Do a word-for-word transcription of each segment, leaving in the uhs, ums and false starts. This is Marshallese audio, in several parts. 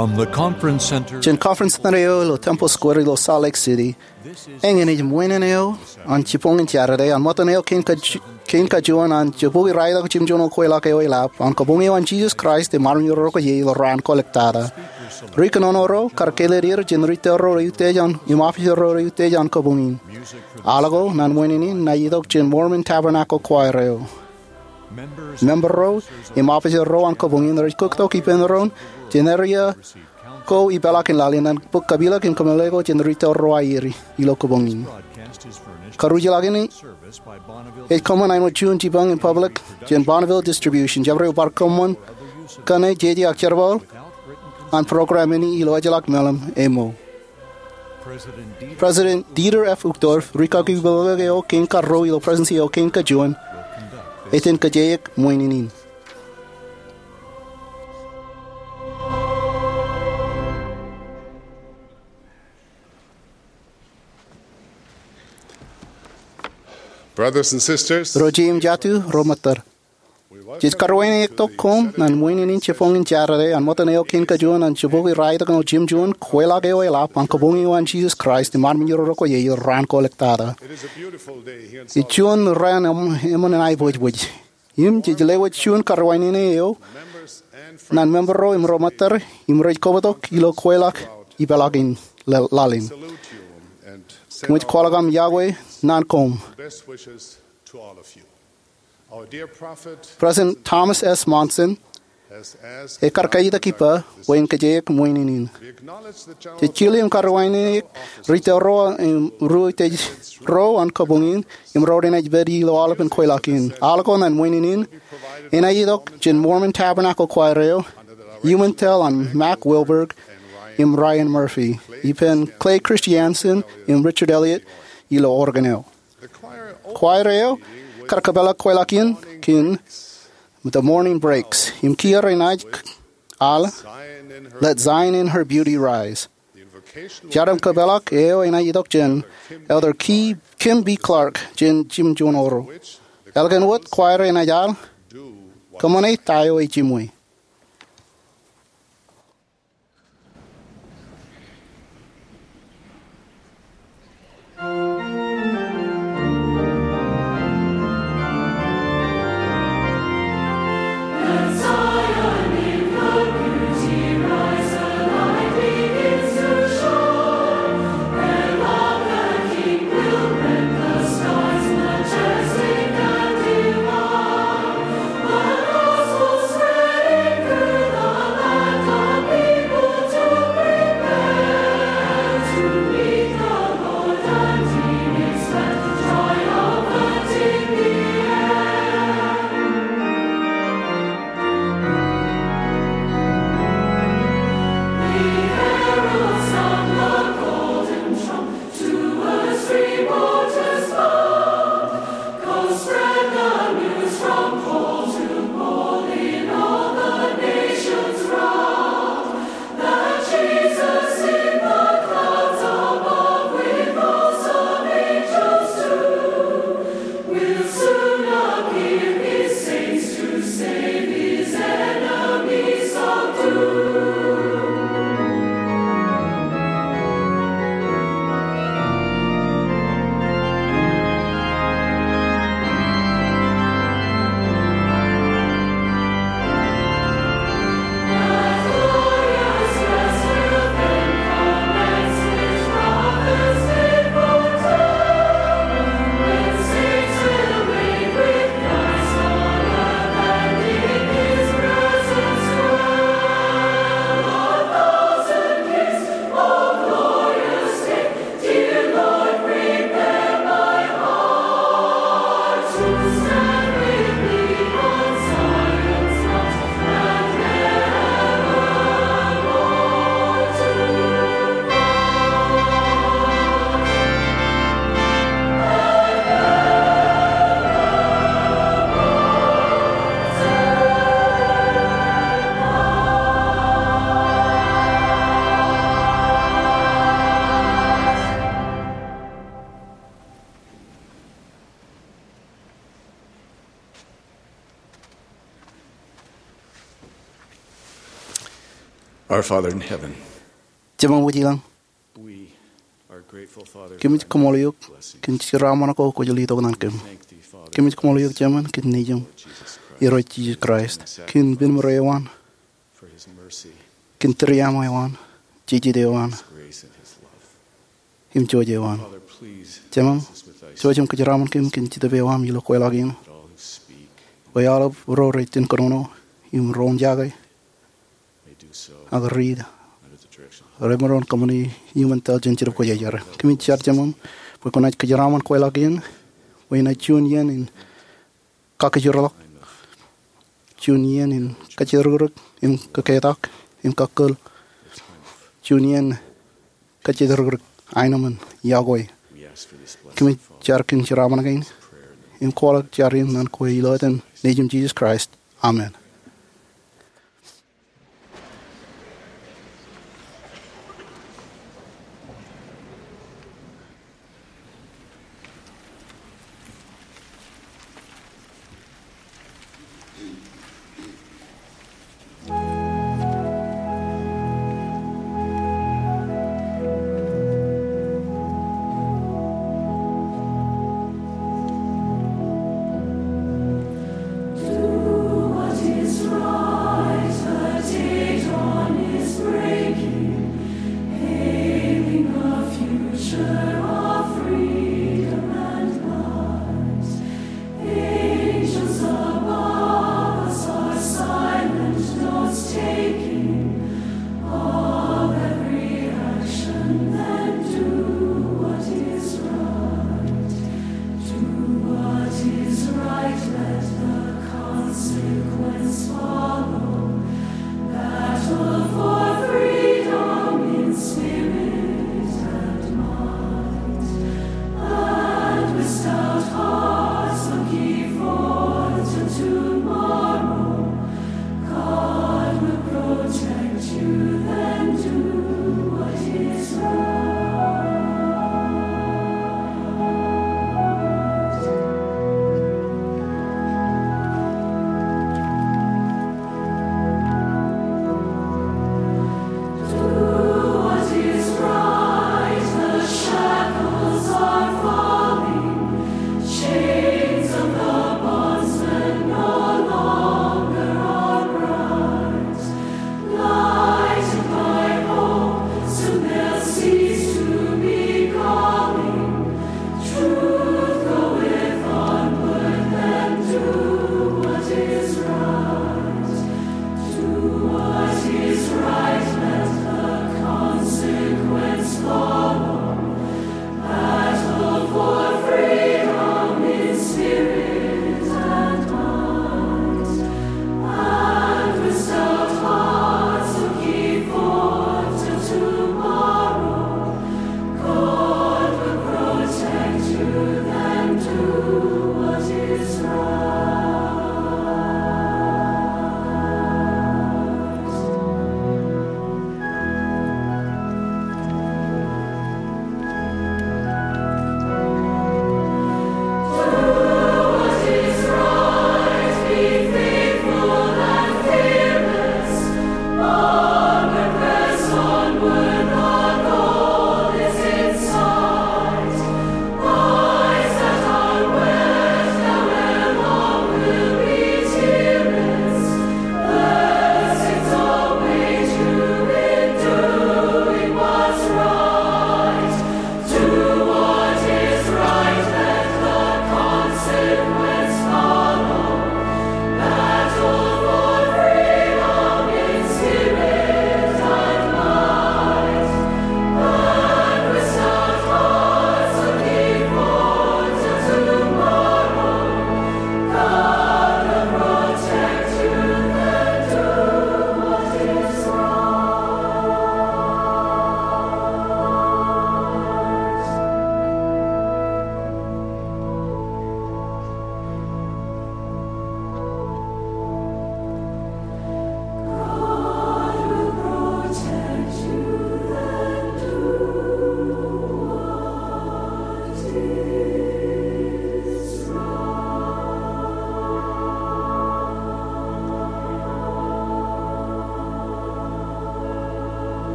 From the conference center jān conference center eo ilo Temple Square ilo Salt Lake City, eñin ej ṃwiin eo an jibboñin Jatade an ṃōttan eo kein kaju-, kein kajuon an jibukwi raetok jimjuon kweilọk eo eḷap an kabuñ eo an Jesus Christ im armej ro ko ie ilo raan kolōktata. Ri kōnono ro kar kāālōt er jān ri tōl ro reutiej an im officer ro reutiej an kabuñ in. Al ko ñan ṃwiin in enaaj itok jān Mormon Tabernacle Choir eo. Member ro im officer ro an kabuñ in rej kuktok ippān doon jān area ko ipeḷaakin laḷ in an bōk kapilōk im kōmeḷeḷe ko jān ri tōl ro aer ilo kabuñ in. Karuj ḷọk in ej kōṃṃan āinwōt juon jipañ in public jān Bonneville Distribution. Jabdewōt bar kōṃṃan kōn jeje ak jerbal an program in ilo ejjeḷọk meḷeḷe eo. President Dieter F. Uchtdorf, ri kaki peḷeḷe eo kein karuo ilo Presidency eo kein kajuon, ej iten kōjeañ ṃwiin in. Brothers and sisters, ro jeiū im jatū, ro ṃōttōr, jej karuwainektok koṃ ñan ṃwiin in jibboñin Jatade an ṃōttan eo kein kajuon an jibukwi raetok eo jimjuon kweilọk eo eḷap an kabuñ eo an Jesus Christ im armej ro ko ie ilo raan kolōktata. Ej juon raan eṃ-, eṃṃan an aiboojboj. Im jej lewōj juon karuwainene eo ñan member ro im ro ṃōttōr im rej kobtok ilo kweilọk ipeḷaakin laḷ in. Kōmij kwaḷọk aṃ iọkwe ñan koṃ. President Thomas S. Monson ekar kaitak ippa bwe en kōjeañ ṃwiin in. Jej kile im karuwainene ri tōl ro im ri reutiej ro an kabuñ in im ro renaaj pād ilo aolepen kweilọk in. Al ko ñan ṃwiin in enaaj itok jān Mormon Tabernacle Choir eo, iuṃwin tōl an Mack Wilberg im Ryan Murphy, ippān Clay Christiansen im Richard Elliott ilo organ eo. Choir eo kar kōpeḷḷọk kweilọk in kōn The Morning Breaks im kiiō renaaj al Let Zion in Her Beauty Rise. Jar im kōpeḷḷọk eo enaaj itok jān Elder Ki-, Kim B. Clark jān jimjuon oro. Ālikin wōt choir enaaj al Kōṃṃane Ta Eo Ejiṃwe. Our Father in heaven, Jemem wōj ilañ, we are grateful, Father, kōmij kaṃṃoolol eok kōn jeraṃṃan ko kwōj letok ñan kōm. Kōmij kaṃṃoolol eok Jemān kōn Nejiṃ, Irooj Jisōs Kraist, kōn pen ṃōro eo an, kōn tūriaṃo eo an, jijet eo an, im jouj eo an. Jemān, jouj im kōjeraaṃṃan kōm kōn Jetōb eo aṃ ilo kweilọk in, bwe aolep ro rej jen kōnono im ro ejake ak riit remaroñ kōṃṃane iuṃwin tōl jān Jetōb Kwōjarjar. Kōmij jar Jemān bwe kwōnaaj kōjeraaṃṃan kweilọk in, bwe enaaj juon iien in kakijjirḷọk, juon iien in kajjitōk rikrik im kōketak im kakkōl, juon iien kajjitōk rikrik aenōṃṃan iọkwe. Kōmij jar kōn jeraaṃṃan kein im kwaḷọk jar in ñan kwe ilo etan Nejiṃ Jisōs Kraist. Amen.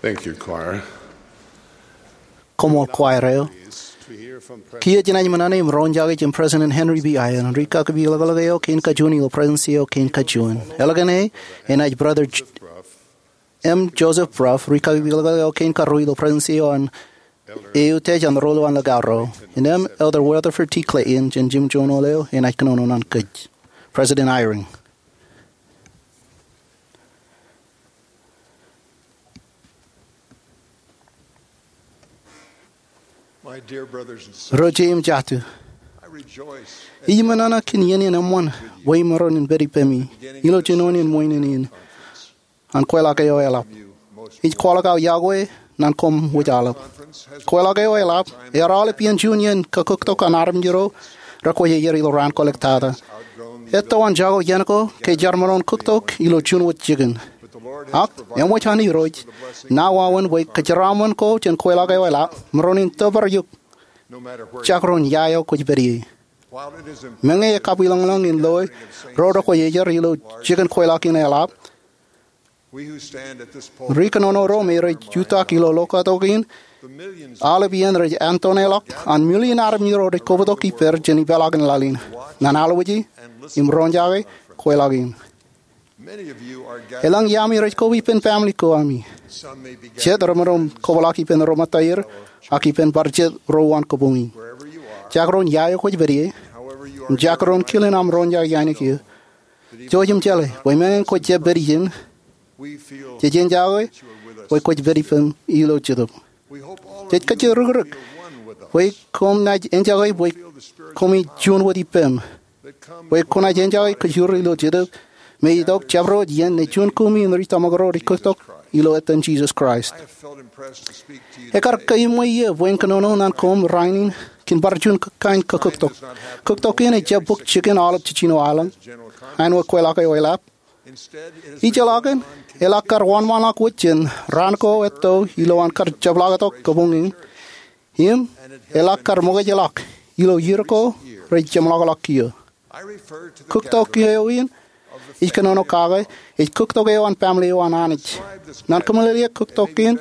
Thank you, choir. Koṃṃool, choir eo. Kiiō jenaaj ṃōṇōṇō im roñjake jān President Henry B. Eyring, rikaki piḷōkḷōk eo kein kajuon ilo Presidensi eo kein kajuon. Eḷap ñan e, enaaj Brother J-, M. Joseph Brough, rikaki piḷōkḷōk eo kein karuo ilo Presidensi eo an E U Tej an Ro Ḷọk Ḷọk Ro. Innām Elder Weatherford T. Clayton, jān jimjuon eo, enaaj kōnono ñan kōj. President Eyring. My dear brothers and sisters, Ro jeiū im jatū, I rejoice at ij ṃōṇōṇō kōn iien in eṃṃan bwe imaroñ in pād ippemi ilo jinoin in ṃwiin in an kweilọk eo eḷap. Ij kwaḷọk aō yokwe ñan koṃ wōj aolep. Kweilọk eo eḷap ear aolep iien juon iien kakōktok an armej ro rekwōj ier ilo raan kōḷḷe tata. Etto an jako iien ko ke jar maroñ kōktok ilo juon wōt jikin. Ak eṃōj an Irooj ṇa wāween bwe kōjeraaṃṃan ko jān kweilọk eo eḷap maroñ in tōpar eok, jekdọọn ia eo kwōj pād ie. Meñe ekabwilōñlōñ in loe ro rekwōj ier ilo jikin kweilọk in eḷap, ri kōnono ro me rej jutak ilo lokatok in, aolep iien rej antoneḷọk an million armej ro rej kobtok ippād jān ipeḷaakin laḷ in ñan alwōje im roñjake kweilọk in. Elōñ iaami rej koba ippān family ko ami. Jet remaroñ kobḷọk ippān ro ṃōttaier ak ippān bar jet ro uwaan kōpooj in. Jekdọọn ia eo kwōj pād ie im jekdọọn kilen aṃ roñjake ainikien, jouj im jeḷā bwe meñe kwōj jab pād ijin, jej enjake bwe kwōj pād ippām ilo jetōb. Jej kajjitōk rikirek bwe koṃ naaj enjake bwe koṃij juon wōt ippām, bwe kwōnaaj enjake kōjro ilo jetōb me itok jabdewōt iien ṇe juon kumi in ri tōmak ro rej kōktok ilo etan Jisōs Kraist. Ekar kōṃṃane eō bwe in kōnono ñan koṃ rainin kōn bar juon kain kakōktok. Kōktok in ejjab bōk jikin aolep jiljino aelōñ, āinwōt kweilọk eo eḷap. Ijeḷọkin, eḷak kar wōnṃaanḷọk wōt jān raan ko etto ilowaan kar jepḷaaktok kōpooj in, im eḷak kar ṃōkajḷọk ilo iiō ko rej jeṃḷọkḷọk kiiō. Kōktok eo in ij kōnono kake ej kōktok eo an family eo an Anij. Ñan kōmeḷeḷeik kōktok in,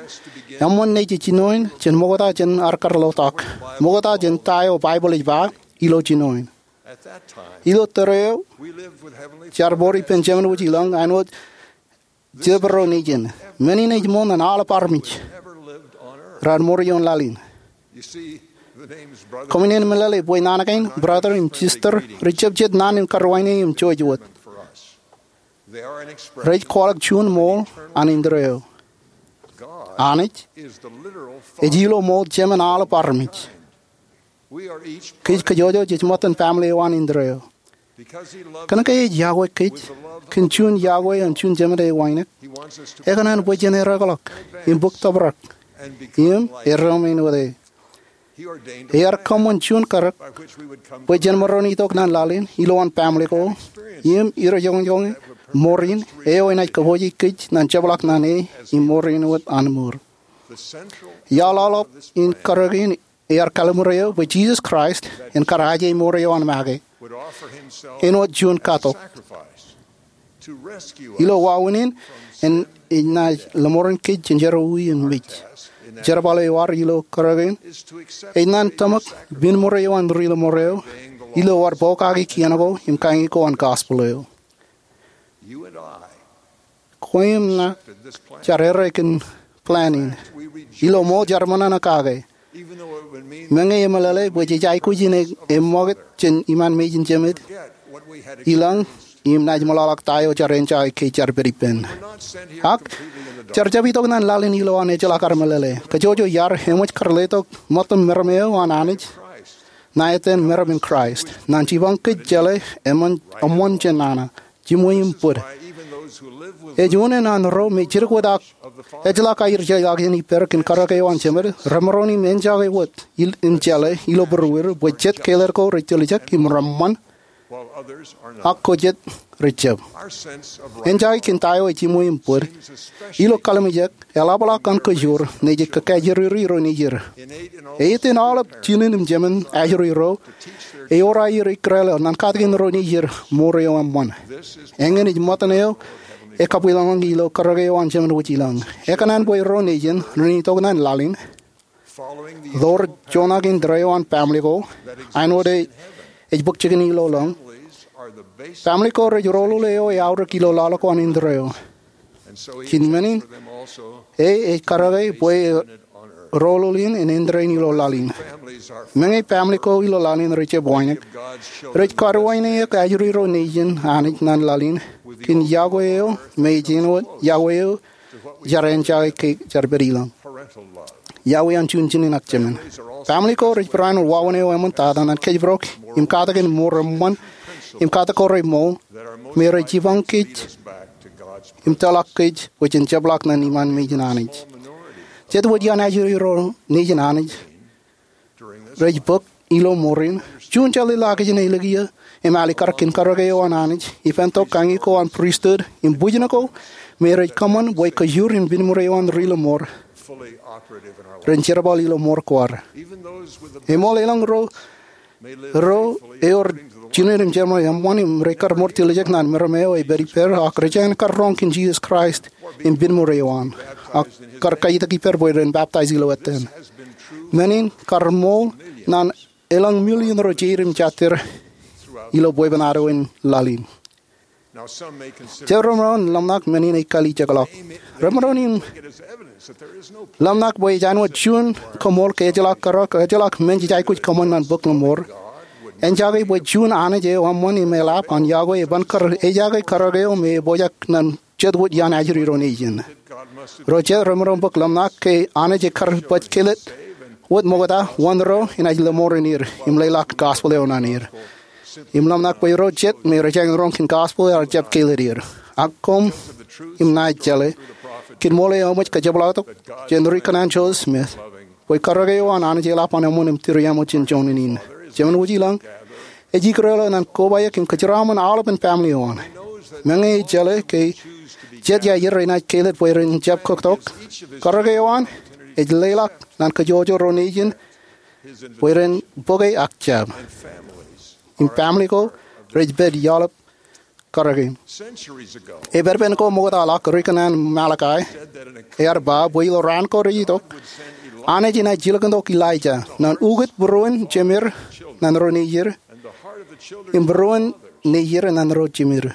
eṃṃan ṇe jej jinoin jān ṃokta jān ad kar lotak, ṃokta jān ta eo Baibōḷ ej ba ilo jinoin. Ilo tōre eo, jar mour ippān Jemān wōj ilọñ āinwōt jepro nejin. Men in ej ṃool ñan aolep armej raar mour ioon laḷ in. Koṃwin meḷeḷe bwe naan kein brother im sister rej jab jet naan in karuwainene im jouj wōt. Rej kwaḷọk juon ṃool an indeeo. Anij ej ilo ṃool Jemān aolep armej. Kōj kajjojo jej ṃōttan family eo an indeeo. Kōnke ej yokwe kōj kōn juon yokwe an juon Jemān eo wānōk, ekōṇaan bwe jen ereokḷọk im bōk tōprak im erom āinwōt e. Ear kōṃṃan juon karōk bwe jen maroñ itok ñan laḷ in ilowaan family ko im iroñjake mour in eo enaaj kōpooje kōj ñan jepḷaak ñan e im mour āinwōt an mour. Iaḷ aolep in karōk in ear kallim̧ur eō bwe Jisōs Kraist en kar aje mour eo an make āinwōt juon katok. Ilo wāween in, enaaj lọmọọren kōj jān jerọwiwi im mej. Jerbal eo ear ilo karōk in ej ñan tōmak men ṃōr eo an ri lọmọọr eo ilo ad pokake kien ko im kañin ko an gospel eo. Kwe im ṇa jar errā kōn plan in. Ilo ṃool jar ṃōṇōṇō kake. Meñe emeḷeḷe bwe jej aikuj in e ṃokta jān iṃaan mejān Jemān ilọñ im naaj meḷọkḷọk ta eo jar enjake ke jar pād ippān. Ak jar jab itok ñan laḷ in ilowaan ejjeḷọk kar meḷeḷe. Kajjojo iar eṃōj kar letok ṃōttan meram eo an Anij ṇa etan meram in Kraist. Ñan jipañ kōj jeḷā eṃṃan, eṃṃan jān nana, jiṃwe im bōd. Ej unin an ro me jidik wōt ak ejjeḷọk aer jeḷā jān ippād kōn karōk eo an Jemān remaroñ in enjake wōt im jeḷā ilo būruod bwe jet kāālōt ko rej tiljek im reṃṃan ak ko jet rej jab. Enjake kōn ta eo ej jiṃwe im bōd ilo kallim̧ur eo eḷapḷọk an kōjro ṇe jej kakajoor ro nejid. Eiten aolep jinen im jemān ajri ro, ewōr aer ikkure ḷọk ñan katakin ro nejid mour eo eṃṃan. Eñin ej ṃōttan eo ekabwilōñḷọk ilo karōke eo an Jemān Wōjilōñ. Ekōṇaan bwe ro nejin ren itok ñan laḷ in, ḷoor juon ak indeeo an baaṃle ko, āinwōt ej bōk jikin ilo laḷ in, baaṃle ko rej roḷoḷ eo eaorōk ilo laḷ ko an indeeo. Kōn men in, e ej karōke bwe e roḷoḷ in indeeo ilo laḷ in. Meñe baaṃle ko ilo laḷ in rej jab wānōk, rej kar wānōk ajri ro nejin Anij ñan laḷ in kōn yokwe eo me ej āinwōt yokwe eo jar āinjake ke jar pād ilōñ, yokwe an juon jinen ak jemān. Baaṃle ko rej barāinwōt wāween eo eṃṃan tata ñan kōjparok im katak in mour eṃṃan im katak ko remool me rej jipañ kōj im tōlọk kōj bwe jen jepḷaak ñan iṃaan mejān Anij. Jet wōt iaan ajri ro nejin Anij rej bōk ilo mour in. Juon jeḷā ilo aō kijenolọk kiiō im alikkar kōn karōke eo an Anij, ippān tok kañi ko an pristut im bwijin ko me rej kōṃṃan bwe kōjur im pineṃṃoor eo an ri lọmọọr ren jerbal ilo mour ko ad. Eṃool elōñ ro ro ewōr jinen im jerbal eṃṃan im rekar mour tiljek ñan meram eo ej pād ippād ak rej jañin kar roñ kōn Jisōs Kraist im pineṃṃoor eo an, ak kar kajjitōk ippād bwe ren baptize ilo ettōn. Men in kar ṃool ñan elōñ million ro jeid im jatid ilo bwebwenato in laḷ in. Jet remaroñ in ḷōmṇak men in ej kalijekḷọk. Remaroñ in ḷōmṇak bwe ej āinwōt juon koṃṃool ke ejjeḷọk kōrā, ke ejjeḷọk men jej aikuj kōṃṃan ñan bok ḷōṃoor, enaaj ke bwe juon Anij eo eṃṃan im eḷap an yokwe eban kar ejake karōke eo me epojak ñan jet wōt iaan ajri ro nejin. Ro jet remaroñ bōk ḷōmṇak ke Anij ekar bōk kāālōt wōt ṃokta wōn ro enaaj lọmọọren er im leḷọk gospel eo ñan er. Im ḷōmṇak bwe ro jet me rej jañin roñ kōn gospel ear jab kāālōt er. Ak koṃ im ṇa ij jeḷā, kōn ṃool eo eṃōj kōjepḷaaktok jān ri kōṇaan Joseph Smith, bwe karōke eo an Anij eḷap an eṃṃan im tūriaṃo jān joñan in. Jemān Wōjilōñ, ej ikōrā ḷọk ñan kobaik im kōjeraaṃṃan aolepen baaṃle eo an. Meñe ej jeḷā ke jet iar renaaj kāālōt bwe ren jab kōktok, karōke eo an ej leḷọk ñan kōjwōjwōj ro nejin bwe ren bōke ak jab. Im baaṃle ko rej pād aolep karōke in. Epedopen ko ṃoktaḷọk, ri kōṇaan Malakai ear ba bwe ilo raan ko rej itok, Anij enaaj jilkintok Elijah ñan ukōt būruon jemed ñan ro nejid im būruon nejid ñan ro jemed.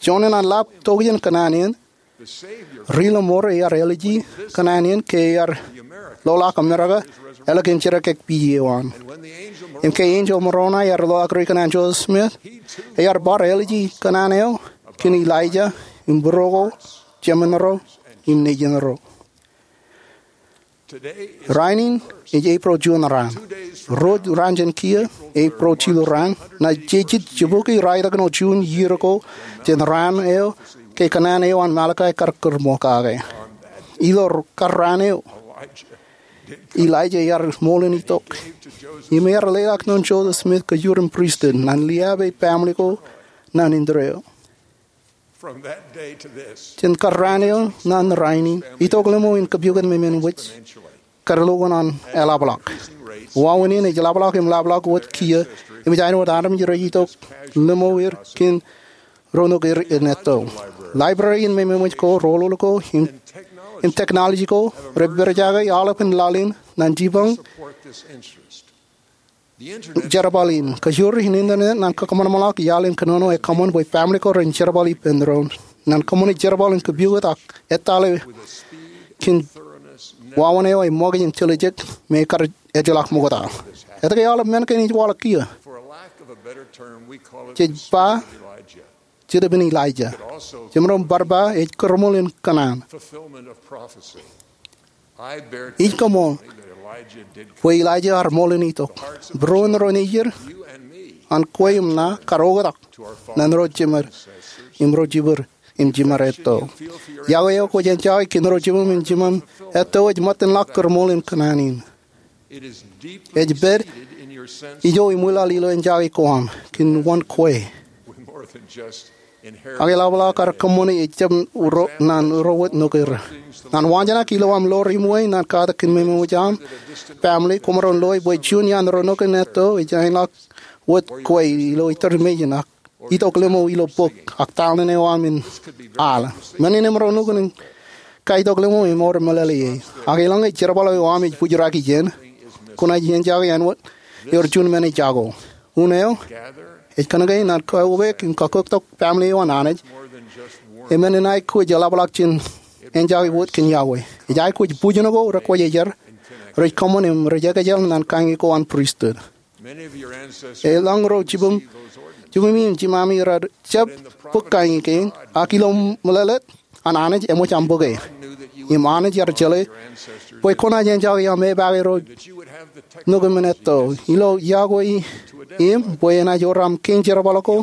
Joñan an lab tokjān kōṇaan in, ri lọmọọr ear āliji kōṇaan in ke ear loḷọk Amerika ālikin jidik ekpij eo an. Im ke enjeḷ Moroni ear loḷọk ri kōṇaan Joseph Smith, ear bar āliji kōṇaan eo kōn Elijah im būruo ko, jemen ro im nejin ro. Rainin ej April juon raan. Ruo raan jān kiiō, April jilu raan, ṇa jejjet jibukwi raelōñ ko juon iiō ko jān raan eo ke kōṇaan eo an Malakai kar kūr ṃool kake. Ilo kar raan eo, Elijah ear ṃool in itok im ear leḷọk ñan Joseph Smith kōjur im pristut ñan liaab e baaṃle ko ñan indeeo. Jān kar raan eo ñan rainin, itok limo in kōpukot memein wōj kar lukkuun an eḷapḷọk. Wāween in ej ḷapḷọk im ḷapḷọk wōt kiiō, im ej āinwōt armej rej itok limo er kōn ro ṇoker in etto. Library in memein wōj ko, roḷoḷ ko, im technology ko reperejake aolepen laḷ in ñan jipañ jerbal in. Kōjur in internet ñan kakōṃanṃanḷọk iaḷ in kōnono ekōṃṃan bwe baaṃle ko ren jerbal ippān doon ñan kōṃṃane jerbal in kōpukot ak ettale kōn wāween eo eṃṃakūt im tiljek me kar ejjeḷọk ṃokta. Etke aolep men kein ej waḷọk kiiō? Jej ba Jet ippān Elijah. Jemaroñ bar ba ej kūrṃool in kōṇaan. Ij koṃṃool bwe Elijah ear ṃool in itok. Būruon ro nejid an kwe im ṇa kar oktak ñan ro jemed im ro jibwid im jiṃor etto. Yokwe eo kwōj ejjake kōn ro jimem im jiṃor etto ej ṃōttan ḷọk kūrṃool in kōṇaan in. Ej pād ijo iṃwilaḷ ilo ejjake ko aṃ kōn wōn kwe. Ak eḷapḷọk ad kōṃṃane ejjab ro, ñan ro wōt ṇoker. Ñan waanjoñak ilo aṃ ḷoor iṃwe ñan katak kōn memein wōj aṃ, baaṃle, kwōmaroñ loe bwe juon iaan ro ṇoker in etto ej āinḷọk wōt kwe ilo iturmejān ak itok limo ilo bok, ak talent eo aṃ in al. Men in eṃro nukun in kaitok limo im ewōr meḷeḷe ie. Ak eḷaññe jerbal eo aṃ ej bōjrak ijeṇ, kwōnaaj enjake āinwōt ewōr juon men ej jako. Un eo, ej kōnke ñan kaubōk im kakōktok family eo an Anij, e men in aikuj eḷapḷọk jān enjake wōt kōn Yahweh. Ej aikuj bwijin ko rekwōjarjar, rej kōṃṃan im rej ekōjel ñan kañin ko an pristut. Eḷaññe ro jibū, jibūmi im jiṃami raar jab bōk kañin kein, ak ilo meḷeḷe an Anij eṃōj aṃ bōke. Im Anij ear jeḷā bwe kwōnaaj enjake aṃ epake ro nukūṃ in etto ilo Yahweh im bwe enaaj ewōr aṃ kein jerbal ko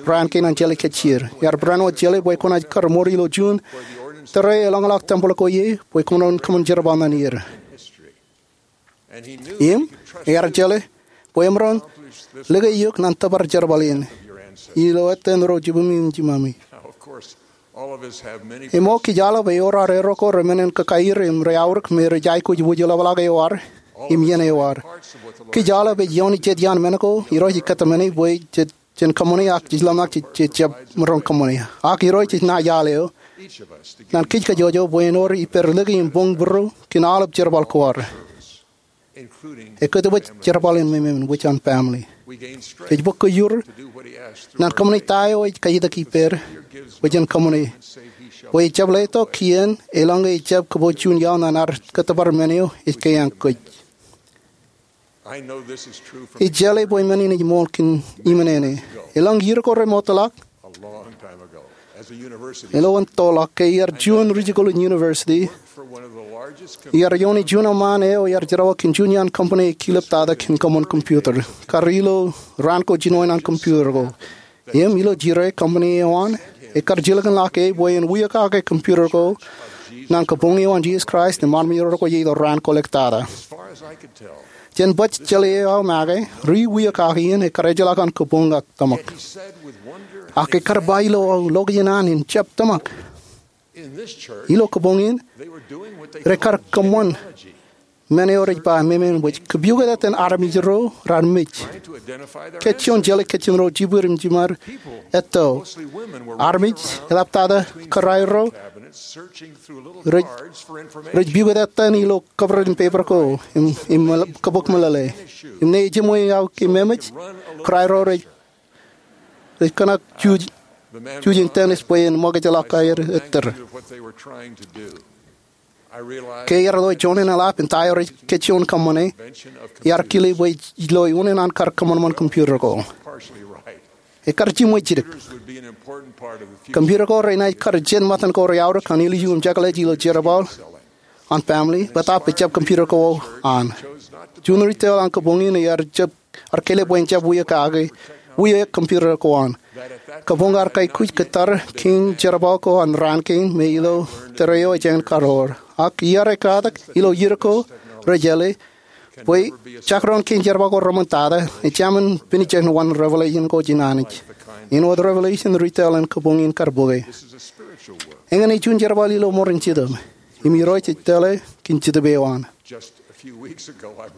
raan kein an jelōt kōjjier. Ear barāinwōt jeḷā bwe kwōnaaj kar ṃor ilo juon tōre eḷañḷọk tempel ko ie bwe kwōmaroñ kōṃṃan jerbal ñan er. Im ear jeḷā bwe emaroñ lōke eok ñan tōpar jerbal in ilo ettōn ro jibūmi im jiṃami. Im o kōj aolep ewōr aer ko remenmen kōkaier im reaorōk me rej aikuj wūjlepḷọk eo ad im iien eo ad. Kōj aolep ej ioon jet iaan men ko Irooj ej kōtmāne bwe jej jen kōṃṃane ak jej ḷōmṇak jej jab maroñ kōṃṃane. Ak Irooj ej naaj al eo ñan kōj kajjojo bwe en ewōr ippād lōke im boñ būruo kōn aolep jerbal ko ad, ekkōtwōj jerbal in memen wōj an family. Jej bōk kōjur ñan kōṃṃane ta eo ej kaitak ippād bwe jen kōṃṃane, bwe ejjab letok kien eḷaññe ejjab kōpooj juon iaḷ ñan ad kōttōpar men eo ej kaiañ kōj. Ij jeḷā bwe men in ej ṃool kōn iṃōn āne. Eḷaññe iiō ko remootḷọk, ilo an toḷọk ke iar juon rijikuḷ in university, iar iooni juon eṃṃaan eo iar jerọwiwi kōn juon iaan company eo kilep tata kōn kōṃṃan computer. Kar ilo raan ko jinoin an computer ko. Im ilo jire company eo an, ekkar jilkinḷọk e bwe en wia kake computer ko ñan kabuñ eo an Jesus Christ im armej ro ko ie ilo raan ko ḷọk tata. Jān baj jeḷā eo aō make, ri wia kake in ekkar ejjeḷọk an kabuñ ak tōmak. Ak ekkar ba ilo aō location an in jab tōmak. Ilo kabuñ in, rekar kōṃṃan men eo rej ba memen wōj, kōpukot etan armej ro raar mej. Kōj juon jeḷā kōj ro jibwid im jiṃad etto. Armej, eḷaptata kōrā ro, rej, rej pukot etan ilo kōpwōj in peper ko im, im kōbōk meḷeḷe. Im ñe ejiṃwe aō keememej, kōrā ro rej, rej kōṇak juj, juj in tennis bwe en ṃōkajḷọk aer ettōr. Ke iar ḷo juon eḷap in ta eo rej kōjjuon kōṃṃane, iar kile bwe ij lo unin an kar kōṃanṃan computer ko. Ekkar jiṃwe jidik. Computer ko renaaj kar jān ṃōttan ko reaorōk an ilju im jekḷaj ilo jerbal an family, bōtaab ejjab computer ko an. Juon ri tōl an kabuñ in iar jab, ar kile bwe en jab wia kake, wia computer ko an. Kabuñ ar kaikuj kōttar kein jerbal ko an raan kein me ilo tōre eo ejān karoor. Ak iar ekkatak ilo iiō ko rejeḷā bwe jekdọọn kein jerbal ko reṃōn tata, ejāmin pād ijin wōn revelation ko jān Anij. Āinwōt revelation ri tōl an kabuñ in kar bōke. Eñin ej juon jerbal ilo ṃōrin Jetōb. Im Irooj ej tōl e kōn Jetōb eo an.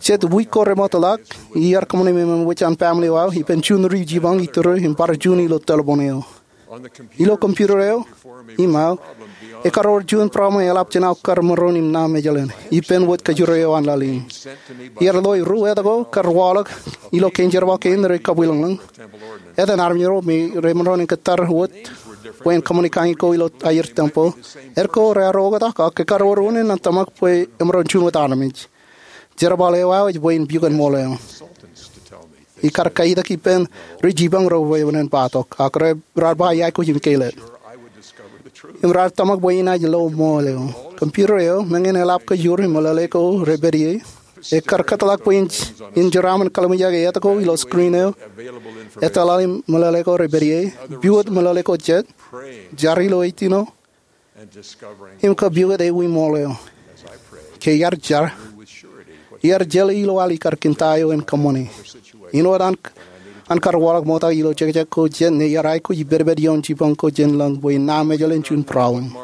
Jet wiik ko remootḷọk, iar kōṃṃane memen wōj an family eo aō, ippān juon ri jipañ iturū im bar juon ilo telepon eo. Ilo computer eo im aō, ekkar wōr juon problem eḷap jān aō kar maroñ im ṇa mejālen ippān wōt kōjro eo an laḷ in. Iar ḷo ru etto ko kar waḷọk ilo kein jerbal kein rej kabwilōñlōñ. Etan armej ro me remaroñ in kōttar wōt bwe en kōṃṃane kañin ko ilo aer tempeḷ, er ko raar oktak ak ekkar wōr unin an tōmak bwe emaroñ juon wōt armej. Jerbal eo aō ej bwe in pukot ṃool eo. Ikar kaitak ippān ri jipañ ro bwe en bōktok, ak raar ba iaikuj im keilōk. Im raar tōmak bwe inaaj lo ṃool eo. Computer eo, meñe en eḷap kōjur im meḷeḷe ko rej pād ie, ekkar kōtḷọk bwe in, in jeraaṃṃan kallimjeke etto ko ilo screen eo. Etto laḷ im meḷeḷe ko rej pād ie, pukot meḷeḷe ko jet, jar ilo Eighteen oh, im kōpukot ewi ṃool eo. Ke iar jar, iar jeḷā ilo al ikar kōn ta eo en kōṃṃane. Āinwōt an, an kar waḷọk ṃokta ilo jekjek ko jet ñe iar aikuj ipedped ioon jipañ ko jān lōñ bwe en ṇa mejālen juon problem.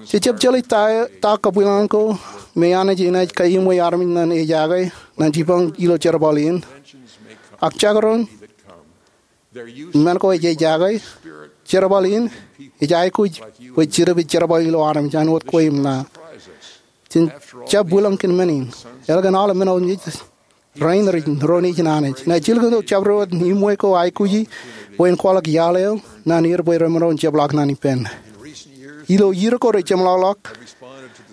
Jej jab jeḷā ta, ta kabwilōñlōñ ko me Anij enaaj kaiṃwe armej ñan ejake ñan jipañ ilo jerbal in. Ak jekdọọn Men ko ej ejaake. Jerbal in ej aikuj bwe Jetōb ej jerbal ilo armej āinwōt kwe im ḷaḷ. Jen jab wilōñ kōn men in. Eḷap an aolep men otemjej rein rej ro nejin Anij. Ña ij jilkintok jabdewōt iṃwe ko aikuji bwe en kwaḷọk iaḷ eo ñan er bwe remaroñ in jepḷaak ñan ippān. Ilo iiō ko rej jeṃḷọkḷọk,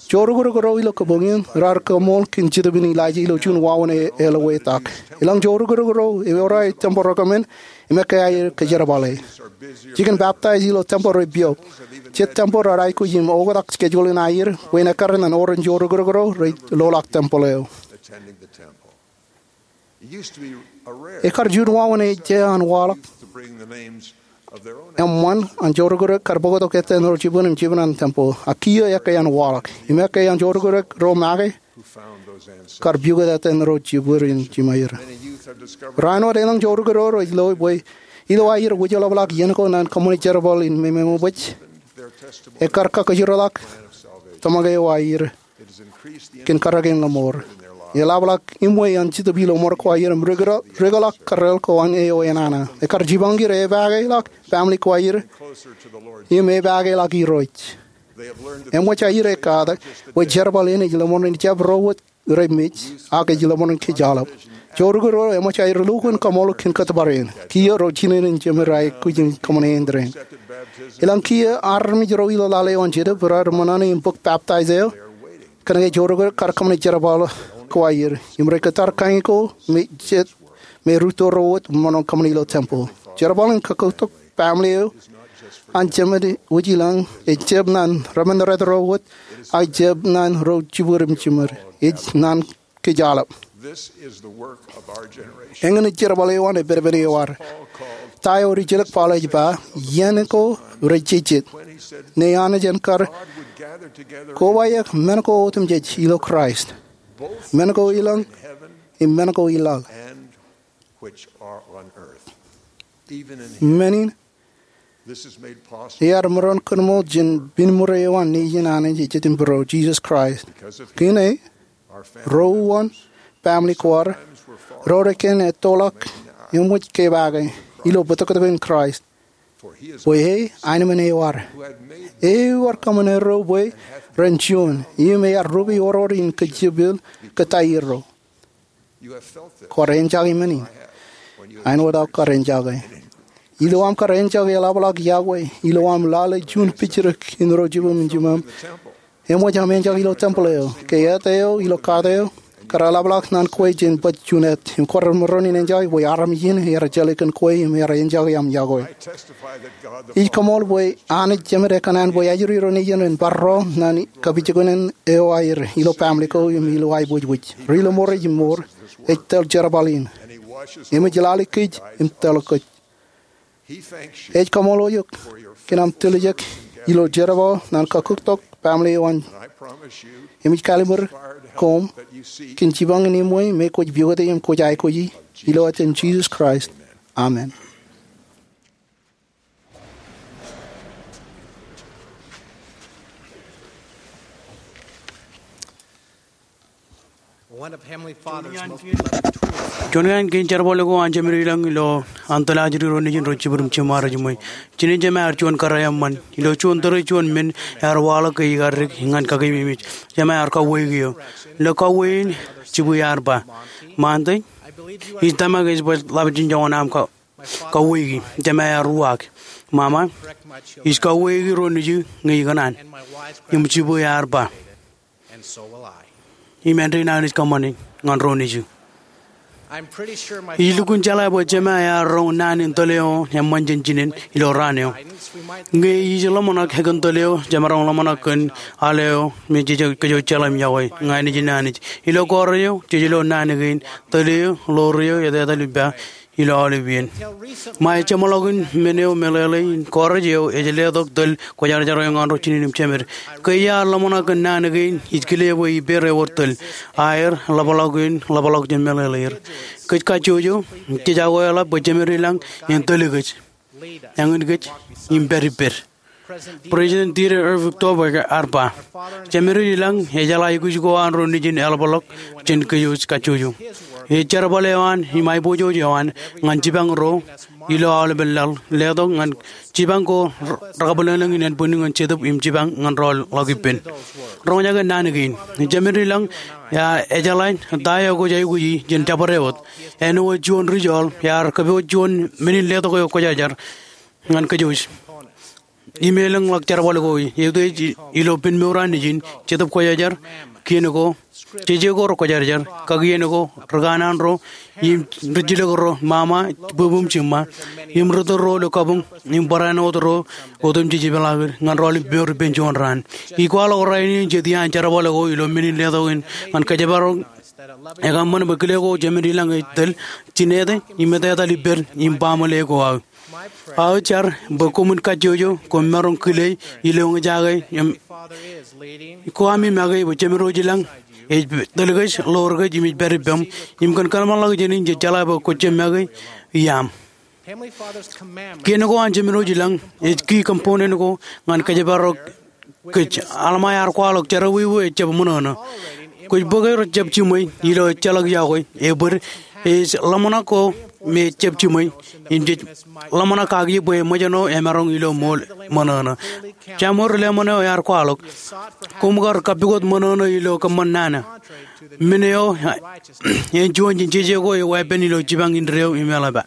joorōkrōk ro ilo kabuñ in raar kaṃool kōn Jetōb in Ilaija ilo juon wāween e- eḷap etal. Eḷaññe joorōkrōk ro eor aer tempel recommend, im ekkā aer kōjerbale. Jikin peptaij ilo tempel rej piọk. Jet tempel raar aikuj im oktak schedule in aier bwe en ekkar ñan oren joorōkrōk ro rej loḷọk tempel eo. Ekkar juon wāween ej jea an waḷọk eṃṃan an joorōkrōk kar bōktok etaer ro jibwin im jibwin an tempel. Ak kiiō ekkā an waḷọk im ekkā an joorōkrōk ro make kar pukot etaer ro jibwin im jiṃor. Rainin wōt eḷaññe joorōkrōk ro rej lo bwe ilo aer wūjḷapḷọk iien ko ñan kōṃṃane jerbal in memeṃōj, ekkar kakajoorḷọk tōmak eo aer kōn karōk in ḷōṃor. Eḷapḷọk iṃwe an Jetōb ilo ṃōrok ko aer im rūkōḷọk kōrreḷ ko an eo enana. Ekkar jipañ er epaake ḷọk family ko aer im epaake ḷọk Irooj. Eṃōj aer ekkatak bwe jerbal in ej ḷōṃor in jab ro wōt rej mej, ak ej ḷōṃor in kōjjeḷọk. Joorōkrōk ro eṃōj aer lukkuun kaṃool kōn kōttōpar in. Kiiō ro jinen in jemed aikuj in kōṃṃane āindein. Eḷaññe kiiō armej ro ilo laḷ eo an Jetōb raar ṃōṇōṇō im bōk peptaij eo, kōnke joorōkrōk kar kōṃṃane jerbal ko aer im rej kōttar kain ko me jet me rūtto ro wōt ṃōṇōṇō kōṃṃane ilo tempel. Jerbal in kakūktok family eo an jemed wōj ilañ, ej jab ñan remeneret ro wōt, ak ej jab ñan ro jibwin im jiṃor. Ej ñan kōjjeḷọk. Eñin ej jerbal eo an epedepen eo ad. Ta eo rijjelōk Paul ej ba, iien ko rej jejjet ñe Anij en kar kobaik men ko otemjej ilo Kraist, men ko ilañ im men ko ilañ. Men in ear maroñ kōṃṃan jān binmūrō eo an Nejin Anij ej Jetōb in Būruō, Jisōs Kraist. Kōn e, ro uwaan family ko ad, ro rej kōn ettoḷọk, eṃōj kepaake ilo bōtōktōkin Kraist. Bwe e aenōṃṃan eo ad. Ear kōṃṃan erro bwe ren juon, im ear rupe oror in kōjepel kōttar erro. Kwōj enjake men in. Āinwōt aō kar enjake. Ilo aṃ kar enjake eḷapḷọk iọkwe, ilo aṃ lale juon pijrōk in ro jibwim im jiṃaṃ, eṃōj aṃ enjake ilo tempel eo, ke et eo ilo kaat eo, kar eḷapḷọk ñan kwe jān baj juon et, im kwōj maroñ in enjake bwe armej in ear jeḷā kōn kwe im ear enjake aṃ iọkwe. Ij kaṃool bwe Anij Jemed ekōṇaan bwe ajri ro nejin en bar ro ñan kapijuknen eo aer ilo family ko im ilo aiboojoj. Ri-ḷōṃor ej mour, ej tōl jerbal in, im ej lale kōj im tōl kōj. Ej kaṃool eok kōn aṃ tiljek ilo jerbal ñan kakūktok family eo an. Im ij kallimur koṃ kōn jipañ in iṃwe me kwōj pukote im kwōj aikuji, ilo etan Jisōs Kraist. Amen. Juon kain kein jerbal ko an Jemād ilañ ilo an tōl ajri ro nejin ro jibwin im jiṃor ej iṃwe. Jinen Jemād ear juon kōrā eṃṃan. Ilo juon tōre juon men ear waḷọk ke ikar dik ñan kakememej. Jemād ear kauweik eō. Ilo kauwe in, jibwe ear ba, Ṃaantak, ij tōmak ej baj ḷap jān joñan aṃ ka- kauweiki. Jemād ear uwaak, Ṃaṃa, ij kauweiki ro nejū ñe ikōṇaan. Im jibwe ear ba, Im āindein Anij kōṃṃane ñan ro nejū. Ij lukkuun jeḷā bwe Jemād ear roñ naan in tōl eo eṃṃan jān jinen ilo raan eo. Ñe ij ḷōmṇak kōn tōl eo jemaroñ ḷōmṇak kōn aḷ eo me jej kōjjeḷā im iọkwe, ña nejin Anij. Ilo kōrā eo jej lo naan kein, tōl eo, ḷoor eo, etetal ippa, ilo aolep iien. Ṃae jeṃḷọkin men eo meḷeḷe in kōrā eo ej letok tōl kwōjarjar eo ñan ro jinen im jemed. Ke iar ḷōmṇak kōn naan kein, ij kile bwe ippāer ewōr tōl. Aer, ḷapḷọk in, ḷapḷọk jān meḷeḷeir. Kōj kajjojo, jej akwāālōt bwe Jemād ilañ en tōl kōj, eñin kōj, im pād ippād. President Dieter F. Uchtdorf ear ba, Jemād ilañ ejeḷā ikuj ko an ro nejin eḷapḷọk jān kōj kajjojo. Ej jerbal eo an im aiboojoj eo an ñan jipañ ro ilo aolepen laḷ, letok ñan jipañ ko rekabwilōñlōñ in ānbwinnin ñan Jetōb im jipañ ñan rọọl ḷọk ippān. Roñjake naan kein. Jemedelañ ear ejeḷā ta eo kwōj aikuji jān jabdewōt. Āinwōt juon ri joḷ ear kōpooj juon men in letok eo kwōjarjar ñan kōjwōj im elōñḷọk jerbal ko. Eutiej ilo pen mour an nejin, Jetōb Kwōjarjar, kien ko, jeje ko rekwōjarjar, kakien ko, ri kanaan ro, im ri jilōk ro, mama, bwebweṃ jiṃṃa, im ri tōl ro ilo kabuñ, im barāinwōt ro otemjej ipeḷaakin ñan rọọl im mour ippān juon raan. Ij kwaḷọk rainin jet iaan jerbal ko ilo men in letok in ñan kōjparok ekaṃṃan bwe kile ko Jemedelañ ej tōl, jinete, im etetal ippād im baaṃle ko aō. Aō jar bwe koṃwin kajjojo, koṃ maroñ kile ilo eñjake im ko ami make bwe Jemedelañ ej tōl kōj, ḷoor kōj im ej pād ippām, im kōn kōḷmānḷọkjeṇ in jej jeḷā bwe kwōj jab make iaam. Kien ko an Jemedelañ ej key component ko ñan kōjparok kōj. Alma ear kwaḷọk, jerọwiwi ejjab ṃōṇōṇō. Kwōj bōke rejjab jiṃwe ilo ejjeḷọk yokwe, ebōd, ej ḷōmṇak ko me ejjab jiṃwe, im jej ḷōmṇak kaki bwe ṃōjṇọ emaroñ ilo ṃool ṃōṇōṇō. Samuel ri lemon eo ear kwaḷọk, koṃ kar kappukot ṃōṇōṇō ilo kōṃṃan nana. Men eo en juon jān jeje ko eo epen ilo jipañ indeeo im eḷap.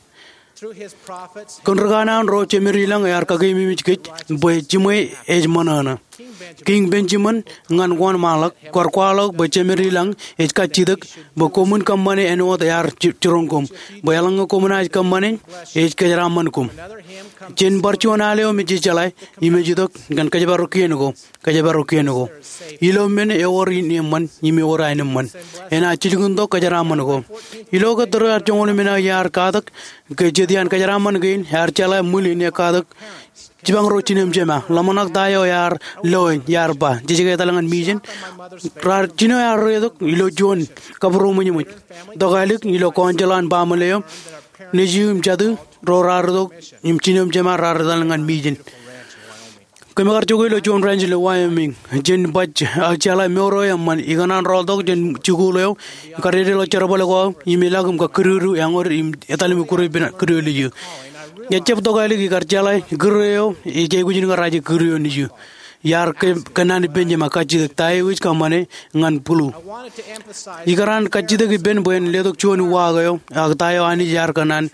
Kōn ri kanaan ro Jemedelañ ear kakeememej kōj bwe jiṃwe ej ṃōṇōṇō. Kiiñ Benjamin ñan wōnṃaanḷọk, kwōj kwaḷọk bwe Jemedelañ ej kajjitōk bwe koṃwin kōṃṃane āinwōt ear ji-, jiroñ koṃ, bwe eḷaññe koṃ naaj kōṃṃane, ej kōjeraaṃṃan koṃ. Jen bar juon al eo me jej jeḷā im ej itok kōn kōjparok kien ko. Kōjparok kien ko. Ilo men ewōr in eṃṃan im ewōr aenōṃṃan, enaaj jilkintok kōjeraaṃṃan ko. Ilo ke tōre ear joñoul emān, ear katak ke jet iaan kōjeraaṃṃan kein, ear jeḷā ṃwil in ekatak jipañ ro jinem jema. Ḷōmṇak ta eo ear loe, ear ba, jej ke etal ñan mission. Raar jino ear reitok ilo juon kabūroṃōjṃōj. Tokālik ilo council an baaṃle eo, nejū im jatū ro raar itok im jinem jema raar etal ñan mission. Kōm kar jokwe ilo juon ranch ilo Wyoming. Jen baj, a, jeḷā mour eo eṃṃan, ikōṇaan rọọltok jān jikuuḷ eo, kadedeḷọk jerbal ko aō, im ilọk im kakidiwōj eñood im etal im ikkure ippān kidiwōj nejū. Ejjab tokālik, ikar jeḷā kūr eo ej aikuj in kar aje kūr eo nejū. Iar kō-, kōnnaan ippān jema kajjitōk ta eo ij kōṃṃane ñan bulu. Ikōṇaan kajjitōk ippān bwe en letok juon uwaak eo, ak ta eo Anij ear kōnnaan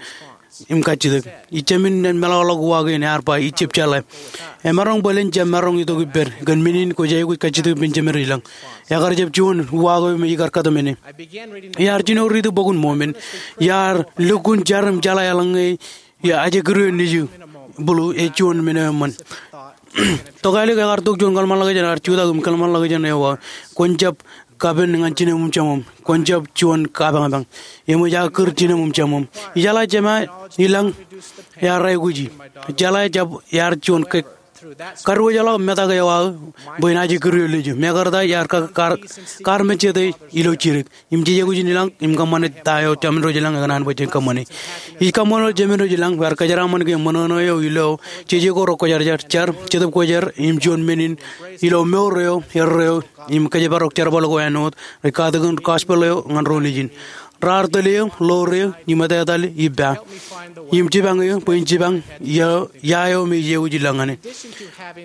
im kajjitōk. Ij jāmin en meḷọkḷọk uwaak in, ear ba, ij jab jeḷā. Emaroñ bōlen jab maroñ itok ippād kōn men in kwōj aikuj kajjitōk ippān Jemedelañ. Ekar jab juon uwaak eo me ikar kōtmāne. Iar jino riiti bok in Mormon. Iar lukkuun jar im jeḷā eḷaññe ia aje kūr eo nejū bulu ej juon men eo eṃṃan. Tokālik ekar tok juon kōḷmānḷọkjeṇ ear jutak im kōḷmānḷọkjeṇ eo ba, kwōn jab kapen ñan jinem im jeṃṃōṃ. Kwōn jab juon kapañpañ. Eṃōj aō kūr jinem im jeṃṃōṃ. Ijeḷā jema ilañ ear aikuji. Jeḷā jab ear juon ke-, kadiwōjḷọk metak eo aō bwe en aje kūr eo nejū. Mekarta iar ka-, kar-, kar mejete ilo jidik. Im jej aikuj in ilañ im kōṃṃane ta eo Jemedelañ ekōṇaan bwe jen kōṃṃane. Ij kaṃṃoolol Jemedelañ bwe ear kōjeraaṃṃan ke ṃōṇōṇō eo ilo jeje ko rekwōjarjar, jar, Jetōb Kwōjarjar, im juon men in ilo mour eo, erreo, im kōjparok jerbal ko āinwōt rej katakin gospel eo ñan ro nejin. Raar tōl eō, ḷoor eō, im etetal ippa. Im jipañ eō, bwe in jipañ ia, ia eo me ij aikuj in lañ ñane.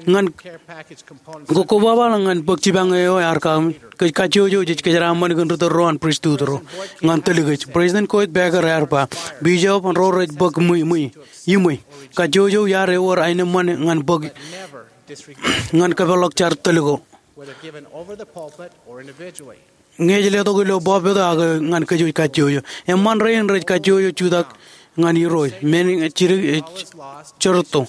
Ñan ko-, kobabaḷọk ñan bōk jipañ eo ear kaaṃ, kōj kajjojo jej kōjeraaṃṃan kōn ri tōl ro an pristut ro ñan tōl kōj. President Coit Packer ear ba, bishop ro rej bōk ṃwi, ṃwi, iṃwe. Kajjojo iar ewōr aenōṃṃan ñan bōk, ñan kōpeḷḷọk jar tōl ko. Ñe ej letok ilo pulpit ak ñan kōj kajjojo. Eṃṃan rein rej kajjojo jutak ñan Irooj. Men jidik ej jerto.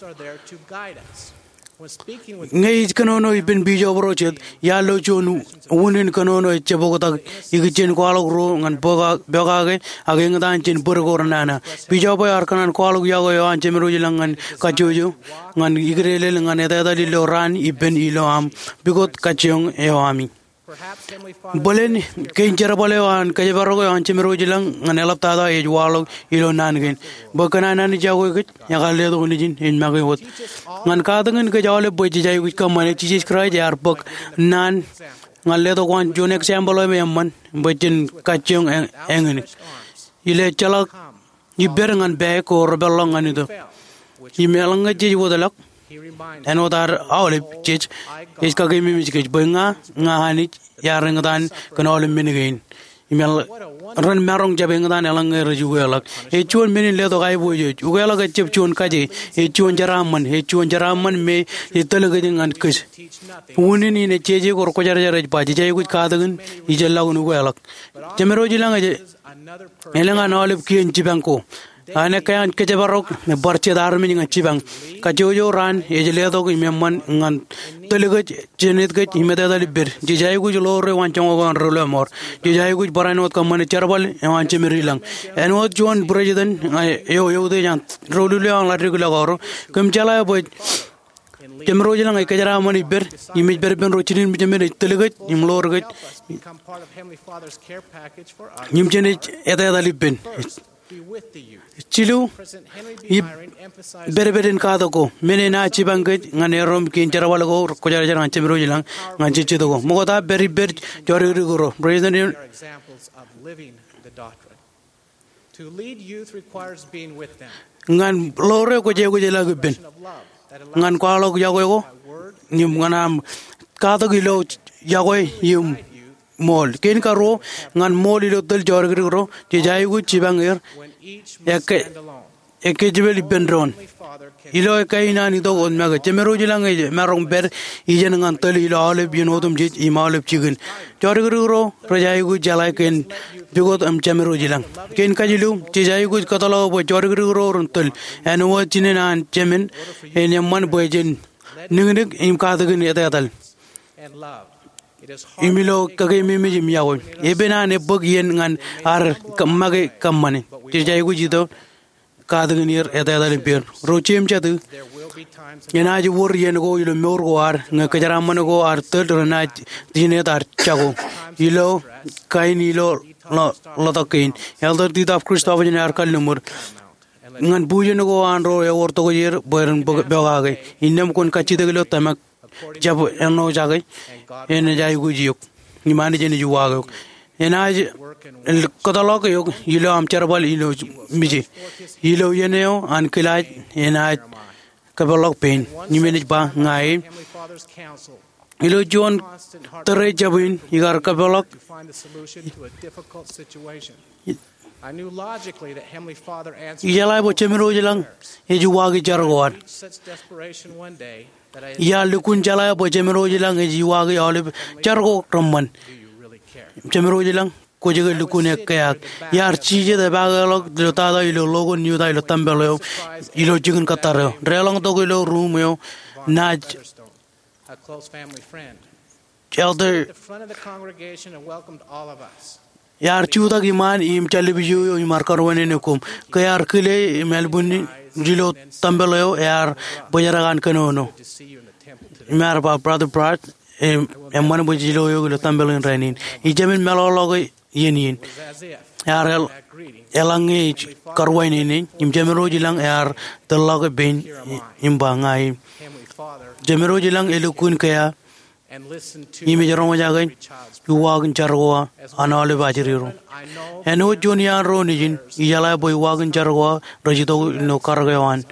Ñe ij kōnono ippān bishop ro jet, iar lo juon unin kōnono ejjab oktak ikijjien kwaḷọk ruo ñan pokake, pokake ak eñtaan jān bōd ko renana. Bishop eo ear kōṇaan kwaḷọk yokwe eo an Jemedelañ ñan kajjojo, ñan ikdeḷeḷ, ñan etetal ilo raan ippān ilo aṃ pukot kajjioñ eo ami. Bōlen kein jerbal eo an kōjparok eo an Jemedelañ ñan eḷaptata ej waḷọk ilo naan kein. Bwe kōn an Anij iọkwe kōj, ekar letok nejin en make wōt. Ñan katakin kōj aolep bwe jej aikuj kōṃṃane, Jisōs Kraist ear bōk naan Ñan letok waan juon example eo im eṃṃan bwe jen kajjioñ āñ-, āñin. Ilo ejjeḷọk ippād ñan pā ko repeḷḷọk ñan itok. Im eḷaññe jej wōtlọk, āinwōt ad aolep jej, ej kakeememej kōj bwe ña, ña Anij iar eñtaan kōn aolep men kein. Im eḷ-, ren maroñ jab eñtaan eḷaññe rej ukeḷọk. Ej juon men in letok aiboojoj. Ukeḷọk ejjab juon kaje. Ej juon jeraaṃṃan. Ej juon jeraaṃṃan me ej tōl kōj ñan kōj. Unin in ej jeje ko Kwōjarjar ej ba, jej aikuj katakin, ijellọkin ukeḷọk. Jemedwōj ilañ ej elōñ an aolep kien jipañ ko. An ekkā an kōjparok me bar jet armej ñan jipañ. Kajjojo raan ej letok im eṃṃan ñan tōl kōj, jenet kōj im etetal ippād. Jej aikuj ḷoor eo an joñak eo an doulul ṃoor. Jej aikuj barāinwōt kōṃṃane jerbal eo an Jemed ilañ. Āinwōt juon president eo eutiej an doulul eo an ḷaddik ḷọk ro, kōm jeḷā bwe Jemedwōj ilañ ej kōjeraaṃṃan ippād, im ej pād ippān ro jinen mejemed ej tōl kōj, im ḷoor kōj, im jenaaj etetal ippān. Jilu, ij pedped in katak ko, men enaaj jipañ kōj ñan erom kien jerbal ko Kwōjarjar ñan Jemedwōj ilañ ñan jejjet ko. Ṃokta pād ippād jodikdik ro. President Ñan ḷoor eo kwōj aikuj ilọk ippān. Ñan kwaḷọk yokwe ko. Im ñan aṃ katak ilo yokwe im ṃool. Kein karuo, ñan ṃool ilo tōl jodikdik ro, jej aikuj jipañ er. Ekkā, ekkā jepel ippān doon. Ilo ekkā in an itok wōt make, Jemedwōj ilañ ej maroñ pād iien ñan tōl ilo aolep iien otemjej im aolep jikin. Jodikdik ro rej aikuj jeḷā kōn pukot im Jemedwōj ilañ. Kein kajilu, jej aikuj kōtḷọk bwe jodikdik ro ren tōl. Āinwōt jinen an Jemed, en eṃṃan bwe jen niknik im katakin etetal. Im ilo kakeememej im yokwe. Epen an ebōk iien ñan ad make kōṃṃane. Jej aikuj itok katakin er etetal ippāer. Ro jeiū im jatū, enaaj wōr iien ko ilo mour ko ad ñe kōjeraaṃṃan ko ad tōl renaaj jinet ad jako. Ilo kain ilo ḷo-, ḷotak kein, Elder Dieter Christofferson ear kalliṃur ñan bujen ko an ro ewōr tokjāer bwe ren pokake. Innām kwōn kajjitōk ilo tōmak jab ennojake, enaaj aikuj eok. Im Anij enaaj uwaak eok. Enaaj kōtḷọk eok ilo aṃ jerbal ilo mije. Ilo iien eo an kilaaj enaaj kōpeḷḷọk pein. Im enaaj ba ña e. Ilo juon tōre jab in ikar kōpeḷḷọk. Ijeḷā bwe Jemedwōj ilañ ej uwaaki jar ko ad. Iar lukkuun jeḷā bwe Jemedwōj ilañ ej uwaaki aolep jar ko reṃṃan. Jemedwōj ilañ, kwōj ke lukkuun ekkā ak. Iar jijet epaakḷọk ilo tata ilo Logan, Utah ilo tempel eo ilo jikin kōttar eo. Deḷọñtok ilo ruum eo naaj Elder, iar jutak iṃaan im jallib ijo eo im ar kōrwānene koṃ. Ke ear kile im ālbuñin ilo tempel eo ear bōjrak an kōnono. Im ear ba Brother Pratt, eṃṃan bwe jej lo eok ilo tempel in rainin. Ij jemān meḷọkḷọke iien in. Ear eḷ-, eḷaññe ej kōrwānene, im Jemedwōj ilañ ear tōlḷọke pein im ba ña e. Jemedwōj ilañ elukkuun kea, im ej roñjake uwaak in jar ko an aolep ajri ro. Āinwōt juon iaan ro nejin, ijeḷā bwe uwaak in jar ko rej itok ilo karōk eo an.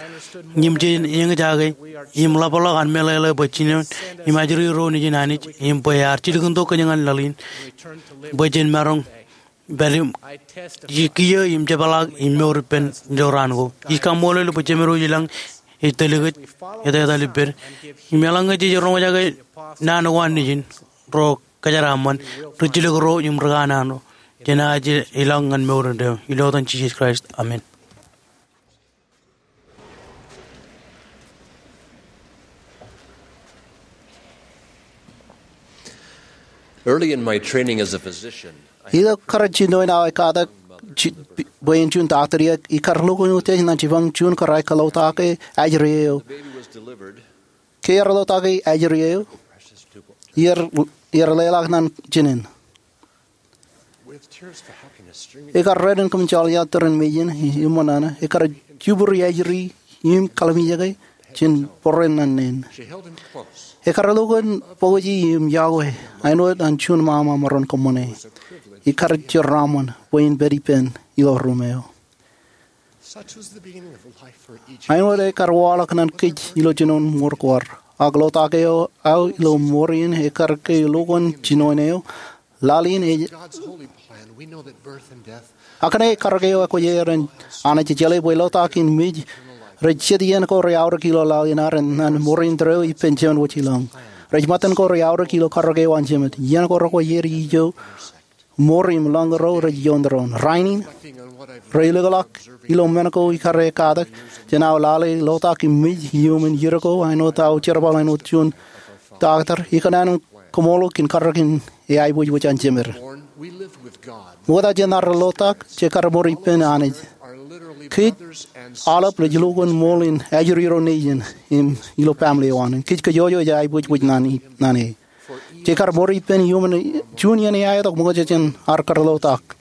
Im jen eñjake, im ḷapḷọk an meḷeḷe bwe jinen im ajri ro nejin Anij, im bwe ear jilkintok kōj ñan laḷ in, bwe jen maroñ pād im, ij kiiō im jepḷaak im mour ippān ilo raan ko. Ij kaṃṃoolol bwe Jemedwōj ilañ ej tōl kōj, etetal ippād. Im eḷaññe jej roñjake naan ko an nejin, ro kōjeraaṃṃan, rijjilōk ro im rikanaan ro, jenaaj ilọk ñan mour indeeo. Ilo etan Jisōs Kraist, amen. Early in my training as a physician, I Ilo kar jinoin aō katak ji-, bwe en juon taktō eo, ikar lukkuun utiej ñan jipañ juon kōrā eo kōḷotak ajri eo. Ke ear ḷotak ajri eo, iar, iar leḷọk ñan jinen. Ekar ren kōm joḷọk tōre in mejān, eṃṃan an, ekar jibūri ajri im kalimjeke jān bōran ñan neen. Ekar lukkuun bōkjein im yokwe. āinwōt an juon ṃaṃa maroñ kōṃṃane. Ikar jeraaṃṃan bwe in pād ippān ilo ruum eo. Āinwōt ekar waḷọk ñan kōj ilo jinoin mour ko ad. Ak lotak eo aō ilo ṃoor in ekar ke lukkuun jinoin eo, laḷ in ej Ak kōnke karōk eo ekwōj eran Anij ej jeḷā bwe lotak in mej rej jet iien ko reaorōk ilo laḷ in ad ñan ṃoor in tōre eo ippān Jemān Wōj Ilañ. Rej ṃōttan ko reaorōk ilo karōk eo an Jemān. Iien ko rekwōj er ijo ṃoor im lañ ro rej ioon doon. Rainin, reilōkḷọk ilo men ko ikar ekkatak jān aō lale lotak im mej iuṃwin iiō ko āinwōt aō jerbal āinwōt juon doctor, ikōṇaan in kōṃṃool kōn karōk in eaibwijwij an Jemān. Ṃokta jān ad lotak, jekar ṃoor ippān Anij. Kōj aolep rej lukkuun ṃool in ajri ro nejin im ilo family eo an. Kōj kajjojo ej aibwijwij ñan e. Jekar ṃoor ippān iuṃwin juon iien eaetok ṃokta jān ad kar lotak.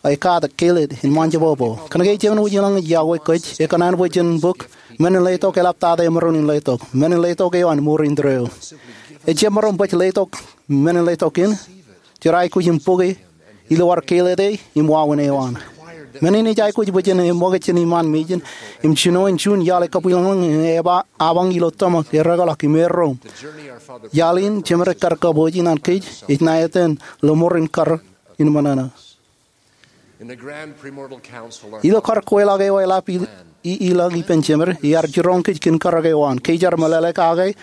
Ekkatak, kelōt im ṃōjṇọ. Kōnke Jemān Wōj Ilañ ej yokwe kōj, ekōṇaan bwe jen bōk men in letok eḷaptata emaroñ in letok. Men in letok eo an ṃoor in tōre eo. Ejjab maroñ baj letok men in letok in, jeraikuj im bōke ilo ad kelōte im wāween eo an. Men in ej aikuj bwe jen eṃōkaj jān iṃaan mejān im jinoin juon iaḷ ekabwilōñlōñ im ebabañ ilo tōmak, ereokḷọk im erro. Iaḷ in Jemān ekar kabooji ñan kōj ej ṇa etan ḷōṃoor in kar in ṃōṇōṇō. Ilo kar kweilọk eo eḷap i, i, ilañ ippān Jemān, iar jiroñ kōj kōn karōk eo an. Ke ijar meḷeḷe kake,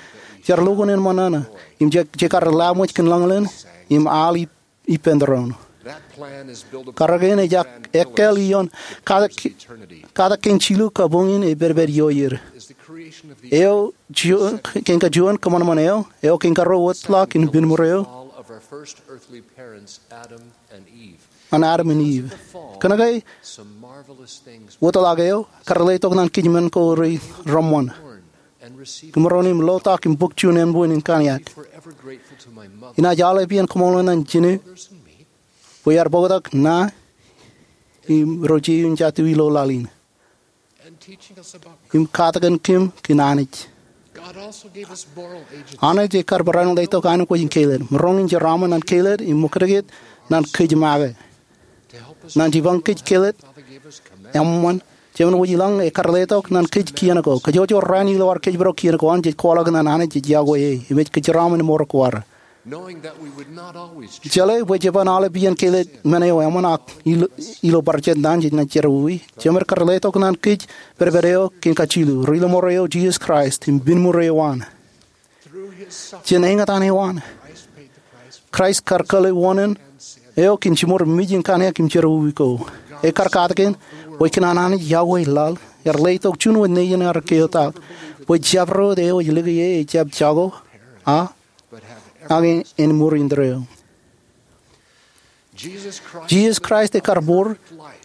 jar lukkuun in ṃōṇōṇō, im je, jekar laṃōj kōn lañlōñ im al i, ippān doon. Karōk in ej ak, ekkāāl ioon katak, katak kein jilu kabuñ in epedped iiō er. Eo juon, kein kajuon kōṃanṃan eo, eo kein karuo wōtlọk in pinnṃur eo an Adam im Iv. Kōnke wōtlọk eo, kar letok ñan kōj men ko rej reṃṃan. Kōj maroñ in lotak im bōk juon ānbwin in kōṇaan. Inaaj aolep iien koṃṃool ñan jinen bwe ear bōktok ṇa im ro jeiū in jatū ilo laḷ in im katakin kōm kōn Anij. Anij ekar barāinwōt letok aenōkwōj in kelōt. Maroñ in jeraaṃṃan ñan kelōt im ṃōkdikdik ñan kōj make. Ñan jipañ kōj kelōt, eṃṃan, Jemān Wōj Ilañ ekar letok ñan kōj kien ko. Kajjojo rainin ilo ad kōjparok kien ko an jej kwaḷọk ñan Anij ej yokwe e im ej kōjeraaṃṃan ṃoor ko ad. Jeḷā bwe jeban aolep iien kelōt men eo eṃṃan ak ilo, ilo bar jet ñan jej naaj jerọwiwi, Jemān kar letok ñan kōj pedped eo kein kajilu, ri-ḷōṃoor eo Jisōs Kraist im pinnṃur eo an. Jān eñtaan eo an, Kraist kar kōḷḷe wōṇāān eo kōn jiṃor mej in kōṇaan im jerọwiwi ko. Ekar katakin bwe kōn an Anij yokwe laḷ, ear letok juon wōt nejin ear keotak, bwe jabdewōt eo ej lōke e ejjab jako, a, ak en ṃoor in tōre eo. Jisōs Kraist ekar bōk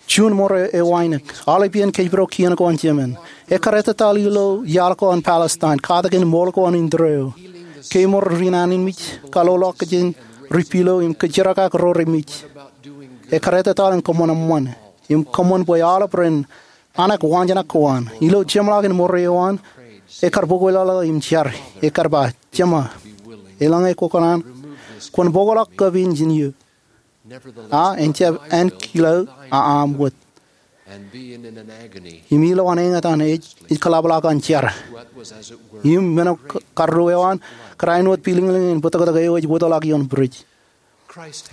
juon ṃoor eo ainikiiṇ, aolep iien kōjparok kien ko an Jemān. Ekar ettataḷ ilo iaḷ ko an Palestine, katakin ṃool ko an in tōre eo. Kemour ri naan in mej, kaḷoḷọkjeṇ ri pilo im kōjjerakak ro remej. Ekar ettataḷ in kōṃṃan eṃṃan, im kōṃṃan bwe aolep ren anak waanjoñak ko an. Ilo jeṃḷọkin ṃoor eo an, ekar bōk wōtlọk im jar, ekar ba, Jema, eḷaññe kwōkōṇaan, kwōn bōkḷọk kab in jān iiō. A, en jab ankilaō aṃ wōt. Im ilowaan eñtaan ej, ej kōḷapḷọk an jar. Im men ko karuo eo an, kōrā āinwōt pilōñlōñ in bōtōktōk eo ej wōtlọk ioon bwidej.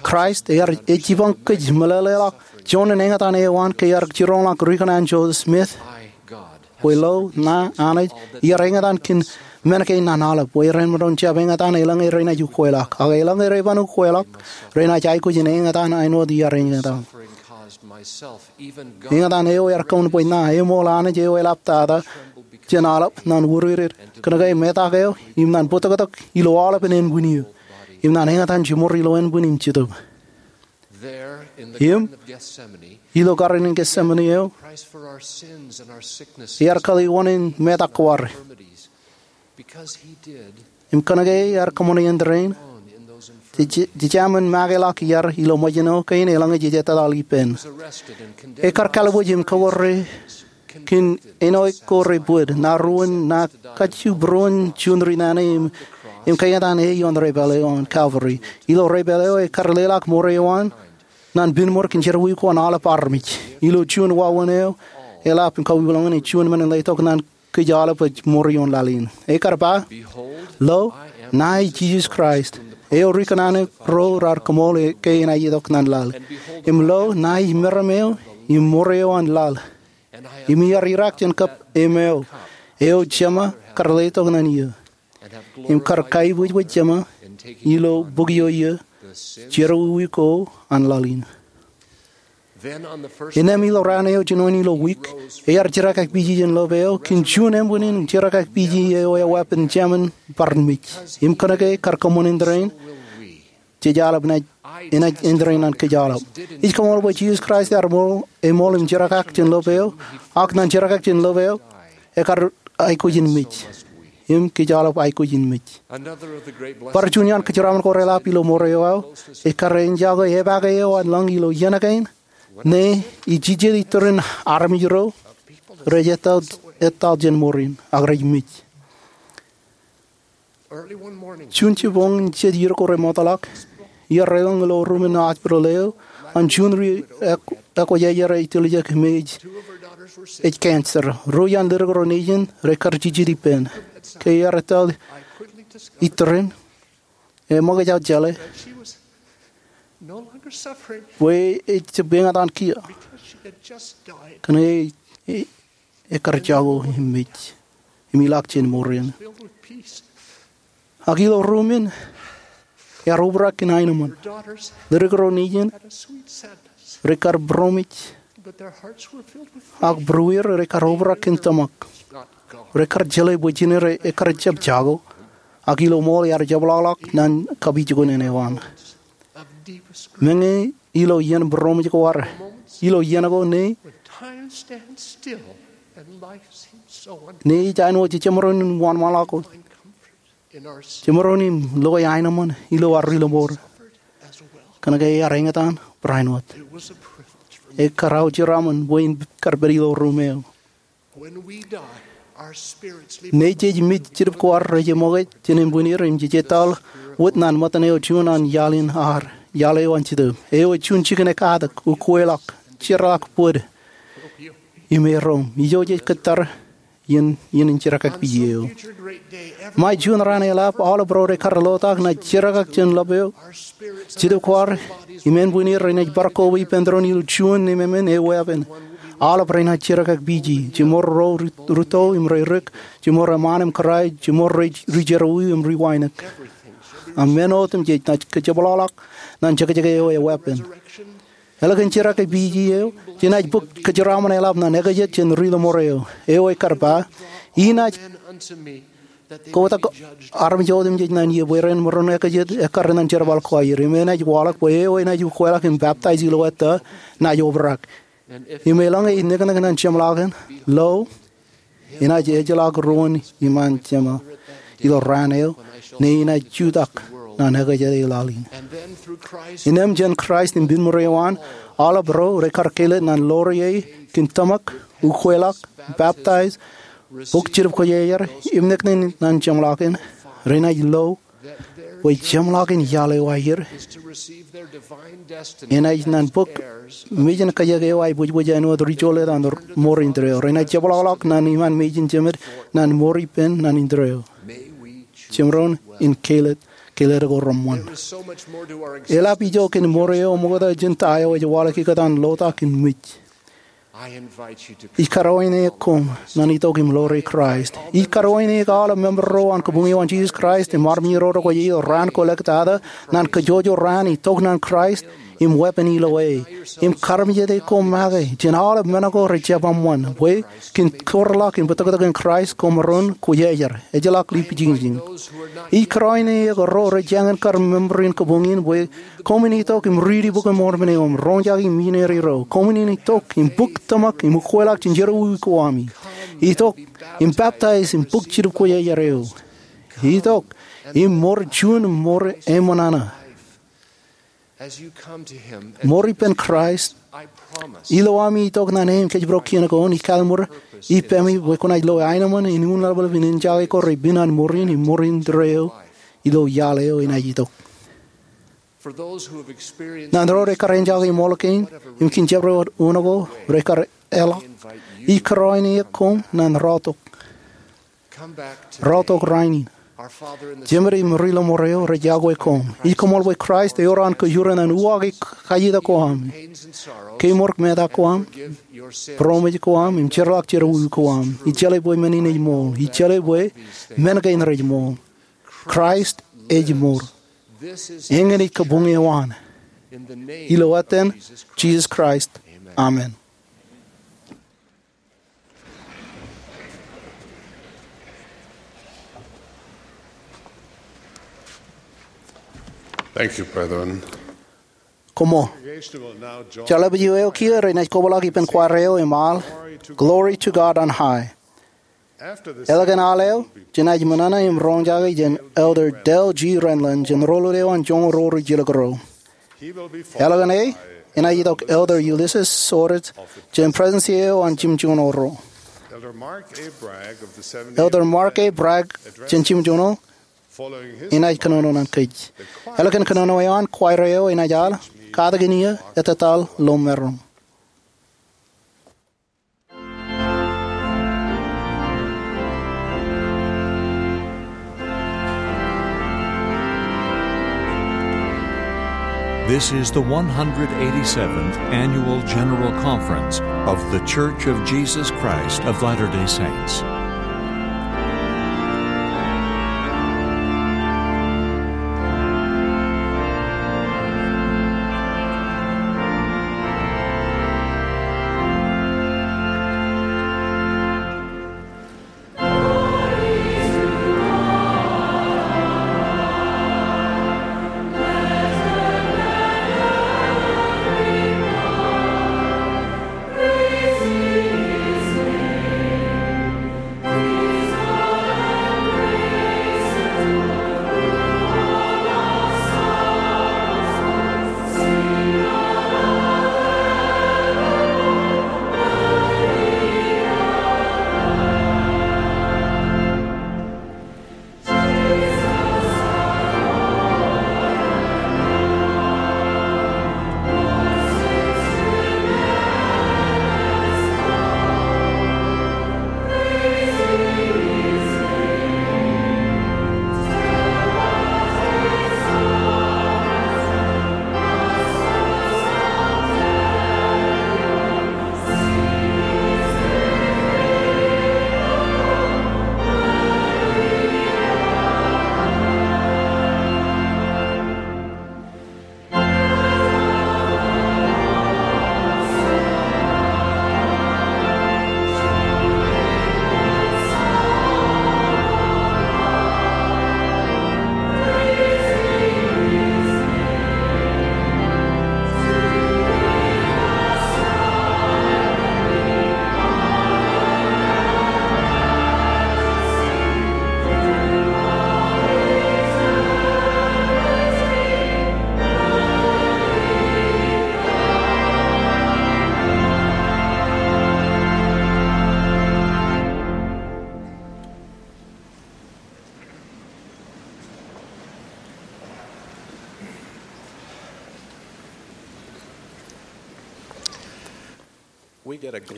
Kraist ear, ej jipañ kōj meḷeḷeḷọk juon in eñtaan eo an ke ear jiroñḷọk ri kōṇaan Joseph Smith, bwe ilo ṇa Anij, iar eñtaan kōn men kein an aolep, bwe ren maroñ jab eñtaan eḷaññe renaaj ukweḷọk. Ak eḷaññe reban ukweḷọk, renaaj aikuj in eñtaan āinwōt iar eñtaan. Eñtaan eo ear kōṃṃan bwe ṇa eṃool Anij eo eḷaptata jān aolep ñan wūrūrūr, kōnke metak eo, im ñan bōtōktōk ilo aolepen ānbwin eo, im ñan eñtaan jiṃor ilo ānbwin im Jetōb. Im ilo Garden in Gethsemane eo, ear kōḷḷe wōṇāān metak ko ad. Im kōnke ear kōṃṃane iien tōre in, jej, jej, jejāmin makeḷọk iar ilo ṃōjin eo kein eḷaññe jej ettataḷ ippān. Ekar kalbuuj im kọkkure kōn āinwōt ko rej bōd, ṇa ruo in, ṇa kajju būruon juon ri naan im im kaeñtaan E ioon debwāāl eo an Kalvari. Ilo debwāāl eo, ekar leḷọk mour eo an naan pinemour kōn jerọwiwi ko an aolep armej. Ilo juon wāween eo, eḷap im kauwilōñin juon men in letok naan kōj aolep ej mour ioon laḷ in. Ekar ba, "Lo, ṇae Jisōs Kraist, eo ri kōṇaan ro raar kōmool ke enaaj itok naan laḷ. Im lo, ṇae meram eo im mour eo an laḷ. Im iar irak jān kab emāeo, eo Jema kar letok naan iiō, im kar kaibwijbwij Jema ilo bok eo iiō, jerọwiwi ko an laḷ in." Innām ilo raan eo jinoin ilo wiik, ear jirakakpeje jān lop eo kōn juon ānbwinnin jirakakpeje eo eweeppān jāmin bar mej. Im kōnke kar kōṃṃan āindein, jej aolep enaaj, enaaj āindein naan kōj aolep. Ij koṃṃool bwe Jisōs Kraist ear ṃool, eṃool im jirakak jān lop eo, ak naan jirakak jān lop eo, ekar aikuj in mej. Im kōj aolep aikuj in mej. Bar juon iaan kōjeraaṃṃan ko reḷap ilo mour eo aō, ej kar enjake epaake eo an lañ ilo iien kein, ṇe ij jijet itōrin armej ro rej etal, etal jān mour in, ak rej mej. Juon jibboñ in jet iiō ko remootḷọk, iar elōñ ilo ruuṃ in hospital eo an juon ri ek-, ekwōjarjar ej tiljek me ej, ej cancer. Ruo iaan ledik ro nejin rekar jijet ippān. Ke iar etal itōrin, eṃōkaj aō jeḷā bwe ejab eñtaan kiiō. Kōn e, e, ekar jako im mej, im ilọk jān mour in. Ak ilo ruuṃ in, ear obrak kōn aenōṃṃan. Ledik ro nejin rekar būroṃōj, ak būrueir rekar obrak kōn tōmak. Rekar jeḷā bwe jined ekar jab jako, ak ilo ṃool ear jepḷọkḷọk naan kapijuknen eo an. Meñe ilo iien būroṃōj ko ad, ilo iien ko ṇe, ṇe ej āinwōt jemaroñ in wōnṃaanḷọk wōt. Jemaroñ in lukkuun aenōṃṃan ilo ad ri-lọmọọr. Kōnke ear eñtaan barāinwōt. Ekar aō jeraaṃṃan bwe in kar pād ilo ruuṃ eo. Ṇe jej mej, jetōb ko ad rej eṃōkaj jān ānbwinnier im jej etal wōt naan ṃōttan eo juon an iaḷ in ad, iaḷ eo an Jetōb. Eo ej juon jikin ekkatak, ukweḷọk, jeorḷọk bōd, im erom. Ijo jej kōttar iien, iien in jirakakpeje eo. Ṃae juon raan eḷap, aolep ro rekar lotak naaj jirakak jān lop eo. Jetōb ko ad im ānbwinnier renaaj bar koba ippān tōre in ilo juon nemāmen eweeppān. Aolep renaaj jirakakpeje. Jimor ro ri-, rūtto im reirik. Jimor eṃṃaan im kōrā. Jimor ri-, rijerọwiwi im riwānōk. Ak men otemjej naaj kajepḷọkḷọk naan jekjek eo eweeppān. Eḷak in jirakakpeje eo, jenaaj bōk kōjeraaṃṃan eḷap naan ekajet jān ri-lọmọọr eo. Eo ekar ba, inaaj kotak armej otemjej naan iiō bwe ren maroñ ekajet ekkar naan jerbal ko aer. Im enaaj waḷọk bwe eo enaaj ukweḷọk im baptaij ilo ettā, naaj obrak. Im eḷaññe ej neknek naan jeṃḷọkin, lo, enaaj ejjeḷọk ruōn iṃaan Jema ilo raan eo, ṇe enaaj jutak naan ekajet eo laḷ in. Innām jān Kraist im pinemour eo an, aolep ro rekar kāālōt naan ḷoor ie kōn tōmak, ukweḷọk, baptaij, bōk Jetōb Kwōjarjar, im neknek naan jeṃḷọkin, renaaj lo bwe jeṃḷọkin iaḷ eo aer enaaj naan bōk mejān kajek eo aebwijbwij āinwōt ri-jolōt an mour indeeo. Renaaj jepḷọkḷọk naan iṃaan mejān jemed naan mour ippān naan indeeo. Jemaroñ in kāālōt, kāālōt ko reṃṃan. Eḷap ijo kōn mour eo ṃokta jān ta eo ej waḷọk ikōtaan lotak in mej. Ij karuwainene koṃ naan itok im ḷoore Kraist. Ij karuwainene aolep member ro an kōbuñe eo an Jisōs Kraist im armej ro rej kwe ilo raan ko ḷọk tata naan kajjojo raan itok naan Kraist im weeppān ilo e. Im kaarmejede koṃ make jān aolep men ko rej jab eṃṃan bwe kōn kōrḷọk im bōtōktōkin Kraist koṃ maroñ kwōjarjar, ejjeḷọk ḷe pijinjin. Ij karuwainene ro rej jañin kar member in kōbuñ in bwe koṃwin itok im riiti Bok in Mormon eo im roñjake misineri ro. Koṃwin itok im bōk tōmak im ukweḷọk jān jerọwiwi ko ami. Itok im baptaij im bōk Jetōb Kwōjarjar eo. Itok im mour juon mour eṃṃan ṇe. Mour ippān Kraist, ilo ami itok naan e im kōjparok kien ko, ij kalimur ippemi bwe kwōnaaj lo aenōṃṃan in un ḷapḷap in enjake kōrā ippān mour in im mour indeeo ilo iaḷ eo enaaj itok. Ñan ro rej kar enjake ṃool kein im kōn jabdewōt uno ko rej kar eḷḷọk, ij kōrọọl eok koṃ ñan rọọltok. Rọọltok rainin. Jemād im Ri-lọmọọr eo rej iọkwe koṃ. Ij koṃṃool bwe Kraist ewōr an kōjro ñan uwaake kajjitōk ko aṃ, kemour metak ko aṃ, būroṃōj ko aṃ im jerḷọk jerọwiwi ko aṃ. Ij jeḷā bwe men in ej ṃool. Ij jeḷā bwe men kein rej ṃool. Kraist ej mour. Eñin ej kabuñ eo an. Ilo etan Jisōs Kraist, amen. Thank you, brethren. Koṃṃool. Jeḷā bwe eo kiiō renaaj kobrak ippān kwaar eo im al Glory to God on High. Eḷap an al eo, jenaaj ṃōṇōṇō im roñjake jān Elder Dale G. Renlund jān roḷoul eo an joñoul ruo ri jilkinro. Eḷap an e, enaaj itok Elder Ulisses Soares jān President's eo an Jimjuon Orro. Elder Mark A. Bragg jān Jimjuon Orro enaaj kōnono ñan kōj. Eḷap an kōnono eo an, kwaar eo enaaj al Katakin Iiō Etetal Ilo Merom. This is the one hundred eighty-seventh Annual General Conference of The Church of Jesus Christ of Latter-day Saints.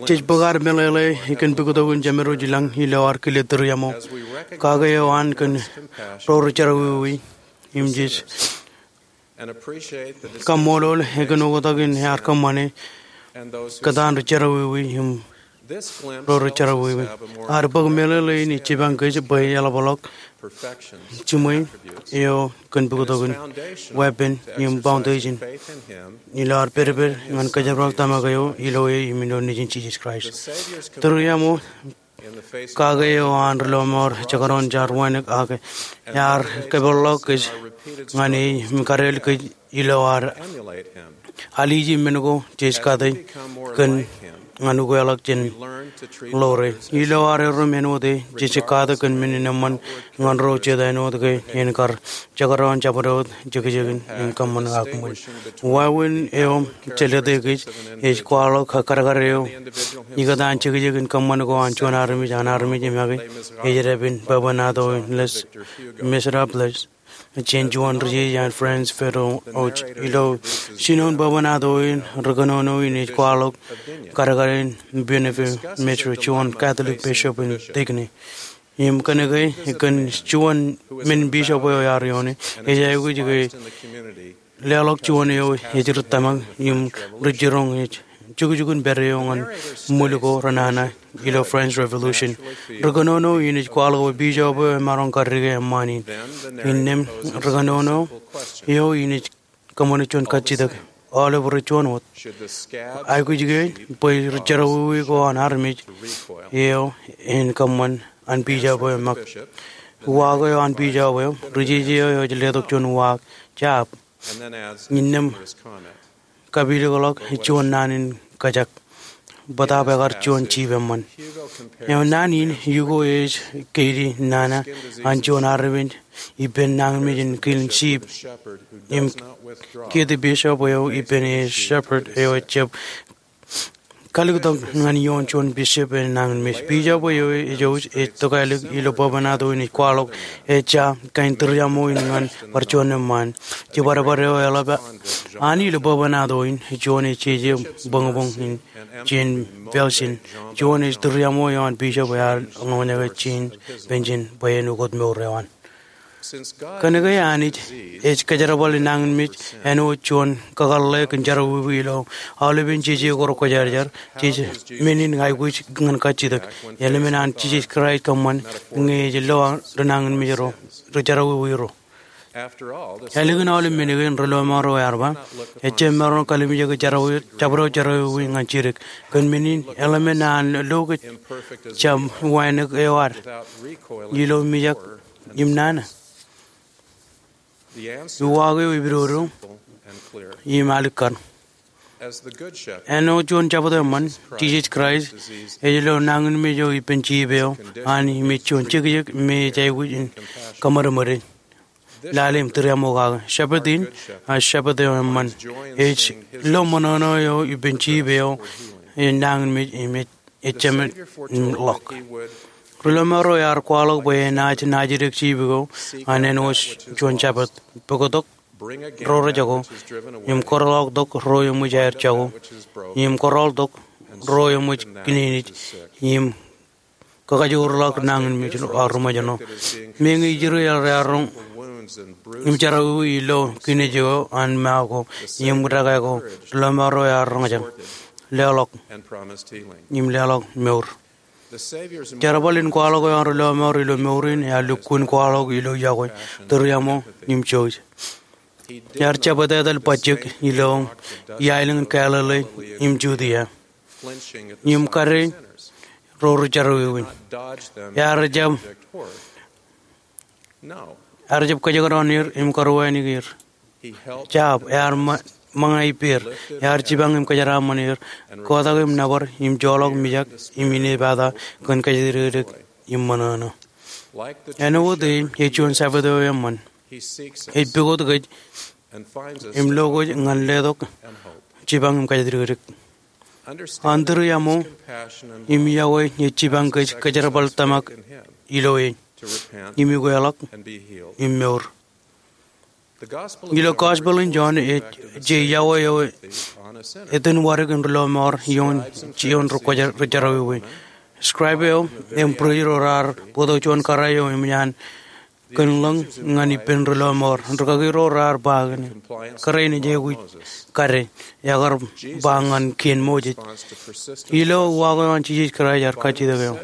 Jej bōk ad meḷeḷe kōn pukot in Jemād wōj ilañ ilo ad kile tūriaṃo kake eo an kōn ro rej jerọwiwi im jej kaṃṃoolol kōn oktak in ear kōṃṃane kōtaan rej jerọwiwi im ro rej jerọwiwi. Ad bōk meḷeḷe in ej jipañ kōj bwe eḷapḷọk jiṃwe eo kōn pukot in, weeppān im foundation ilo ad pedped ñan kōjepḷọk tōmak eo ilo e im ilo Nejin Jisōs Kraist. Tūriaṃo kake eo an ri-lọmọọr jekdọọn jaar wānōk ak ear kōpeḷḷọk kōj ñan e im kadeḷ kōj ilo ad alije men ko jej kate kōn ñan ukeḷọk jān ḷoor e. Ilo ad erro im āinwōt e, jej kate kōn men in eṃṃan ñan ro jet āinwōt ke en kar jekdọọn jabdewōt jekjekin im kōṃṃan ak ṃōn. Wāween eo jelōte kōj ej kwaḷọk kadkad eo ikōtaan jekjekin kōṃṃan ko an juon armej an armej im ak ej dāpin bwebwenato in Les Misérables. jān juon ri-jeje an Franz Ferdinand Osch. Ilo jinoin bwebwenato in, ri-kōnono in ej kwaḷọk kadkadin Bonhoeffer Mitre, juon Catholic bishop in Tigny. Im kōnke kōn juon men bishop eo ear ioone, ej aikuj ke leḷọk juon eo ej ri tōmak im ri jiroñ ej jukjukun pād eo ñan ṃwil ko renana ilo French Revolution. Ri-kōnono in ej kwaḷọk bwe bishop eo emaroñ kaddikake eṃṃaan in. Innām ri-kōnono eo in ej kōṃṃane juon kajjitōk, aolep ri juon wōt. Aikuj ke bwe ri jerọwiwi ko an armej eo en kōṃṃan an bishop eo eṃṃak? Uwaak eo an bishop eo, ri-jeje eo ej letok juon uwaak, jab. Innām kapilōkḷọk juon naan in kōjak, bōtaab ekar juon jip eṃṃan. Eo naan in, Hugo ej keidi nana an juon armej ippān nañinmej in kilin jip. Im kiiō bishop eo ippān e shepherd eo ejjab kalōktok ñan ioon juon bishop in nañinmej. Bishop eo ej jouj ej tokālik ilo bwebwenato in ej kwaḷọk, ejja kain tūriaṃo in ñan bar juon eṃṃaan. Jibadbad eo eḷap an ilo bwebwenato in, juon ej jeje bōñbōñ in Jean Valjean, juon ej tūriaṃo eo an bishop ear ñoññake Jean Valjean bwe en ukōt mour eo an. Kōnke Anij ej kōjerbale nañinmej, āinwōt juon kakōḷḷe kōn jerọwiwi ilo aolepen jeje ko rekwōjarjar, jej men in aikuj ñan kajjitōk. Eḷmen an Jisōs Kraist kōṃṃan ñe ej lo ri nañinmej ro, ri jerọwiwi ro. Ālikin aolep men kein, ri lọmọọr eo ear ba, ejjab maroñ kalimjeke jabdewōt jerọwiwi ñan jidik. Kōn men in, eḷmen an lo kōj jab wānōk eo ad ilo mijak im nana. Uwaak eo epidodo im alikkar. Āinwōt juon jabōt eṃṃan, Jisōs Kraist ej lo nañinmej eo ippān jip eo an im ej juon jekjek me ej aikuj in kōṃadṃōde lale im tūriaṃo kake. Shepherd in, a, shepherd eo eṃṃan, ej lo ṃōṇōṇō eo ippān jip eo ej nañinmej im ej ejjeṃṃan ḷọk. Ri lọmọọr eo ear kwaḷọk bwe enaaj naajdik jip ko an āinwōt juon jabōt, puktok ro rej jako, im kōrọọltok ro eṃōj aer jako, im kōrọọltok ro eṃōj kinejnej, im kakajoorḷọk nañinmej ro, a, ri ṃōjṇọ. Meñe ijri ear, ear roñ im jerọwiwi ilo kinejnej ko an ṃae ko im dekā ko, ri lọmọọr eo ear roñjake, leḷọk im leḷọk mour. Jerbal in kwaḷọk eo an ri lọmọọr ilo mour in ear lukkuun kwaḷọk ilo yokwe, tūriaṃo im jouj. Ear jab etetal bajjek ilo iaelōñ in Galili im Judia im kade ro ri jerọwiwi. Ear jab, ear jab kōjekdọọn er im karuwainiki er. Jab, ear ṃōñā ippāer, ear jipañ im kōjeraaṃṃan er, kotak im nōbar im joḷọk mijak im inepata kōn kōjatdikdik im ṃōṇōṇō. Āinwōt e, ej juon jabōt eo eṃṃan. Ej pukot kōj im lo kōj ñan letok jipañ im kōjatdikdik. An tūriaṃo im yokwe ej jipañ kōj kōjerbal tōmak ilo e im ukeḷọk im mour. Ilo Gospel in John, ej je yokwe eo etan wadik in ri lọmọọr ioon, ioon ri jerọwiwi. Scribe eo im priest ro raar bōktok juon kōrā eo eṃōj an kōn lōñ ñan ippān ri lọmọọr. Rikaki ro raar ba, kōrā in ej aikuj kade, ekar ba ñan kien Moses. Ilo uwaak eo an Jisōs Kraist ear kajjitōk eo,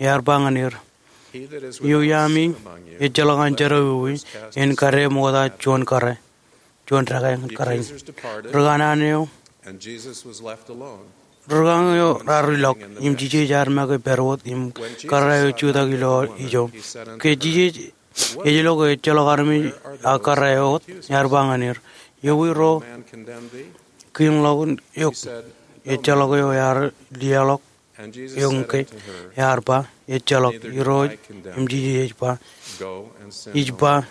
ear ba ñan er, Eo iaami ejjeḷọk an jerọwiwi en kade ṃokta juon kōrā, juon dekā ñan kōrā in. Ri kanaan eo, ri kanaan eo raar ilọk, im Jisōs ear make pād wōt im kōrā eo jutak ilo ijo. Ke Jisōs ej lo ke ejjeḷọk armej aō kōrā eo wōt, ear ba ñan er, Ewi ro kiiñḷọk eok? Ejjeḷọk eo ear liaḷọk eok ñan kōj? Ear ba, Ejjeḷọk. Irooj im Jisōs ej ba, Ij ba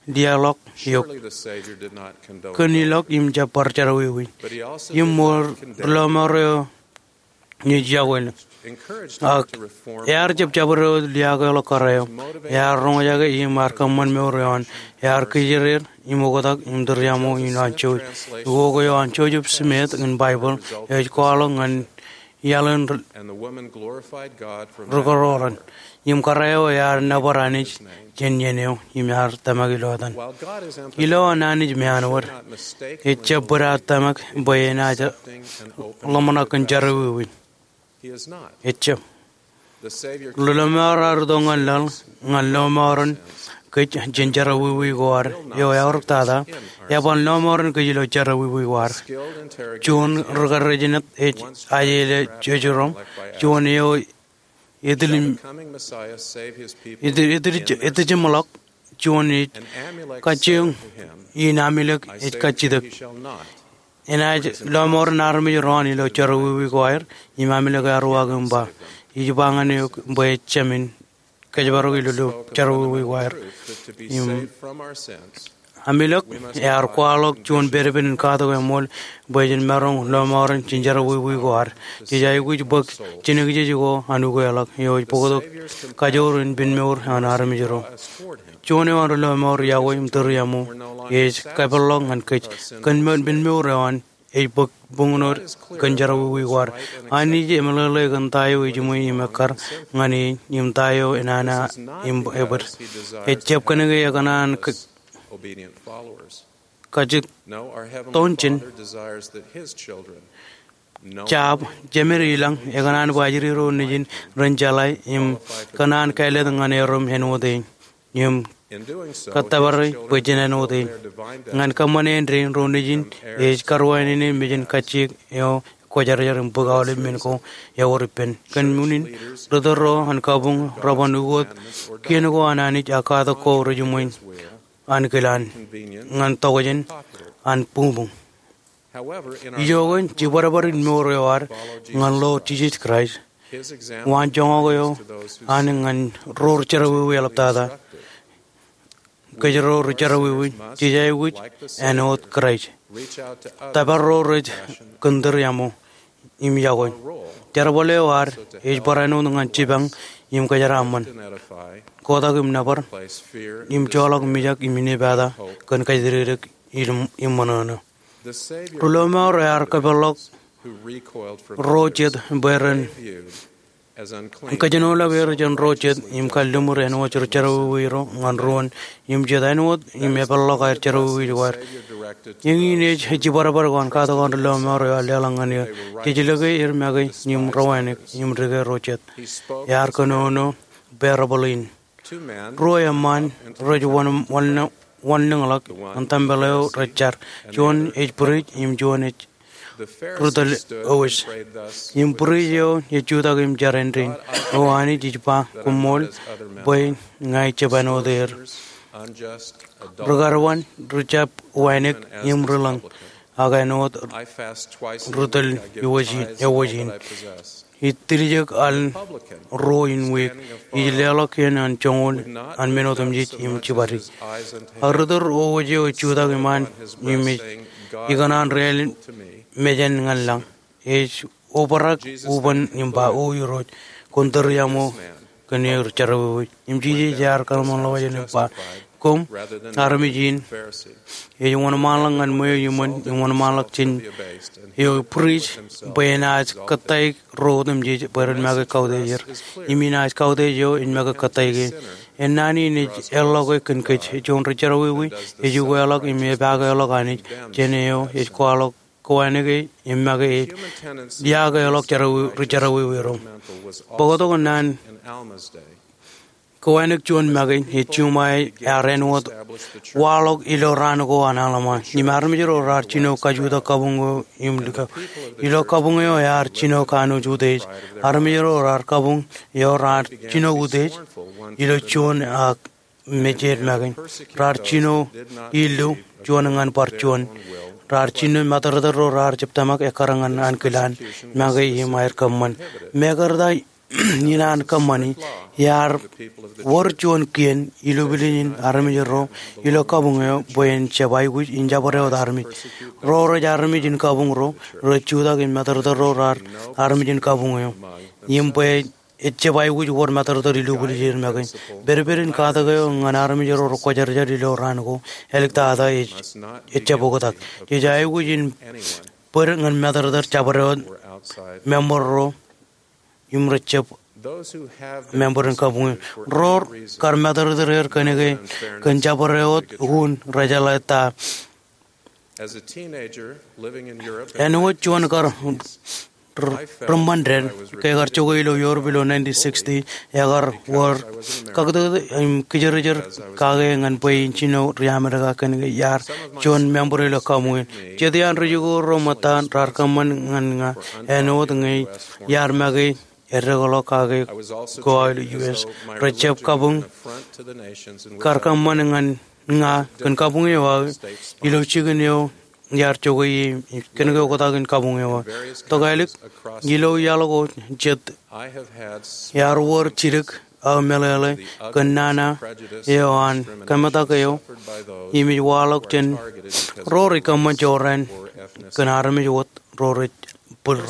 liaḷọk eok kōn ilọk im jab bar jerọwiwi. Im ṃool ri lọmọọr eo ej yokwe. Ak ear jab jabdewōt liaakḷọk kōrā eo. Ear roñjake im ear kōṃṃan mour eo an. Ear kijeer im oktak im tūriaṃo in an jouj. Ukok eo an Joseph Smith in Baibōḷ ej kwaḷọk ñan iaḷ in rūkōrọọlōn. Im kōrā eo ear nōbar Anij jān iien eo im ear tōmak ilo etan. Ilo an Anij meanwōd, ejab bōd aō tōmak bwe enaaj ḷōmṇak kōn jerọwiwi. Ejab. Ri lọmọọr ear itok ñan laḷ ñan lọmọọren kōj jān jerọwiwi ko ad. Eo eaorōk tata, eban lọmọọren kōj ilo jerọwiwi ko ad. Juon ri karijenet ej ajele jejro, juon eo etilij, etilij, etijeṃḷọk, juon ej kajjioñ in Amulek ej kajjitōk. Enaaj lọmọọren armej ro an ilo jerọwiwi ko aer, im Amulek ear uwaak im ba, ij ba ñan eok bwe ejāmin kōjparok ilo jerọwiwi ko aer. Im Amulek ear kwaḷọk juon pedped in katak eṃool bwe jen maroñ lọmọọren jān jerọwiwi ko ad. Jej aikuj bōk jinōkjeej ko an ukeḷọk eo ej bōktok kajoor in pinmour an armej ro. Juon eo an ri lọmọọr yokwe im tūriaṃo ej kapeḷḷọk ñan kōj kōn pinmour eo an ej bōk buñūn eo kōn jerọwiwi ko ad. Anij emeḷeḷe kōn ta eo ejiṃwe im ekkar ñan e im ta eo enana im ebōd. Ejab kōnke ekōṇaan kajjitōnjen jab, jemed ilañ, ekōṇaan bwe ajri ro nejin ren jeḷā im kōṇaan kāālōt ñan erom āinwōt e im kōttōpare bwe jen āinwōt e. Ñan kōṃṃane āindein ro nejin ej karuwainene mejān kajjiōk eo kwōjarjar im bōk aolep men ko ewōr ippān. Kōn unin, ri tōl ro an kabuñ reban ukot kien ko an Anij ak katak ko rejiṃwe ankilaan ñan tokjān an buñbuñ. Ijoke, jibadbad in mour eo ad ñan Lord Jisōs Kraist, waan joñak eo an ñan ro ri jerọwiwi eḷaptata. Kōjro ri jerọwiwi, jej aikuj āinwōt Kraist tōpar ro rej kōn tūriaṃo im yokwe. Jerbal eo ad ej bar āinwōt ñan jipañ im kōjeraaṃṃan, kotak im nōbar, im joḷọk mijak im inepata kōn kajjitōk im ṃōṇōṇō. Ri lọmọọr ear kapeḷḷọk ro jet bwe ren kōjenolọk er jān ro jet im kalliṃur āinwōt ri jerọwiwi ro ñan ruōn im jet āinwōt im epeḷḷọk aer jerọwiwi ko aer. Eñin ej jibadbad ko an katak an ri lọmọọr eo ear leḷọk ñan er. Jej lōke er make im rewānōk im dike ro jet. Ear kōnono parable in. Ruo eṃṃaan rej wanlōñḷọk ñan tempel eo rej jar. Juon ej priest im juon ej ri tōl owōj. Im priest eo ej jutak im jar āindein, O Anij, ij ba koṃṃool bwe ña ij jab āinwōt er. Ri karuwaan rej jab wānōk im ri lōñ ak āinwōt ri tōl owōj in. Ij tiljek aḷ ruo in wiik, ij leḷọk kien an joñoul an men otemjej im jibadi. Ak ri tōl owōj eo ej jutak iṃaan im ej ikōṇaan deḷọñ mejān ñan lañ, ej obrak uban im ba, O Irooj, kwōn tūriaṃo kōn eō ri jerọwiwi. Im Jisōs ear kōḷmānḷọkjeṇ im ba, Koṃ armej in ej wōnṃaanḷọk ñan ṃweo iṃōn im wōnṃaanḷọk jān eo priest bwe enaaj kōttāik ro otemjej bwe ren make kautiej er. Im inaaj kautiej eo ej make kōttāik e. Ennaan in ej eḷḷọke kōn kōj. Juon ri jerọwiwi ej ukeḷọk im epaakḷọk Anij jān eo ej kwaḷọk kowānōk e im make e. Iọkwe ḷọk ri jerọwiwi ro. Bōktok naan kowānōk juon make ej juṃae ear āinwōt waḷọk ilo raan ko an Alma. Im armej ro raar jino kajutak kabuñ eo im likao. Ilo kabuñ eo ear jino kanooj utiej. Armej ro raar kabuñ eo raar jino utiej ilo juon ak mejed make. Raar jino illu juon ñan bar juon. Raar jino matōrtōr ro raar jab tōmak ekkar ñan ankilaan make im aer kōṃṃan. Mekarta in an kōṃṃani, iar wōr juon kien ilubildin armej ro ilo kabuñ eo bwe en jab aikuj in jabdewōt armej. Ro rej armej in kabuñ ro rej jutak in matōrtōr ro raar armej in kabuñ eo im bwe ejab aikuj wōr matōrtōr ilubilej er make. Pedped in katak eo ñan armej ro rekwōjarjar ilo raan ko āliktata ej, ejab oktak. Jej aikuj in bōd ñan matōrtōr jabdewōt member ro im rejab member in kabuñ eo. Ro rekar matōrtōr er kōnke kōn jabdewōt un rejeḷā ta. Āinwōt juon kar r-, rōṃṃan dān ke ekar jokwe ilo Europe ilo nineteen sixty, ekar wōr kakūtkūt im kijerjer kake ñan bwe in jino ri-Amerika kōnke iar juon member ilo kabuñ in. Jet iaan ri-jikuuḷ ro ṃōttan raar kōṃṃan ñan ña āinwōt ñe iar make eddeḷọk kake ko aō ilo U S. Ri-jab kabuñ kar kōṃṃan ñan ña kōn kabuñ eo aō ilo jikin eo iar jokwe ie kōnke oktak in kabuñ eo aō. Tok ālik ilo iaḷ ko jet iar wōr jidik aō meḷeḷe kōn nana eo an kōmetak eo im ej waḷọk jān ro rej kōṃṃan jorrāān kōn armej wōt ro rej bōl.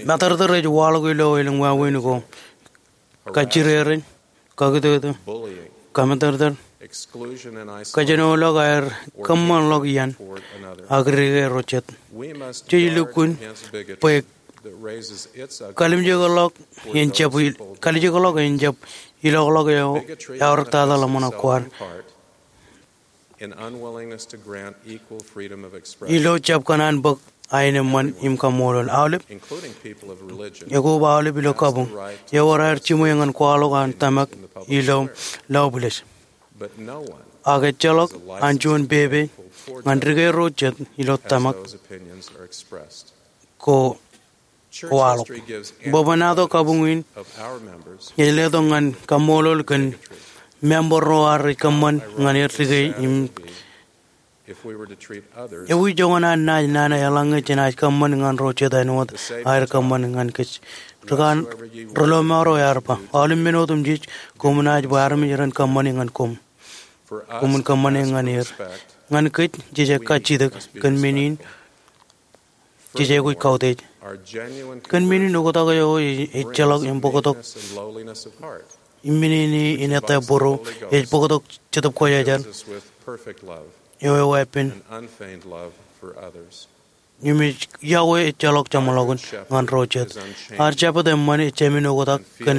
Matōrtōr ej waḷọk ilo elōñ wāween ko. Kajjirere, kakūtkūt, kamatōrtōr, kajenoḷọk aer kōṃṃanḷọk iaan ak dike ro jet. Jej lukkuun bwe kalimjekḷọk en jab, kalimjekḷọk en jab ilọkḷọk eo eaorōktata ḷōmṇak ko ad ilo jab kōṇaan bōk aenōṃṃan im kaṃṃoolol. Aolep, ekoba aolep ilo kabuñ ewōr aer jiṃwe ñan kwaḷọk an tōmak ilo laubwilej. Ak ejjeḷọk an juon pepe ñan dike ro jet ilo tōmak ko waḷọk. Bwebwenato kabuñ in ej letok ñan kaṃṃoolol kōn member ro ad rej kōṃṃan ñan er dike im ewi joñan an naaj nana eḷaññe jenaaj kōṃṃan ñan ro jet āinwōt aer kōṃṃan ñan kōj? Ri-kōn ri-lọmọọr eo ear ba, aolep men otemjej koṃ naaj ba armej ren kōṃṃane ñan koṃ, koṃwin kōṃṃane ñan er. Ñan kōj, jej kajjitōk kōn men in jej aikuj kautiej. Kōn men in oktak eo ej, ejjeḷọk im bōktok im men in ettā būruō, ej bōktok Jetōb Kwōjarjar eo eweeppān im ej yokwe ejjeḷọk jeṃḷọkin ñan ro jet. Ad Jabōt eṃṃan ej jāmin oktak kōn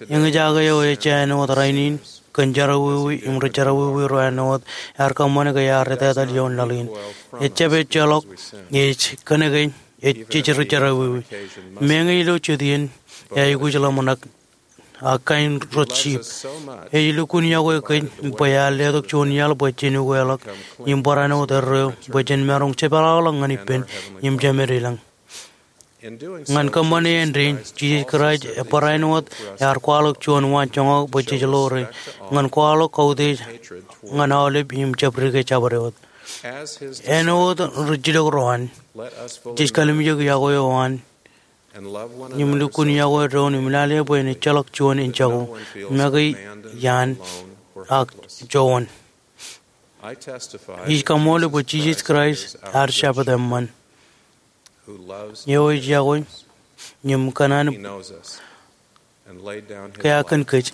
eñjake eo ej āinwōt rainin kōn jerọwiwi im ri-jerọwiwi ro āinwōt ear kōṃṃane ke ear etetal ioon laḷ in. Ejjab ejjeḷọk ej kōnke ej jej ri-jerọwiwi. Meñe ilo jet iien eaikuj ḷōmṇak ak kain ro jip. Ej lukkuun yokwe kōj bwe ear letok juon iaḷ bwe jen ukeḷọk im barāinwōt erreo bwe jen maroñ jepeḷḷọk ñan ippān im jemed ilañ. Ñan kōṃṃane āindein, Jisōs Kraist ebarāinwōt ear kwaḷọk juon waanjoñak bwe jej ḷoore ñan kwaḷọk kautiej ñan aolep im jab dike jabdewōt. Āinwōt rijjilōk ro an, jej kalimjek yokwe eo an im lukkuun yokwe doon im lale bwe en ejjeḷọk juon en jako make iaan ak joñan. Ij kaṃṃoolol bwe Jisōs Kraist ear Jabōt eṃṃan eo ej yokwe im kōṇaan keak kōn kōj.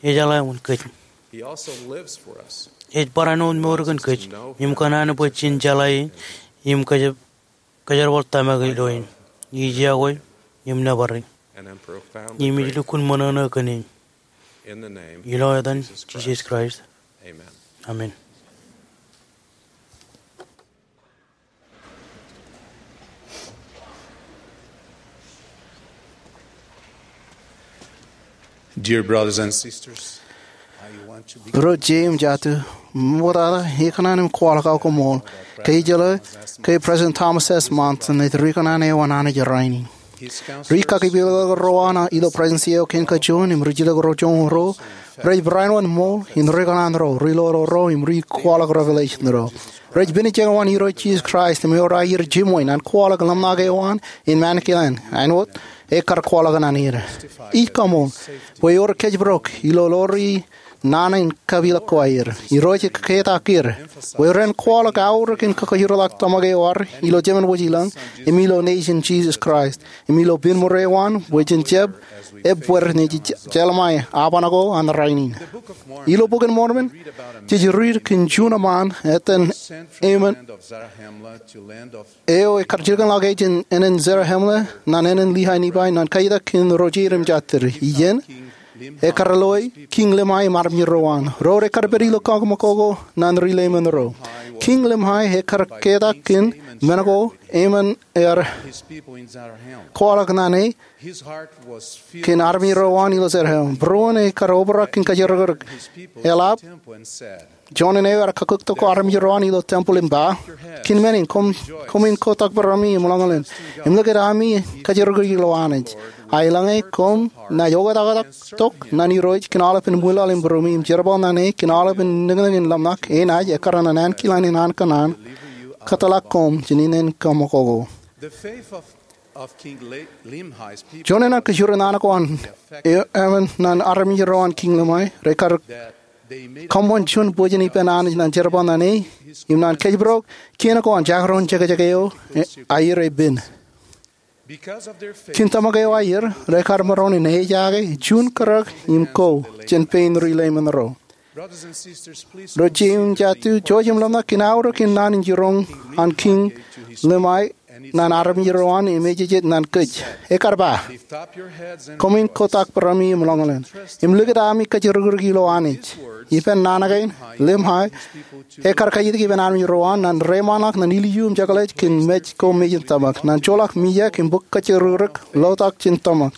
Ejeḷā wōn kōj. Ej barāinwōt mour kōn kōj im kōṇaan bwe jen jeḷā e im kōj kōjerbal tōmak ilo e. Ij yokwe im nōbar e im ij lukkuun ṃōṇōṇō kōn e. Ilo etan Jisōs Kraist, amen. Dear brothers and sisters, ro jet im jatū, ṃoktata ikōṇaan im kwaḷọk aō koṃṃool ke ijeḷā ke President Thomas S. Monson ej ri kōṇaan eo an Anij rainin. Ri-kakipilōk ro an ilo Presidency eo kein kajoor im rijjilōk ro joñoul ruo rej barāinwōt ṃool in ri kōṇaan ro, ri-lolo ro im ri-kwaḷọk revelation ro. Rej pinejeṇ wōt Irooj Jisōs Kraist im ewōr aer jiṃwe ñan kwaḷọk ḷōmṇak eo an in mānkilen āinwōt ekkar kwaḷọk naan er. Ij kaṃool bwe ewōr kōjparok ilo ḷoor naan in kapilōk ko aer. Irooj ekketak er bwe ren kwaḷọk aorōk in kakajoorḷọk tōmak eo ad ilo Jemān Wōj ilañ im ilo Nejin Jisōs Kraist im ilo pinmore eo an bwe jen jab ebbeer, ej Jeremiah aban ko an rainin. Ilo Bok in Mormon jej riit kōn juon eṃṃaan etan Ammon eo ekkar jilkinḷọk e jān ānen Zarahemla ñan ānen Lehi Nephi ñan kajjitōk kōn ro jeid im jatid. Iien ekkar lo e Kiiñ Limhi im armej ro an. Ro ekkar pād ilo kaṃakoko ñan ri lemonro. Kiiñ Limhi ekkar ketak kōn men ko Ammon ear kwaḷọk naan e kōn armej ro an ilo Zarahemla. Būruon ekkar obrak kōn kōjrōkrōk. Eḷap juon eo ear kakkuktok armej ro an ilo tempeḷ im ba, kōn men in, koṃ, koṃwin kotak bōrōmi im ḷōñḷōñ im likūt ami kōjrōkrōk ilo Anij. A eḷaññe koṃ naaj oktaktak tok ñan Irooj kōn aolepān ṃwilaḷ im būrumi im jerbal naan e kōn aolepān niknik in ḷōmṇak, enaaj ekkar ñan ankilaan in an kōṇaan kōtḷọk koṃ jān ineen kaṃakoko. Juon eo an kōjro naan ko an Ammon ñan armej ro an Kiiñ Limhi, rekar kōṃṃan juon bōjjān ippān Anij ñan jerbal naan e im ñan kōjparok kien ko an jekdọọn jekjek eo aer pen. Kōn tōmak eo aer, rekar maroñ in ejaake juon kōrā im ko jān pein ri lemonro. Ro jeiū im jatū, jouj im ḷōmṇak kōn aorōk in naan in jiroñ an Kiiñ Limhi ñan armej ro an im ejejjet ñan kōj. Ekkar ba, koṃwin kotak bōrōmi im ḷōñḷōñ im likūt ami kōjrōkrōk ilo Anij. Ippān naan kein, Limhi ekkar kajjitōk ippān armej ro an ñan reiṃaanḷọk ñan ilju im jekḷaj kōn mej ko mejān tōmak, ñan joḷọk mijak im bōk kōjrōkrōk ḷotak jān tōmak,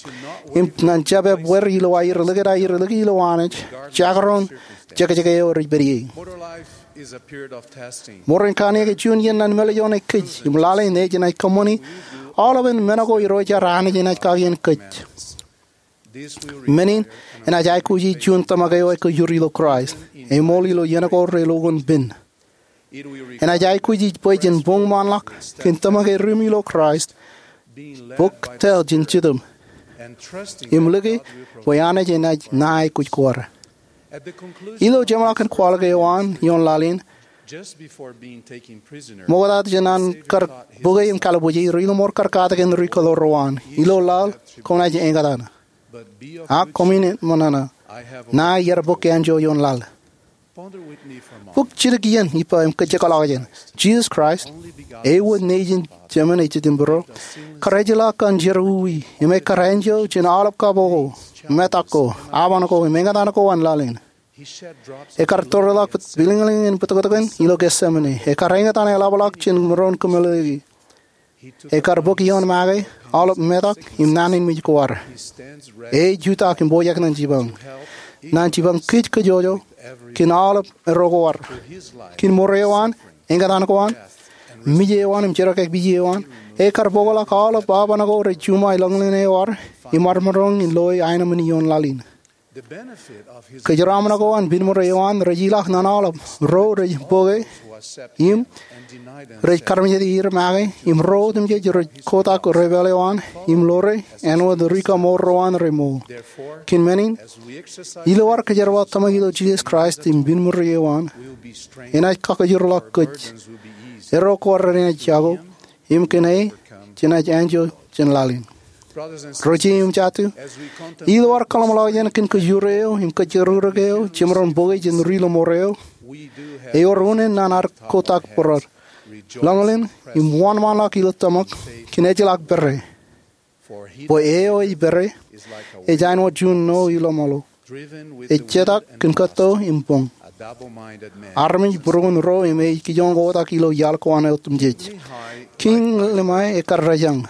im ñan jab ebbeer ilo aer likūt aer lōke ilo Anij jekdọọn jekjek eo rej pād ie. Mour in kanniōk ej juon iien ñan meḷeḷe eo an kōj im lale in ej enaaj kōṃṃani aolepān men ko Irooj ad Anij enaaj kake iien kōj. Men in enaaj aikuji juon tōmak eo ekōjur ilo Kraist, eṃool ilo iien ko relukkuun pen. Enaaj aikuji bwe jen boñṃaanḷọk kōn tōmak e ri im ilo Kraist, bōk tōl jān Jetōb, im lōke bwe Anij enaaj ṇa aikuj ko ad. Ilo jeṃḷọkin kwaḷọk eo an ioon laḷ in, ṃokta jān an kar bōke im kalbuuji, ri lọmọọr kar katakin ri kōḷoor ro an, ilo laḷ koṃ naaj eñtaan. Ak koṃwin ṃōṇōṇō, ṇa iar bōk āinjuon ioon laḷ. Bōk jidik iien ippa im kōjjekḷọk jān Jisōs Kraist, ewōr Nejin Jemān ejjetimburō, kar ejjeḷọk kōn jerọwiwi im ekkar āinjuon jān aolep kaboko, metak ko, aban ko im eñtaan ko an laḷ in. Ekkar tōreḷọk pilñliñ in bōtōktōkin ilo Getsemane. Ekkar eñtaan eḷapḷọk jān maroñ kōmeḷeḷeiki. Ekkar bōk ioon make aolep metak im naan in mej ko ad. E jutak im pojak ñan jipañ, ñan jipañ kōj kajjojo kōn aolep ro ko ad. Kōn mour eo an, eñtaan ko an, mej eo an im jerọwiwi eo an, ekkar bōkḷọk aolep aban ko rej juṃae lōñlōñ eo ad im armej ro in loe aenōṃṃan ioon laḷ in. Kōjeraaṃṃan ko an pinmore eo an rej ilọk ñan aolep ro rej bōke im rej karmejāde er make im ro otemjej rej kotak ri pālle eo an im ḷoore āinwōt ri kaṃool ro an remour. Kōn men in, ilo ad kōjerbal tōmak ilo Jisōs Kraist im pinmore eo an, enaaj kakōjorḷọk kōj. Erro ko ad renaaj jako im kōn e jenaaj āinjuon jān laḷ in. Ro jeiū im jatū, ilo ad kōḷmānḷọkjeṇ kōn kōjro eo im kōjrōkrōk eo jemaroñ bōke jān ri lọmọọr eo, ewōr unin ñan ad kotak bōrad, lōñlōñ im wōnṃaanḷọk ilo tōmak kōn ejjeḷọk pere. Bwe e eo ej pere ej āinwōt juon ṇo iḷōmālō ej jetak kōn kōtto im boñ. Armej būruon ro im ej kijoñ kotak ilo iaḷ ko an otemjej. Kiiñ Limhi ekkar rōjañ.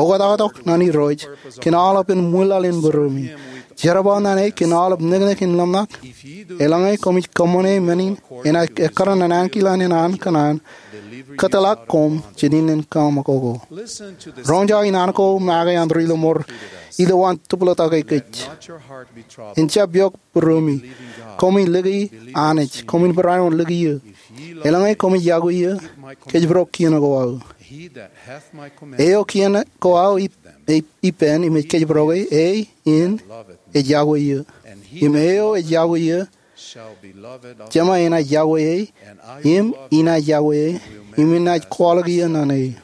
Oktaktak ñan Irooj kōn aolepān ṃwilaḷ in būruemi. Jerbal ñan e kōn aolep niknik in ḷōmṇak. Eḷaññe koṃij kōṃṃane men in, enaaj ekkar ñan ankilaan in an kōṇaan kōtḷọk koṃ jān ineen kaṃakoko. Roñjake naan ko make an ri lọmọọr ilowaan tōplōtake kōj. En jab eok būruemi. Koṃwin lōke Anij. Koṃwin barāinwōt lōke eō. Eḷaññe koṃij yokwe eō, kōjparok kien ko aō. Eo kien ko aō ip- ip- ippān im ej kōjparoke, e in ej yokwe eō. Im eo ej yokwe eō, Jema enaaj yokwe e, im inaaj yokwe e, im inaaj kwaḷọk eō ñan e.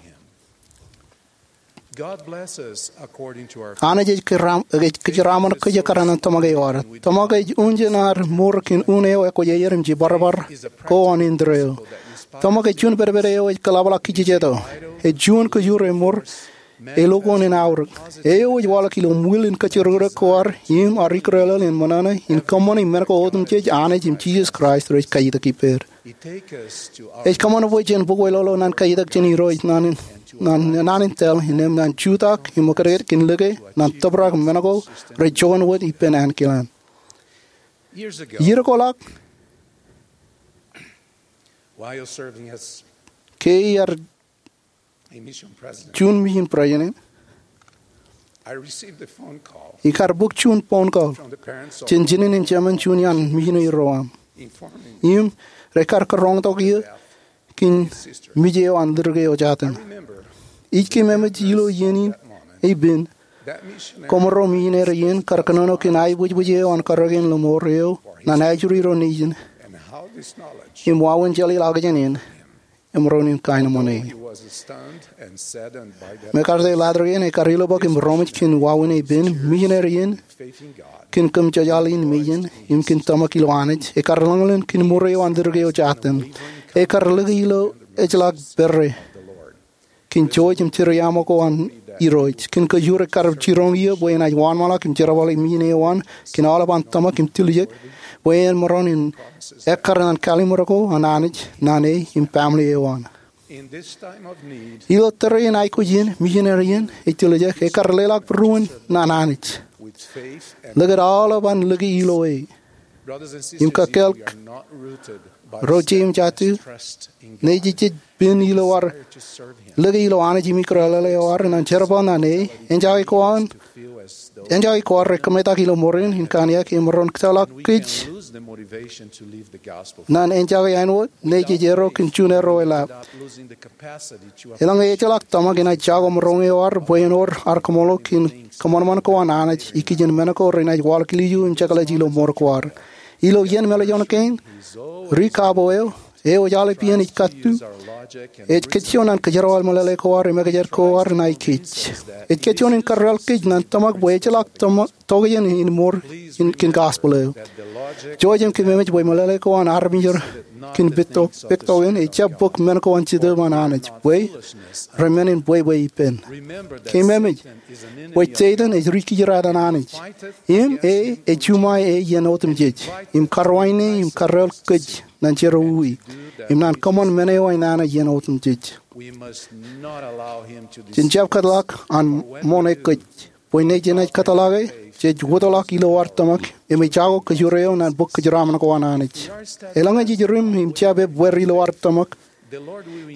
Anij ej kōjeraṃṃan kōj ekkar ñan tōmak eo ad. Tōmak ej un jān ad mour kōn un eo ekwōjarjar im jibadbad ko an indeeo. Tōmak ej juon pedped eo ej kōḷapḷọk kōjjitōk. Ej juon kōjur eṃor, elukkuun in aorōk. Eo ej waḷọk ilo ṃwiil in kōjjirōkrōk ko ad im ad ikōrōlōl in ṃōṇōṇō in kōṃṃani men ko otemjej Anij im Jisōs Kraist rej kaitak ippād. Ej kōṃṃan bwe jen bōk wōtlọtḷọk ñan kaitak jān Irooj ñan naan in tōl, innām ñan jutak im ekkar kōn lōke ñan tōprak men ko rej joñan wōt ippān ankilaan. Iiō ko ḷọk, ke iar juon mission president, ikar bōk juon phone call jān jinen im jemān juon iaan missionary ro aṃ, im rekar kōrọọltok eō kōn mej eo an ḷōrōk eo jatūṃ. Ij keememej ilo iien in epen, koṃro missionary in kar kōnono kōn aebōjbōj eo an karreoik in ḷōṃor eo ñan ajri ro nejin im wāween jeḷāḷọkjeṇ in im ro in kaenōṃṃan e. MacArthur ḷadik in ekar ilubōk im roṃōj kōn wāween epen, missionary in kōn kōm jejaḷ in mejān im kōn tōmak ilo Anij, ekar lōñlōñ kōn ṃure eo an ḷōrōk eo jatūṃ. Ekar lōke ilo ejjeḷọk pere kōn jouj im jitōñ ko an Irooj. Kōn kōjur ekar jiroñ eō bwe enaaj wōnṃaanḷọk im jerbal ilo ṃwiin eo an kōn aolep an tōmak im tiljek bwe en maroñ in ekkar ñan kallimur ko an Anij ñan e im family eo an. Ilo tōre in aikuj in, missionary in ej tiljek, ekar leḷọk būruon ñan Anij, lōke aolep an lōke ilo e. Im kōkkāāl ro jeiū im jatū, ñe jej pen ilo ad lōke ilo Anij im ikōrōlōl eo ad ñan jerbal ñan e, eñjake ko ad rej kōmetak ilo ṃoor in in kōn aō ke emaroñ kōtḷọk kōj ñan eñjake āinwōt ñe jej erro kōn juon erro eḷap. Eḷaññe ejjeḷọk tōmak, enaaj jako maroñ eo ad bwe en wōr ad kaṃṃoolol kōn kōṃanṃan ko an Anij ikijjien men ko renaaj waḷọk ilju im jekḷaj ilo ṃoor ko ad. Ilo iien mālejjoñ kein, Ri Kabo eo, eo ej aolep iien ej kattu, ej kajjioñ ñan kōjerbal meḷeḷe ko ad im ekjab ko ad ñan kōj. Ej kajjioñ in kōrreoḷ kōj ñan tōmak bwe ejjeḷọk tōmak tokjān in ṃoor kōn gospel eo. Jouj im kōmemej bwe meḷeḷe ko an armej ro kōn pektok in ejjab bōk men ko an Jetōb an Anij bwe remen in bwebwe ippān. Kōmemej bwe Setan ej ri-kōjdat an Anij, im e ej juṃae e iien otemjej im karuwainene im kōrreoḷ kōj ñan jerọwiwi im ñan kōṃṃan men eo enana iien otemjej. Jen jab kōtḷọk an ṃoṇe kōj, bwe ñe jenaaj kōtḷọke, jej wōtlọk ilo ad tōmak im ejako kōjur eo ñan bōk kōjeraaṃṃan ko an Anij. Eḷaññe jej ri im jab ebbeer ilo ad tōmak,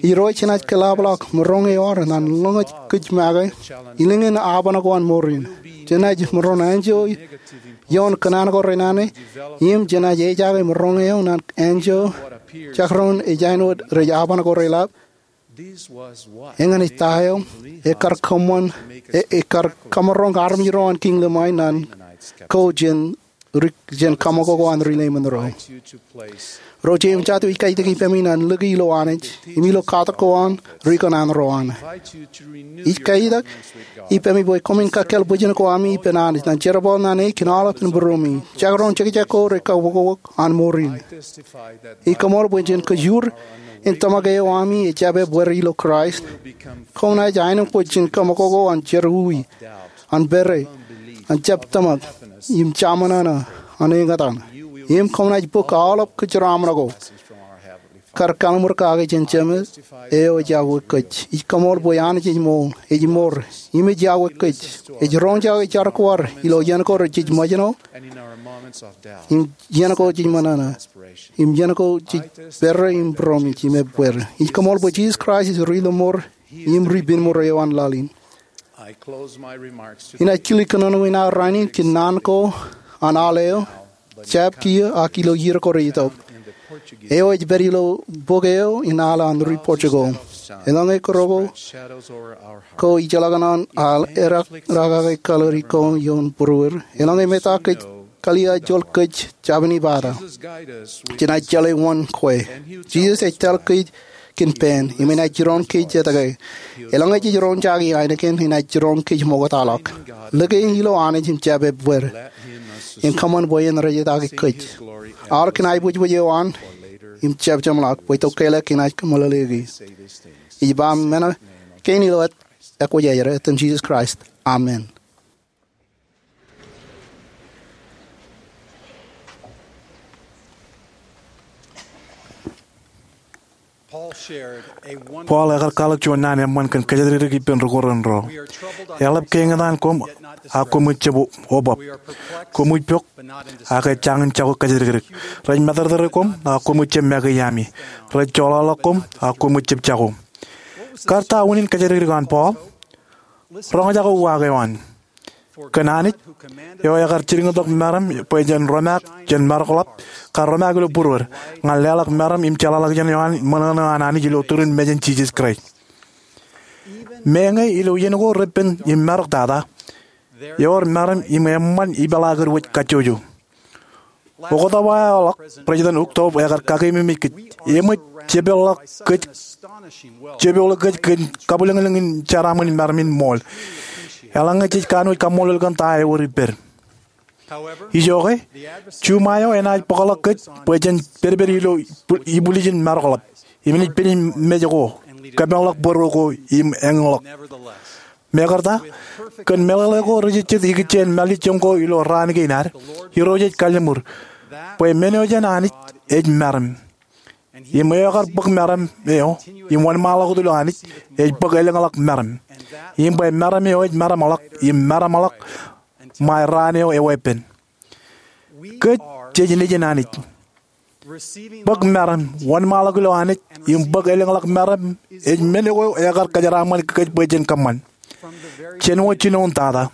Irooj enaaj kōḷapḷọk maroñ eo ad ñan ḷōñōj kōj make ilōñin aoban ko an ṃoor in. Jenaaj maroñ enjoy ioon kōṇaan ko renana, im jenaaj ejaake maroñ eo ñan enjoy jekdọọn ej āinwōt rej aoban ko reḷap. Eñin ej ta eo ekar kōṃṃan, e- ekar kōmaroñ armej ro an kiiñ limṃae ñan ko jān ri- jān kaṃakoko an ri Leiṃōn ro. Ro jeiū im jatū, ij kaitik ippemi ñan lōke ilo Anij im ilo katak ko an ri kōṇaan ro an. Ij kaitak ippemi bwe koṃwin kakkāāl bwijin ko ami ippān Anij ñan jerbal ñan e kōn aolepān būruemi, jekdọọn jekjek ko rej kaukabok an ṃoor in. Ij koṃṃool bwe jān kōjur in tōmak eo ami ejjab ebbeer ilo Kraist, koṃ naaj aenōṃṃan jān kaṃakoko an jerọwiwi, an pere, an jab tōmak, im jaṃōṇōṇō, an eñtaan. Im koṃ naaj bōk aolep kōjeraaṃṃan ko kar kalliṃur kake jān Jemed eo ej yokwe kōj. Ij koṃṃool bwe Anij ej ṃool, ej ṃoor, im ej yokwe kōj. Ej roñjake jar ko ad ilo iien ko rej jej ṃōjṇọ, im iien ko jej ṃōṇōṇō, im iien ko jej pere im būroṃōj im ebbeer. Ij koṃṃool bwe Jisōs Kraist ej ri ḷōṃoor im ri pinṃoor eo an laḷ in. Inaaj kile kōnono in aō rainin kōn naan ko an aḷ eo, jab kiiō ak ilo iiō ko rej itok. Eo ej pād ilo bok eo in al an ri-pojak ko. Eḷaññe kōrā ko, ko ijellọkin an al erak, rakake kalōri ko ioon būruod. Eḷaññe meta kōj kalia joḷ kōj jabdewōt ipata, jenaaj jeḷā wōn kwe. Jisōs ej tōl kōj kōn pān, im enaaj jiroñ kōj etke. Eḷaññe jej roñjake ainikien, enaaj jiroñ kōj ṃoktaḷọk. Lōke ilo Anij im jab ebbeer. Im kōṃṃan bwe en rejjitōk kōj. Aorōk kōn aiboojoj eo an, im jab jeṃḷọk, bwe itok ke eḷap enaaj kōmeḷeḷeiki. Ij ba men kein ilo etan, ekwōjarjar, etan Jisōs Kraist. Amen. Paul ekar kwaḷọk juon naan eṃṃan kōn kōjatdikdik ippān ri-Korint ro. Eḷap kein etan koṃ, a koṃij jab obab. Koṃij pok, ak ejjañin jako kōjatdikdik. Rej matōrtōre koṃ, a koṃij jab make iaami. Rej joḷọkḷọk koṃ, a koṃij jab jako. Kar ta unin kōjatdikdik an Paul? Roñjake uwaak eo an. Kōn Anij, eo ekar jilkintok meram bwe jen romaak jān marokḷap, kar romaak ilo būruod, ñan leḷọk meram im jeḷāḷọkjeṇ eo an ṃōṇōṇō an Anij ilo turin mejān Jisōs Kraist. Meñe ilo iien ko repen im maroktata, ewōr meram im eṃṃan ipeḷaakidu wōj kajjojo. Oktoba eo ḷọk, President Uchtdorf ekar kakeememej kōj. Eṃōj jepeḷḷọk kōj, jepeḷḷọk kōj kōn kabwilōñlōñ in jeraaṃṃan meram in ṃool. Eḷaññe jej kanooj kaṃṃoolol kōn ta eo ewōr ippād. Ijoke, juṃae eo enaaj bōkḷọk kōj bwe jen pedped ilo ibwiljin maroḷọk, im enaaj pād im mej ko, kōpeḷḷọk bōro ko im eñḷọk. Mekarta, kōn meḷeḷe ko rejejjet ikijjien mālejjoñ ko ilo raan kein ad, Irooj ej kalliṃur bwe men eo jān Anij ej meram. Im eo ekar bōk meram eo im wōnṃaanḷọk wōt ilo Anij ej bōk elōñḷọk meram. Im bwe meram eo ej meramḷọk im meramḷọk ṃae raan eo eweeppān. Kōj jej nejin Anij. Bōk meram, wōnṃaanḷọk ilo Anij, im bōk elōñḷọk meram ej men ko ekar kōjeraaṃṃan kōj bwe jen kōṃṃan. Jān wōt jinoin tata,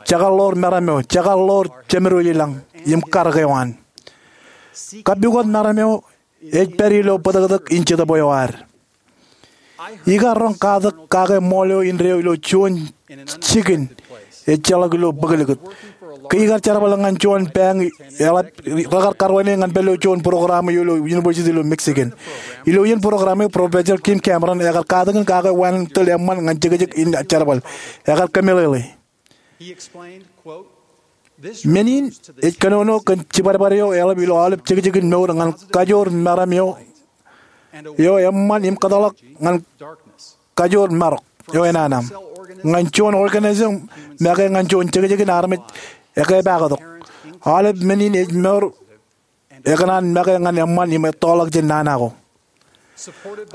jekar ḷoor meram eo, jekar ḷoor Jemedwōj ilañ, im karōk eo an. Kapukot meram eo ej pād ilo bōtōktōk in Jetōb eo ad. Ikar roñ katak kake ṃool eo indeeo ilo juon jikin ejjeḷọk ilo bōklōkōt. Ke ikar jerbal ñan juon bank, eḷap rekar karuwaineik ñan pād ilo juon program eo ilo University ilo Michigan. Ilo iien program eo, Professor Kim Cameron ekar katakin kake wāween tōl eṃṃan ñan jekjek in jerbal. Ekar kōmeḷeḷe. Men in ej kōnono kōn jibadbad eo eḷap ilo aolep jekjekin mour ñan kajoor meram eo, eo eṃṃan im kōtḷọk ñan kajoor marok eo enana. Ñan juon organism make ñan juon jekjekin armej ekepaaktok. Aolep men in ej mour ekōṇaan make ñan eṃṃan im ettoḷọk jān nana ko.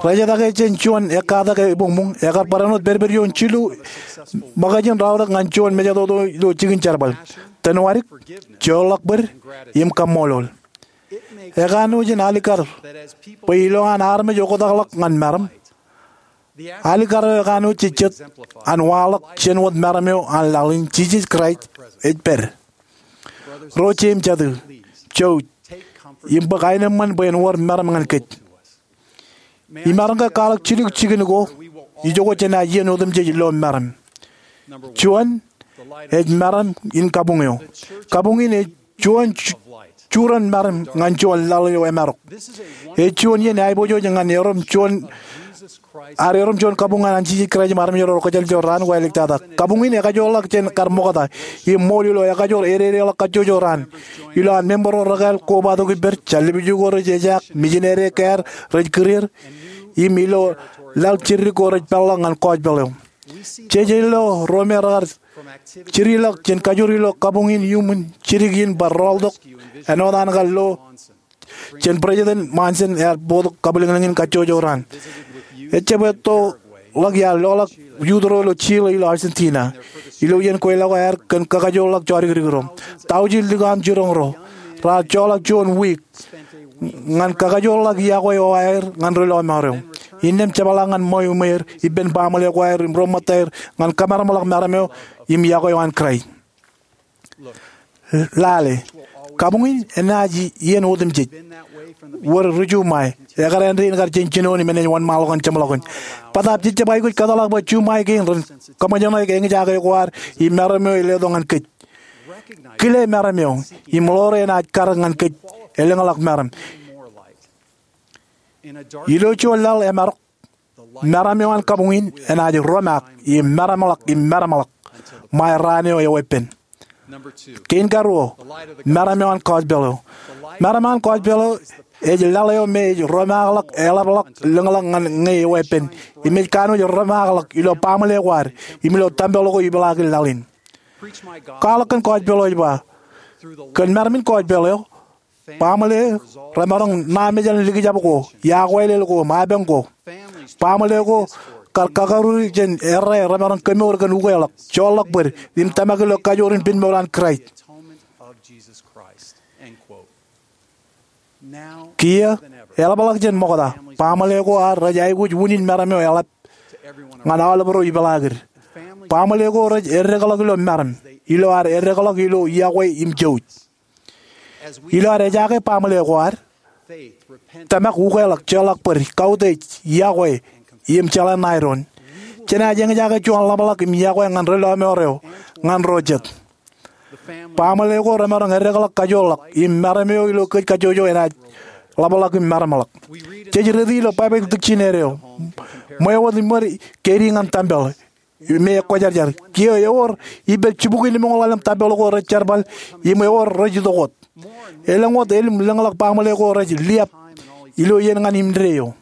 Rej etake jān juon ekkatak ebuñbuñ, ekar barāinwōt pedped ioon jilu ṃōkajin raorōk ñan juon mejatoto ilo jikin jerbal: tōnwadik, joorḷọk bōd, im kaṃṃoolol. Ekanooj in alikkar bwe ilo an armej oktakḷọk ñan meram, alikkar eo ekanooj jej jet an waḷọk jān wōt meram eo an laḷ in Jisōs Kraist ej pād. Ro jeiū im jatū, jouj im bōk aenōṃṃan bwe en wōr meram ñan kōj. Imaroñ ke kwaḷọk jilu jikin ko, ijoko jān aō iien otemjej ilo meram. Juon, ej meram in kabuñ eo. Kabuñ in ej juon ju-, juran meram ñan juon laḷ eo emarok. Ej juon iien aiboojoj ñan erom juon, ad erom juon kabuñ ñan Jisōs Kraist im armej ro rej kōjeḷ ijo raan ko āliktata. Kabuñ in ekajoorḷọk jān kar ṃokta im ṃool ilo ekajoor ededeḷọk kajjojo raan. Ilo an member ro rekāāl kobatok ippād, jar lipju ko rej ejaak, mijinede ekāād rej kūr er, im ilo laḷ jiddik ko rej peḷḷọk ñan gospel eo. Jej ilo ro me rekar jidikḷọk jān kajoor ilo kabuñ in iuṃwin jidik in bar rọọltok āinwōt an kar lo jān President Monson ear bōktok kabwilōñlōñ in kajjojo raan. Ejjab ettoḷọk iar loḷọk youth ro ilo Chile ilo Argentina. Ilo iien kweilọk eo aer kōn kakajoorḷọk jodikdik ro. Tọujin lukkuun jiroñ ro raar joḷọk juon wiik ñan kakajoorḷọk iọkwe eo aer ñan ri lọmọọr eo. Innām jepḷaak ñan ṃweo iṃweer ippān baaṃle ko aer im ro ṃōttaer ñan kōmeramḷọk meram eo im iọkwe eo an Kraist. Lale, Kabuñ in enaaj iien otemjej. Wōr ri-Jumwae, ekar āindein kar jān jinoin im enaaj wōnṃaanḷọk ñan jeṃḷọkin. Bōtaab jej jab aikuj kōtḷọk bwe Jumwae kein ren kōṃōjṇọ ke eñjake ko ad im meram eo e letok ñan kōj. Kile meram eo im ḷoore enaaj karōk ñan kōj elōñḷọk meram. Ilo juon laḷ emaroñ, meram eo an kabuñ in enaaj romaak im meramḷọk im meramḷọk ṃae raan eo eweeppān. Kein karuo, meram eo an gospel eo. Meram eo an gospel eo ej laḷ eo me ej romaakḷọk eḷapḷọk lōñḷọk ñan ñe eweeppān im ej kanooj romaakḷọk ilo baaṃle ko ad im ilo tempel ko ipeḷaakin laḷ in. Kwaḷọk kōn gospel eo ej ba, kōn meram in gospel eo, baaṃle remaroñ ṇa mejān likjab ko, iọkwe lel ko, im apañ ko. Baaṃle ko kar kakaruur jān errā remaroñ kemour kōn ukeḷọk, joorḷọk bōd, im tōmak ilo kajoor in pen mour an Kraist. Kiiō, eḷapḷọk jān ṃokta, baaṃle ko ad rej aikuj unin meram eo eḷap ñan aolep ro ipeḷaakid. Baaṃle ko rej eddekḷọk ilo meram ilo ad eddekḷọk ilo iọkwe im jouj. Ilo ad ejake baaṃle ko ad, tōmak, ukeḷọk, joorḷọk bōd, kautiej, iọkwe, im jeḷā ṇae doon, jenaaj eñjake juon ḷapḷọk im iọkwe ñan ri lọmọọr eo, ñan ro jet. Baaṃle ko remaroñ eddekḷọk kajoorḷọk im meram eo ilo kōj kajjojo enaaj ḷapḷọk im meramḷọk. Jej dike ilo Baibōḷ dictionary eo, ṃweo wōt im wōt keidi ñan tempel me ekwōjarjar. Kiiō ewōr ippād jibukwi limōñoul ḷalem tempel ko rej jerbal im ewōr rej itok wōt. Elōñ wōt elōñ lōñḷọk baaṃle ko rej liab ilo iien ñan indeeo eo.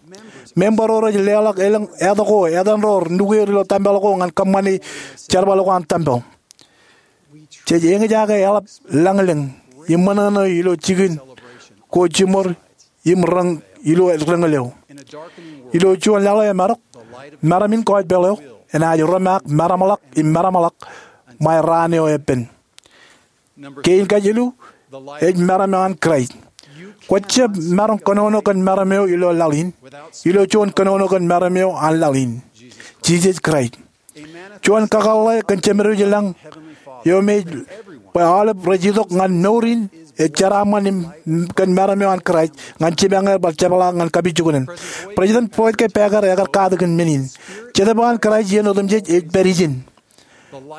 Member ro rej leḷọk elōñ etto ko etan ro nukeer ilo tempel ko ñan kōṃṃane jerbal ko an tempel. Jej eñjake eḷap lañlōñ im ṃōṇōṇō ilo jikin ko jiṃor im reñ ilo reñal eo. Ilo juon laḷ eo emaroñ, meram in gospel eo enaaj romaak meramḷọk im meramḷọk ṃae raan eo eppān. Kein kajilu ej meram eo an Kraist. Kwōjab maroñ kōnono kōn meram eo ilo laḷ in ilo juon kōnono kōn meram eo an laḷ in, Jisōs Kraist. Juon kakōḷḷe kōn Jemedwōj ilañ eo me ej bwe aolep rej itok ñan mour in ej jeraaṃṃan im kōn meram eo an Kraist ñan jipañ er bar jepḷaak ñan kapijuknen. President Boyd K. Packer ekar katakin men in, Jetōb eo an Kraist iien otemjej ej pād ijin.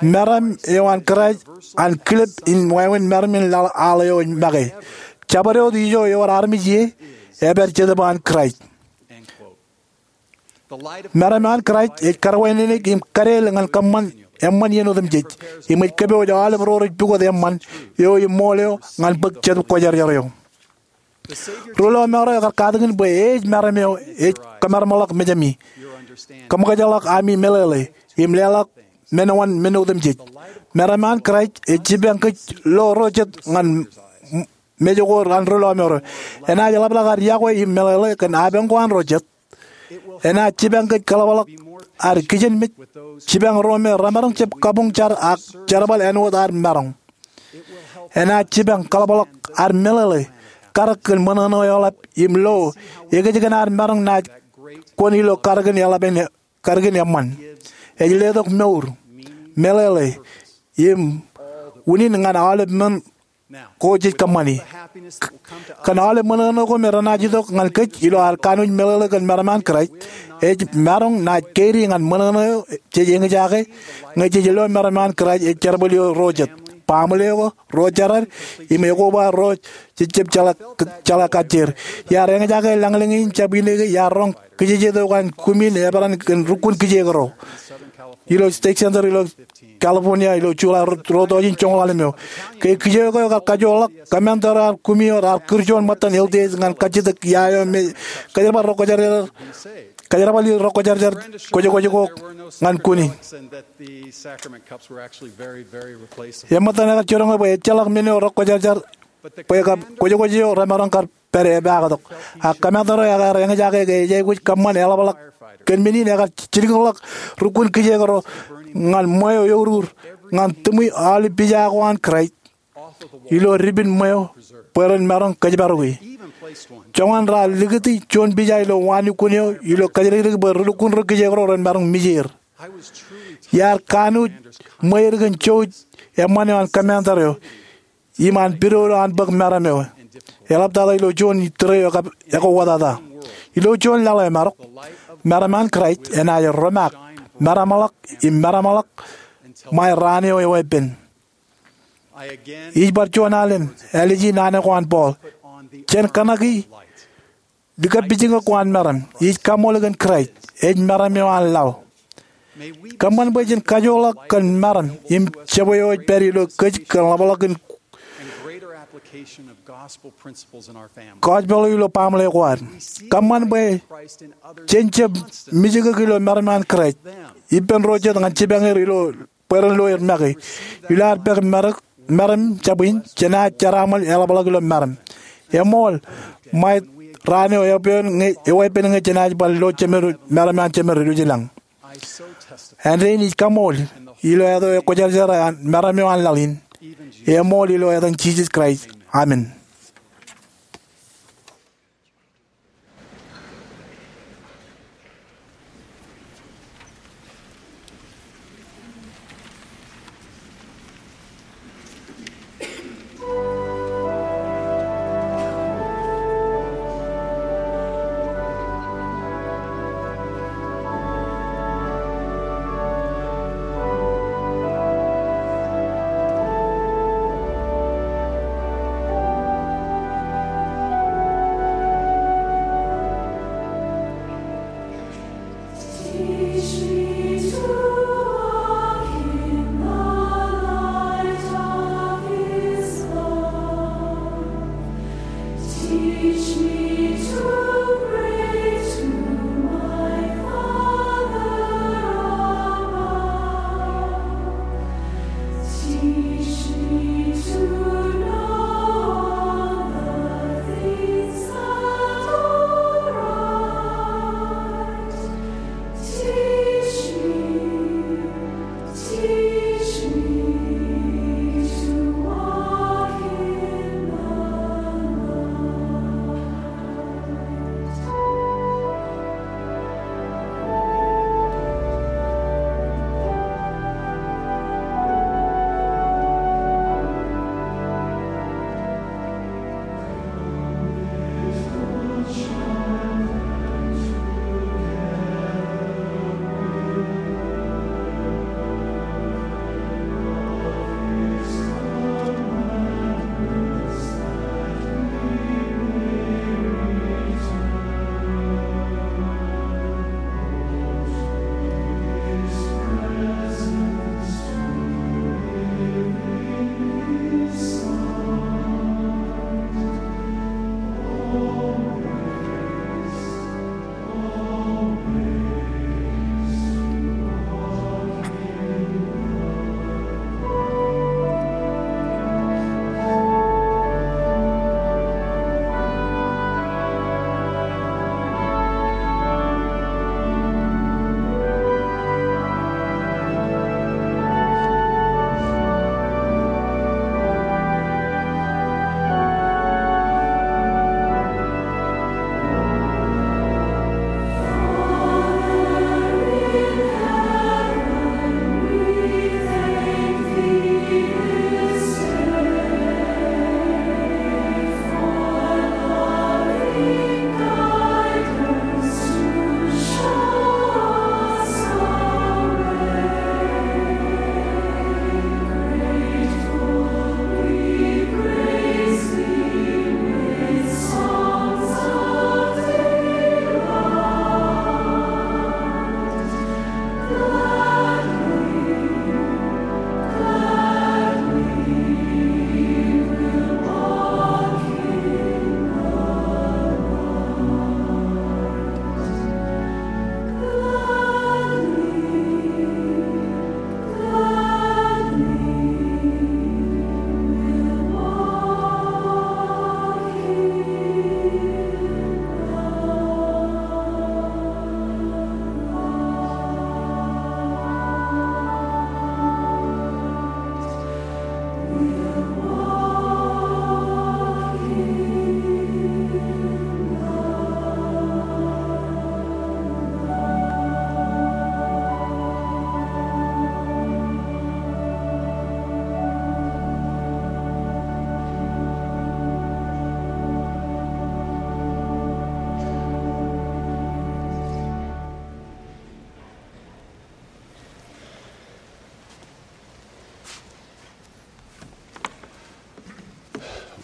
Meram eo an Kraist an kilep in wāween meram in laḷ aḷ eo ej make. Jabdewōt ijo ewōr armej ie, epād Jetōb eo an Kraist. Meram eo an Kraist ej karwaineneik im kadeel ñan kōṃṃan eṃṃan iien otemjej, im ej kōpooj aolep ro rej pukot eṃṃan eo im ṃool eo ñan bōk Jetōb Kwōjarjar eo. Ri lọmọọr eo ekar katakin bwe ej meram eo ej kōmeramḷọk mejāmi, kōṃōkajḷọk ami meḷeḷe, im leḷọk men oan men otemjej. Meram eo an Kraist ej jipañ kōj lo ro jet ñan mej ko an ri lọmọọr eo. Enaaj ḷapḷọk ad iọkwe im meḷeḷe kōn apañ ko an ro jet. Enaaj jipañ kōj kōḷapḷọk ad kijenmej, jipañ ro me remaroñ jab kabuñ jar ak jerbal āinwōt ad maroñ. Enaaj jipañ kōḷapḷọk ad meḷeḷe, karōk kōn ṃōṇōṇō eḷap im lo ekōjkan ad maroñ naaj kwōn ilo karōkin eḷap in, karōkin eṃṃan. Ej letok mour, meḷeḷe, im unin ñan aolep men ko jej kōṃṃani. Kōn aolep ṃōṇōṇō ko me renaaj itok ñan kōj ilo ad kanooj meḷeḷe kōn meram eo an Kraist, ej maroñ naaj keidi ñan ṃōṇōṇō eo jej eñjake ñe jej lo meram eo an Kraist ej jerbal ilo ro jet, baaṃle ko, ro jeran, im ekoba ro jej jab jeḷā, jeḷā kajjier. Iar eñjake lañlōñ in jab ineke iar roñ kijejet eo an kumin eperan kōn rukkuun kijeek ro ilo State Center ilo California ilo July ro-, ruo tọujin joñoul ḷalem eo. Ke kijeek eo ekar kajoorḷọk, commander eo an kumi eo raar kūr juon ṃōttan L T S ñan kajjitōk ia eo me kōjerbal ro kwōjarjar, kōjerbal ro kwōjarjar kwōjkwōj ko ñan kuni. Eṃṃan etan ekar jiroñ bwe ejjeḷọk men eo ro kwōjarjar bwe kab kwōjkwōj eo remaroñ kar pād epaaktok. Ak commander eo ekar eñjake ke ej aikuj kōṃṃan eḷapḷọk kōn men in ekar jilkinḷọk rukkuun kijeek ro ñan ṃweo eurur ñan tūṃwi aolep pija ko an Kraist ilo dipin ṃweo bwe ren maroñ kōjparok e. Joñan raar likūti juon pija ilo wānukkuun eo ilo kōjlikdik bwe ri lukkuun ro kijeek ro ren maroñ mijeer. Iar kanooj ṃweir kōn jouj eṃṃan eo an commander eo. iṃaan pidodo an bōk meram eo. Eḷaptata ilo juon ittiro eo kab ekwe wōtata. Ilo juon laḷ eo emaroñ, meram an Kraist enaaj romaak, meramḷọk im meramḷọk ṃae raan eo eweeppān. Ij bar juon alen āliji naan ko an Paul. Jen kōṇaki likapijukok ko an meram. Ij kaṃṃool kōn Kraist, ej meram eo an laḷ. Kōṃṃan bwe jen kajoorḷọk kōn meram im jebwe eo ej pād ilo kōj kōn ḷapḷọk in gospel ilo baaṃle ko ad. Kōṃṃan bwe jen jab mijukok ilo meram eo an Kraist ippān ro jet ñan jipañ er ilo bwe ren lo er make. Ilo ad pek meram jabwe in, jenaaj jeraaṃṃan eḷapḷọk ilo meram. Eṃool, ṃae raan eo eweeppān ñe jenaaj bar lo meram eo an Jemed Ilujelañ. Āindein ij kaṃṃool ilo etan Kwōjarjar an meram eo an laḷ in. Eṃool ilo etan Jisōs Kraist, amen.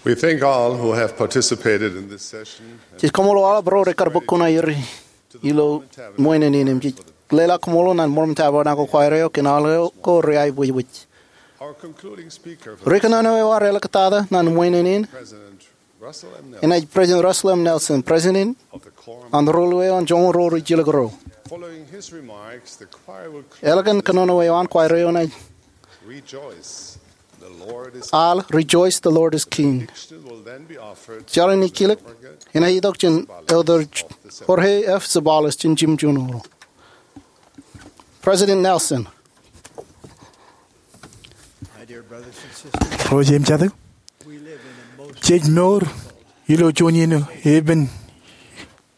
We thank all who have participated in this session. Jej kaṃṃoolol aolep ro rekar bōk kuṇaer ilo ṃoenān in im jej leḷọk kaṃṃoolol ñan Mormon Tabernacle Choir eo kōn aolep ko reaikuj. Our concluding speaker for Ri kōnono eo ear āliktata ñan ṃoenān in President Russell M. Nelson, enaaj President Russell M. Nelson, President of the Quorum an Ruo Ruo eo an Joñoul Ruo Rijilōk Ruo. Following his remarks, the choir will close. Ālikin kōnono eo an, choir eo enaaj Rejoice, the Lord is al Rejoice, the Lord is King. Benediction will then be offered. Jar in ijjilōk enaaj itok jān Elder Jorge F. Zavallos jān jimjuon ro. President Nelson. My dear brothers and sisters, ro jeiū im jatū, we live in a most jej mour ilo juon iien epen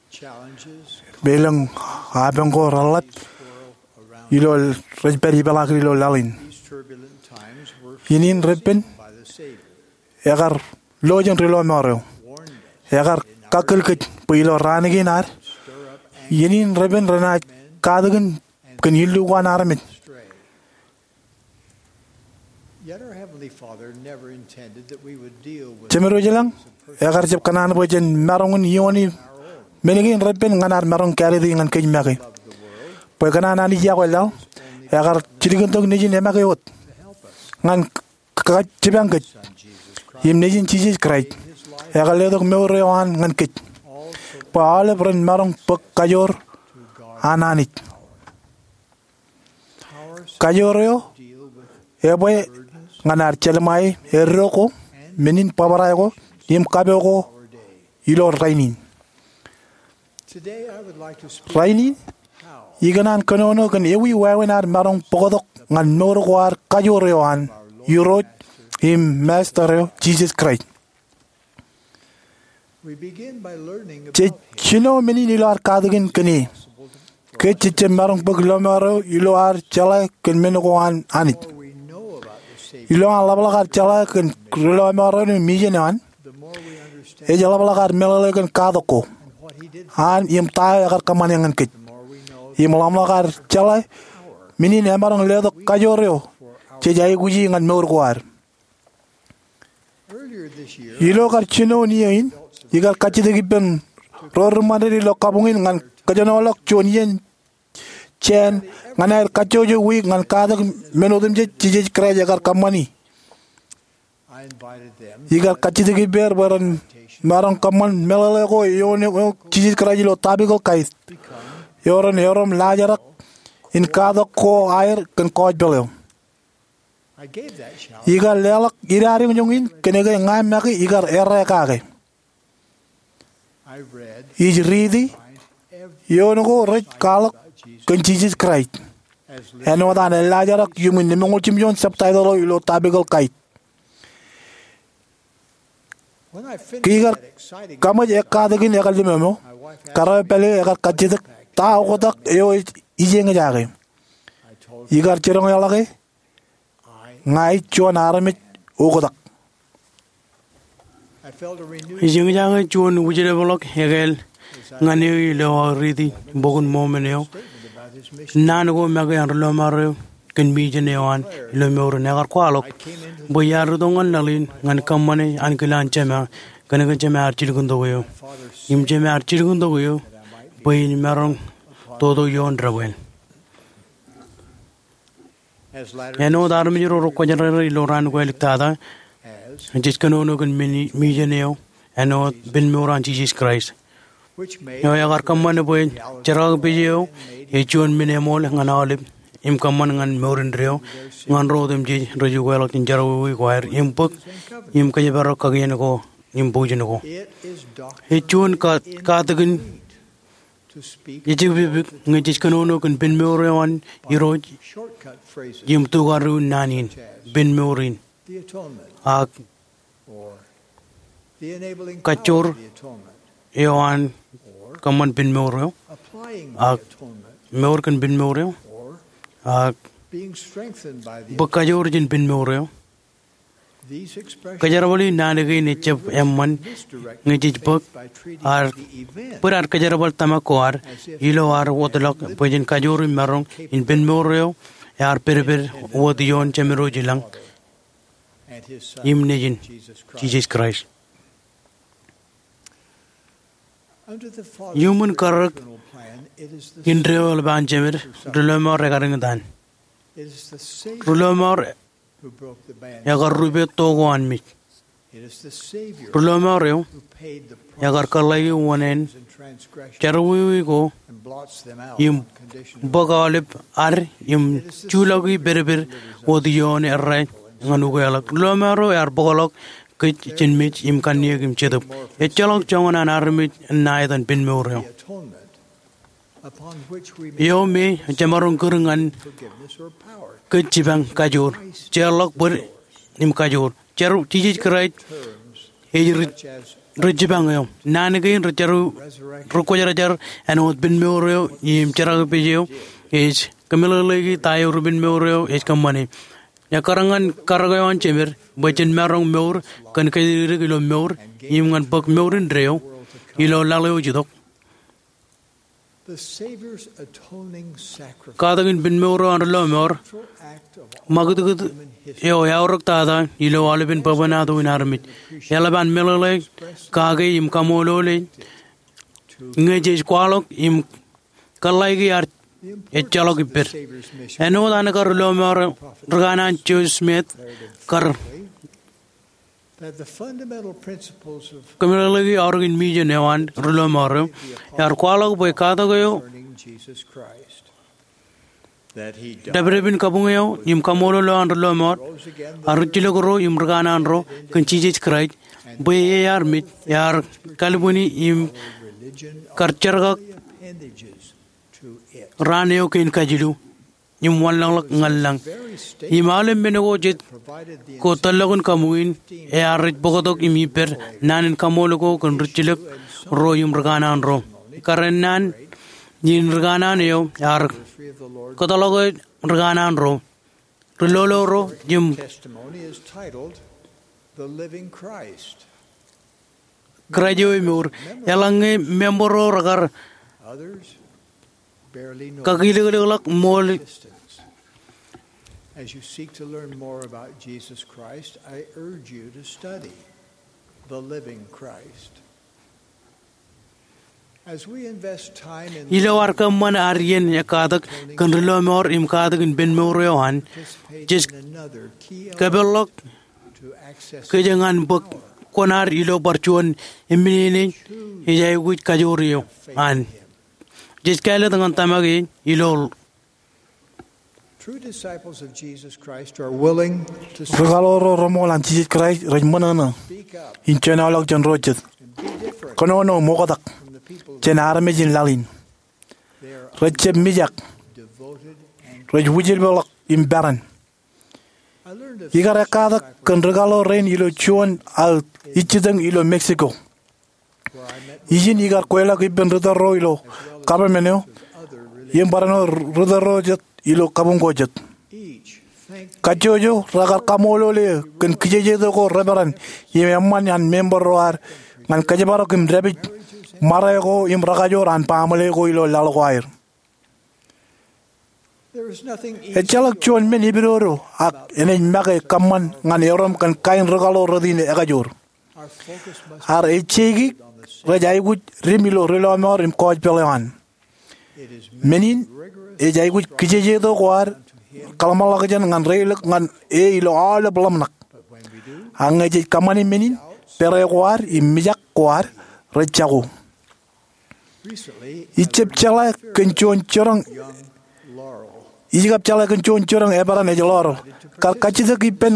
challenges, elōñ apañ ko reḷap ilo rej pād ipeḷaakin ilo laḷ in. These turbulent times were Iien in repen foreseen by the Savior. Ekar lo jān ri lọmọọr eo. Ekar kakkōl kōj bwe ilo raan kein ad, iien in repen renaaj katakin kōn illu ko an armej. Yet our Heavenly Father never intended that we would deal with Jemedwōj ilañ, ekar jab kōṇaan bwe jen maroñ in iooni men kein repen ñan ad maroñ kāālōt e ñan kōj make. Bwe kōṇaan Anij iọkwe laḷ, ekar jilkintok Nejin emake wōt ñan k-, k-, jipañ kōj im Nejin Jisōs Kraist. Ekar letok mour eo an ñan kōj bwe aolep ren maroñ bōk kajoor an Anij. Kajoor eo ebwe ñan ad jelṃae eddo ko, men in bōbrae ko im kapo ko ilo rainin. Rainin, ikōṇaan kōnono kōn ewi wāween ad maroñ bōktok ñan mour ko ad kajoor eo an Irooj im Master eo Jisōs Kraist. Jej jino men in ilo ad katakin kōn e. Kōj jej jab maroñ bōk lọmọọr eo ilo ad jeḷā kōn men ko an Anij. Ilo an ḷapḷọk ad jeḷā kōn ri lọmọọr eo im ijeṇ eo an, ej ḷapḷọk ad meḷeḷe kōn katak ko an im ta eo ekar kōṃṃane ñan kōj. Im ḷapḷọk ad jeḷā men in emaroñ letok kajoor eo jej aikuji ñan mour ko ad. Ilo kar jinoin iiō in, ikar kajjitōk ippān ro ri ṃanit ilo kabuñ in ñan kōjenolọk juon iien jāān ñan aer kajjojo wiik ñan katak men otemjej Jisōs Kraist ekar kōṃṃani. Ikar kajjitōk ippāer bwe ren maroñ kōṃṃan meḷeḷe ko eoon eo Jisōs Kraist ilo topical kait eo ren erom laajrak in katak ko aer kōn gospel eo. Ikar leḷọk idajoñjoñ in kōnke ña make ikar errā kake. Ij riiti eoon ko rej kwaḷọk kōn Jisōs Kraist āinwōt an laajrak iuṃwin lemñoul jimjuon subtitle eo ilo topical kait. Ke ikar kaṃōj ekkatakin ekar limomo, kōrā eo pālle eo ekar kajjitōk ta oktak eo ej ijeñjake. Ikar jiroñ eḷọke, ña ij juon armej oktak. Ijeñjake juon wūjlepḷọk ekāāl ñan eō ilo aō riiti bok in Mormon eo. Naan ko make an ri lọmọọr eo kōn mission eo an ilo mour in, ekar kwaḷọk bwe iar itok ñan laḷ in ñan kōṃṃane ankilaan Jema, kōnke Jema ear jilkintok eō. Im Jema ear jilkintok eō bwe in maroñ toto ioon debwāāl. Āinwōt armej ro rekwōjarjar ilo raan ko āliktata, jej kōnono kōn men, mission eo āinwōt pen mour an Jisōs Kraist eo ekar kōṃṃan bwe jerkakpeje eo ej juon men eṃool ñan aolep im kōṃṃan ñan mour indeeo ñan ro otemjej rej ukeḷọk jān jerọwiwi ko aer im bōk im kōjparok kakien ko im bwijin ko. Ej juon ka-, katakin ejepejepik ñe jej kōnono kōn pen mour eo an Irooj im tukadu naan in, pen mour in, ak kajjoor eo an kōṃṃan pen mour eo, ak mour kōn pen mour eo, ak bōk kajoor jān pen mour eo. Kōjerbal in naan kein ejjab eṃṃan ñe jej bōk ad, bōd ad kōjerbal tōmak ko ad ilo ad wōtlọk bwe jen kajoor im maroñ in pen mour eo ear pedped wōt ioon Jemedwōj ilañ im Nejin, Jisōs Kraist. Iuṃwin karōk indeeo eḷap an jemed, ri lọmọọr ekar iñtaan. Ri lọmọọr ekar rupe to ko an mej. Ri lọmọọr eo ekar kōḷḷāiki wōṇāān jerọwiwi ko im bōk aolep ad im juḷọki pedped wōt ioon errā ñan ukeḷọk. Ri lọmọọr eo ear bōkḷọk kōj jān mej im kanniōk im jetōb. Ejjeḷọk joñan an armej ṇa etan penmour eo, eo me jemaroñ kūr ñan kōj jipañ kajoor, jeorḷọk bōd im kajoor. Jar Jisōs Kraist ej ri, ri jipañ eo. Naan kein ri jar, ri kwōjarjar āinwōt penmour eo im jerakpej eo ej kōmeḷeḷeiki ta eo ri penmour eo ej kōṃṃane. Ekkar ñan karōk eo an jemed bwe jen maroñ mour kōn kōjatdikdik ilo mour im ñan bōk mour indeeo ilo laḷ eo ej itok. Katak in penmour eo an ri lọmọọr, ṃakūtkūt eo eaorōk tata ilo aolepen bwebwenato in armej. Eḷap an meḷeḷe, kake im kaṃṃoolol e ñe jej kwaḷọk im kōḷḷāiki ad ejjeḷọk ippād. Āinwōt an kar ri lọmọọr ri kanaan Joseph Smith kar kōmeḷeḷeiki aorōk in mission eo an ri lọmọọr eo, ear kwaḷọk bwe katak eo, dāpdepin kabuñ eo im kaṃṃoolol eo an ri lọmọọr, ear rijjilōk ro im ri kanaan ro kōn Jisōs Kraist, bwe e armej ear kalbwini im kar jerkak raan eo kein kajilu im wanlōñḷọk ñan lañ. Im aolep men ko jet ko tōllọkin kabuñ in, ear rej bōktok im ippād naan in kaṃṃool ko kōn rijjilōk ro im ri kanaan ro. Kar ennaan in ri kanaan eo ear kōtḷọk ri kanaan ro, ri lolo ro im Kraist eo emour. Eḷaññe member ro rekar kakilōklōkḷọk ṃool. As you seek to learn more about Jesus Christ, I urge you to study the living Christ. Ilo ad kōṃṃan ad iien ekkatak kōn ri lọmọọr im katak in penmour eo an, jej kōpeḷḷọk kōj ñan bōk kuṇaad ilo bar juon eṃṃan in ej aikuj kajoor eo an. Jej kāālōt ñan tōmak e ilo Rikaḷoor ro reṃool an Jisōs Kraist rej ṃōṇōṇō in jenaoḷọk jān ro jet, kōnono im oktak jān armej in laḷ in. Rej jab mijak. Rej wūjlepḷọk im peran. Ikar ekkatak kōn rikaḷoor rein ilo juon aō ijjitōñ ilo Mexico. Ijin ikar kweilọk ippān ri tōl ro ilo government eo im barāinwōt ri tōl ro jet ilo kabuñ ko jet. Kajjojo rekar kaṃṃoolol e kōn kijejeto ko reperan im eṃṃan an member ro ad ñan kōjparok im dāpij ṃare ko im rekajoor an baaṃle ko ilo laḷ ko aer. Ejjeḷọk juon men epidodo ak enaaj make kōṃṃan ñan erom kōn kain rikaḷoor rot in ekajoor. Ad ejeiki rej aikuj dim ilo ri lọmọọr im gospel eo an. Men in ej aikuj kijejeto ko ad kōḷmānḷọkjeṇ ñan reilōk ñan e ilo aolep ḷōmṇak. Ak ñe jej kōṃṃani men in, pere ko ad im mijak ko ad rej jako. Ij kab jeḷā kōn juon jiroñ, ij kab jeḷā kōn juon jiroñ eperan ej Laurel. Kar kajjitōk ippān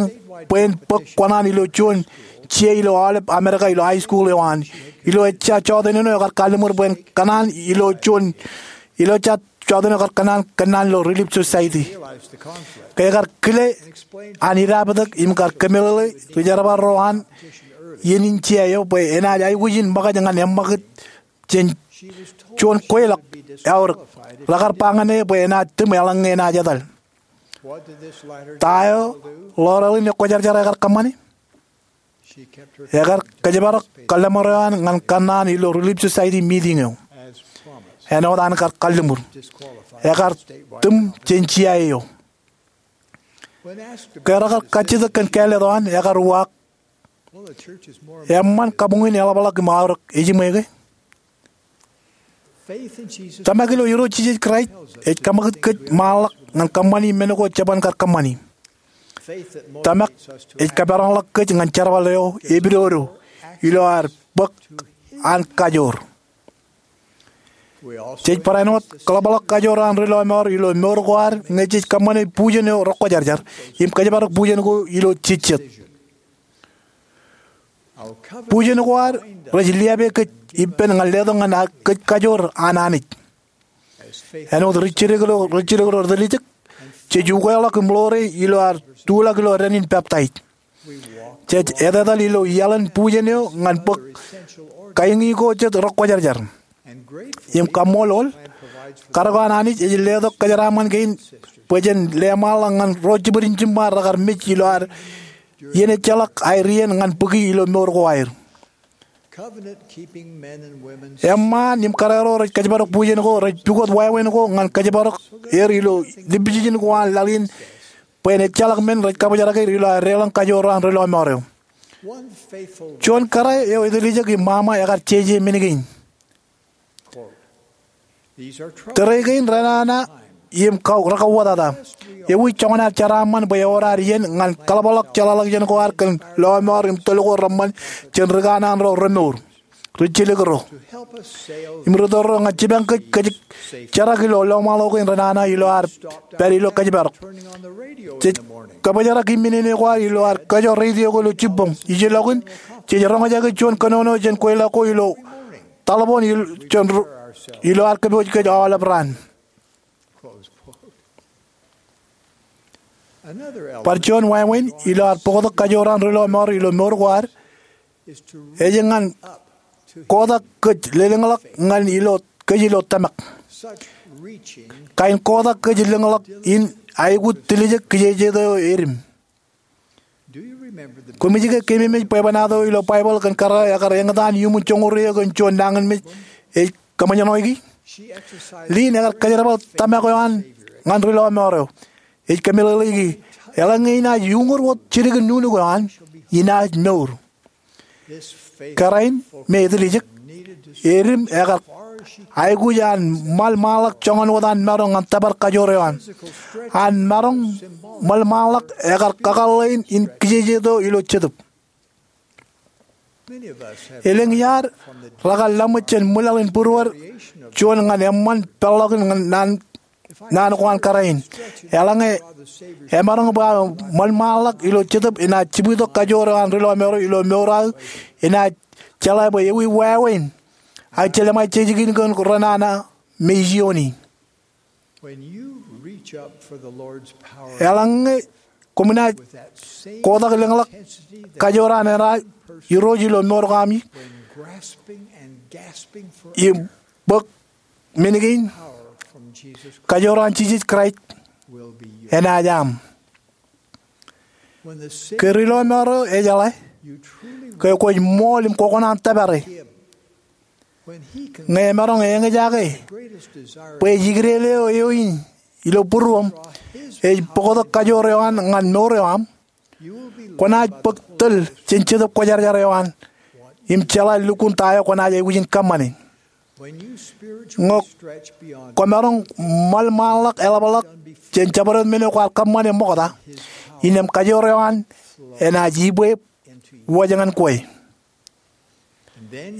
bwe en bōk kōṇaan ilo juon jea ilo aolep Amerika ilo high school eo an. Ilo ejja jọteen eo ekar kalliṃur bwe en kōṇaan ilo juon, ilo ejja jọteen eo ekar kōṇaan kōnnaan ilo Relief Society. Ke ekar kile an idaaptōk im kar kōmeḷeḷe ri jerbal ro an iien in jea eo bwe enaaj aikuj in ṃōkaj ñan eṃṃakūt jān juon kweilọk eaorōk. Rekar ba ñan e bwe enaaj tūṃ eḷaññe enaaj etal. Ta eo Laurel in ekwōjarjar ekar kōṃṃane? Ekar kōjparok kōḷmānḷọkjeṇ eo an ñan kōnnaan ilo Relief Society meeting eo. Āinwōt an kar kalliṃur, ekar tūṃ jān jea eo. Ke rekar kajjitōk kōn kāālōt eo an, ekar uwaak, eṃṃan kabuñ in eḷapḷọk im aorōk, ejiṃwe ke? Tōmak ilo Irooj Jisōs Kraist ej kaṃakūt kōj ṃaanḷọk ñan kōṃṃani men ko jeban kar kōṃṃani. Tōmak ej kaperan ḷọk kōj ñan jerbal eo epidodo ilo ad bōk an kajoor. Jej barāinwōt kōḷapḷọk kajoor an ri lọmọọr ilo mour ko ad ñe jej kōṃṃane bujen eo rekwōjarjar im kōjparok bujen ko ilo jejjet. Bujen ko ad rej liape kōj ippān ñan letok ñan kōj kajoor an Anij. Āinwōt ri jidikdik ro, ri jidikdik ro eteljek, jej ukeḷọk im ḷoore ilo ad tuḷọk ilo dān in peptaij. Jej etetal ilo iaḷan bujen eo ñan bōk kain ko jet rekwōjarjar. Im kaṃṃoolol, karōk an Anij ej letok kōjeraaṃṃan kein bwe jen leṃaanḷọk ñan ro jibwid in jiṃṃa rekar mej ilo ad iien ejjeḷọk aer iien ñan bōki ilo mour ko aer. Eṃṃaan im kōrā ro rej kōjparok bujen ko rej pukot wāween ko ñan kōjparok er ilo limjijin ko an laḷ in bwe en ejjeḷọk men rej kabōjrak er ilo aer deḷọñ kajoor an ri lọmọọr eo. Juon kōrā eo eteljek im ṃaṃa ekar jeje men kein. Tōre kein renana im rekauwōtata. Ewi joñan ad jeraaṃṃan bwe ewōr ad iien ñan kōḷapḷọk jeḷāḷọkjeṇ ko ad kōn lọmọọr im tōl ko reṃṃan jān ri kanaan ro remour, ri jilkinro, im ri tōl ro ñan jipañ kōj kōj jerak ilo lọmọọr kein renana ilo ad pād ilo kōjparok. Jej kabōjrak im men in ko ad ilo ad kōjro radio ko ilo jibboñ. Ijellọkin, jej roñjake juon kōnono jān kweilọk ko ilo taḷboon ilo ad kōpooj kōj aolep raan. Bar juon wāween ilo ad bōktok kajoor an ri lọmọọr ilo mour ko ad ej ñan kotak kōj lōñḷọk ñan ilo kōj ilo tōmak. Kain kotak kōj lōñḷọk in aikuj tiljek kijeje eo edim. Koṃij ke keememej bwebwenato ilo Baibōḷ kōn kōrā ekar eñtaan iuṃwin joñoul ruo kōn juon nañinmej ej kōṃōjṇoiki? Lynn ekar kōjerbal tōmak eo an ñan ri lọmọọr eo. Ej kōmeḷeḷeiki, eḷaññe inaaj uñūr wōt jidik in nuknuk eo an, inaaj mour. Kōrā in me etiljek, edim ekar aikuj an ṃaḷmaḷḷọk joñan wōt an maroñ ñan tōpar kajoor eo an. An maroñ ṃaḷmaḷḷọk ekar kakōḷḷe in kijeje eo ilo jetōb. Elōñ iaad rekar laṃōj jān ṃwilaḷ in būruod juon ñan eṃṃan peḷḷọkin naan naan ko an kōrā in. Eḷaññe emaroñ bwe aō ṃaḷmaḷḷọk ilo jetōb enaaj jibwitok kajoor eo an ri lọmọọr eo ilo mour aō, enaaj jeḷā bwe ewi wāween aō jelṃae jejikin kōn renana me ijioni. Eḷaññe koṃ naaj kotak lōñḷọk kajoor an eṇ Irooj ilo mour ko aṃ im bōk men kein, kajoor an Jisōs Kraist enaaj aṃ. Ke ri lọmọọr eo ejeḷā ke kwōj ṃool im kwōkōṇaan tōpare, ñe emaroñ eñjake bwe ej ikdel eo eoon ilo būruōṃ ej bōktok kajoor eo an ñan mour eo aṃ, kwōnaaj bōk tōl jān Jetōb Kwōjarjar eo an im jeḷā lukkuun ta eo kwōnaaj aikuj in kōṃṃane. Ñe kwōmaroñ ṃaḷmaḷḷọk eḷapḷọk jān jabdewōt men eo kwaar kōṃṃane ṃokta, innām kajoor eo an enaaj ibwe wōj ñan kwe.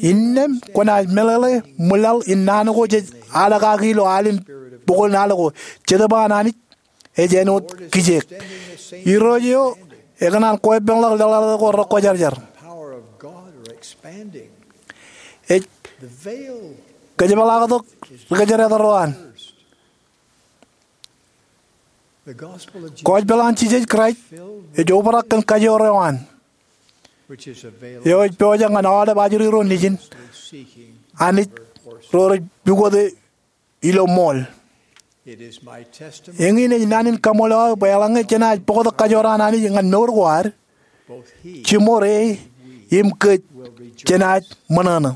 Innām kwōnaaj meḷeḷe ṃwilaḷ in naan ko jej alkaki ilo alin bukun al ko, Jetōb an Anij ej āinwōt kijeek. Irooj eo ekōṇaan koeppānḷọk leḷḷọk ko rekwōjarjar. Ej kōjepḷaaktok ri kōjdat ro an. Gospel an Jisōs Kraist ej obrak kōn kajoor eo an, eo ej pojak ñan aolep ajri ro nejin Anij ro rej pukot ilo ṃool. Eñin ej naan in kaṃṃoolol aō bwe eḷaññe jenaaj bōktok kajoor an Anij ñan mour ko ad, jiṃor e im kōj jenaaj ṃōṇōṇō.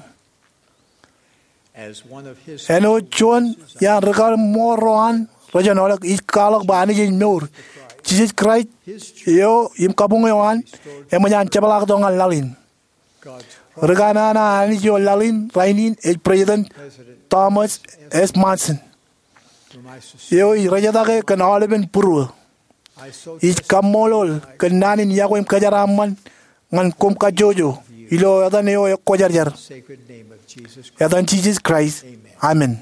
Āinwōt juon iaan ri kaṃṃool ro an rej jab ḷōḷḷọk ij kwaḷọk bwe Anij ej mour. Jisōs Kraist eo im kabuñ eo an eṃōj an jepḷaaktok ñan laḷ in. Ri kanaan an Anij eo laḷ in rainin ej President Thomas S. Monson, eo ij rejetaḷe kōn aolepen būruō. Ij kaṃṃoolol kōn naan in iọkwe im kōjeraaṃṃan ñan koṃ kajjojo ilo etan eo ekwōjarjar, etan Jisōs Kraist, amen.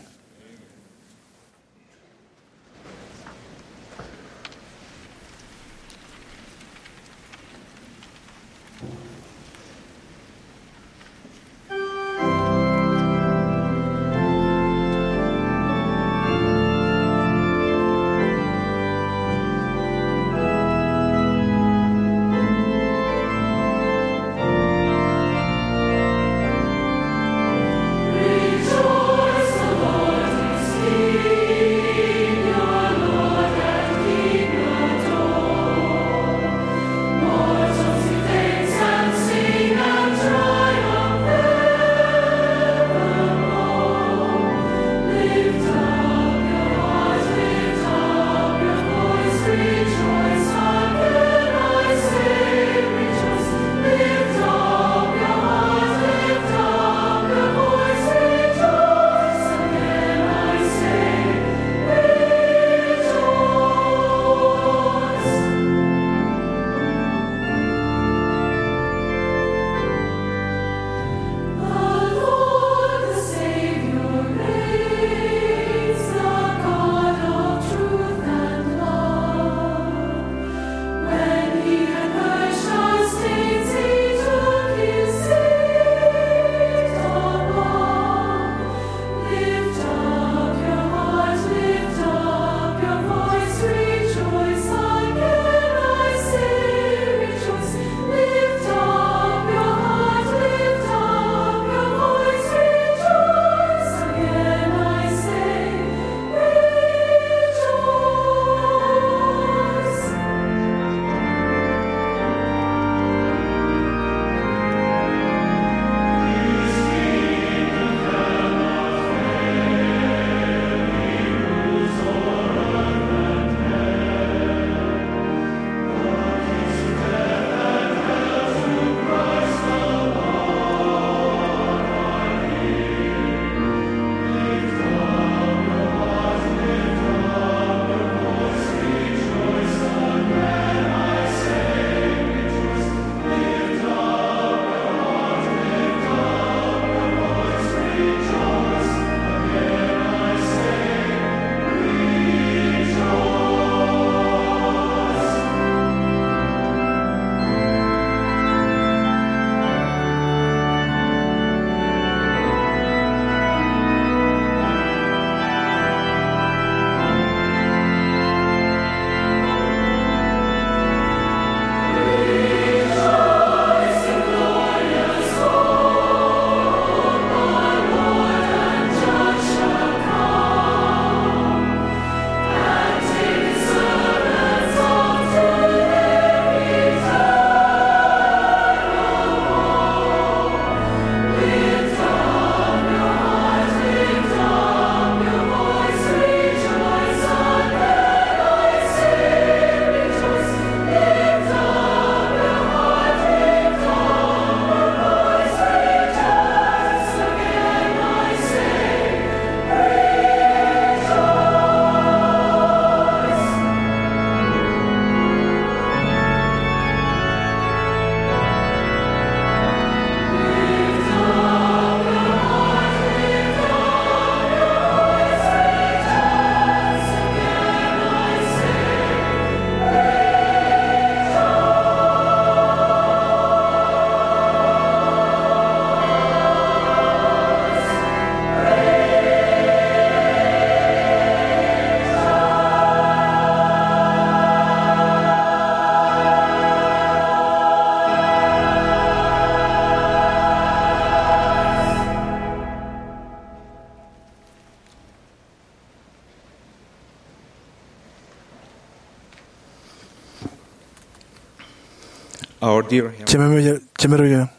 Our dear Heavenly Jemem, Jemem,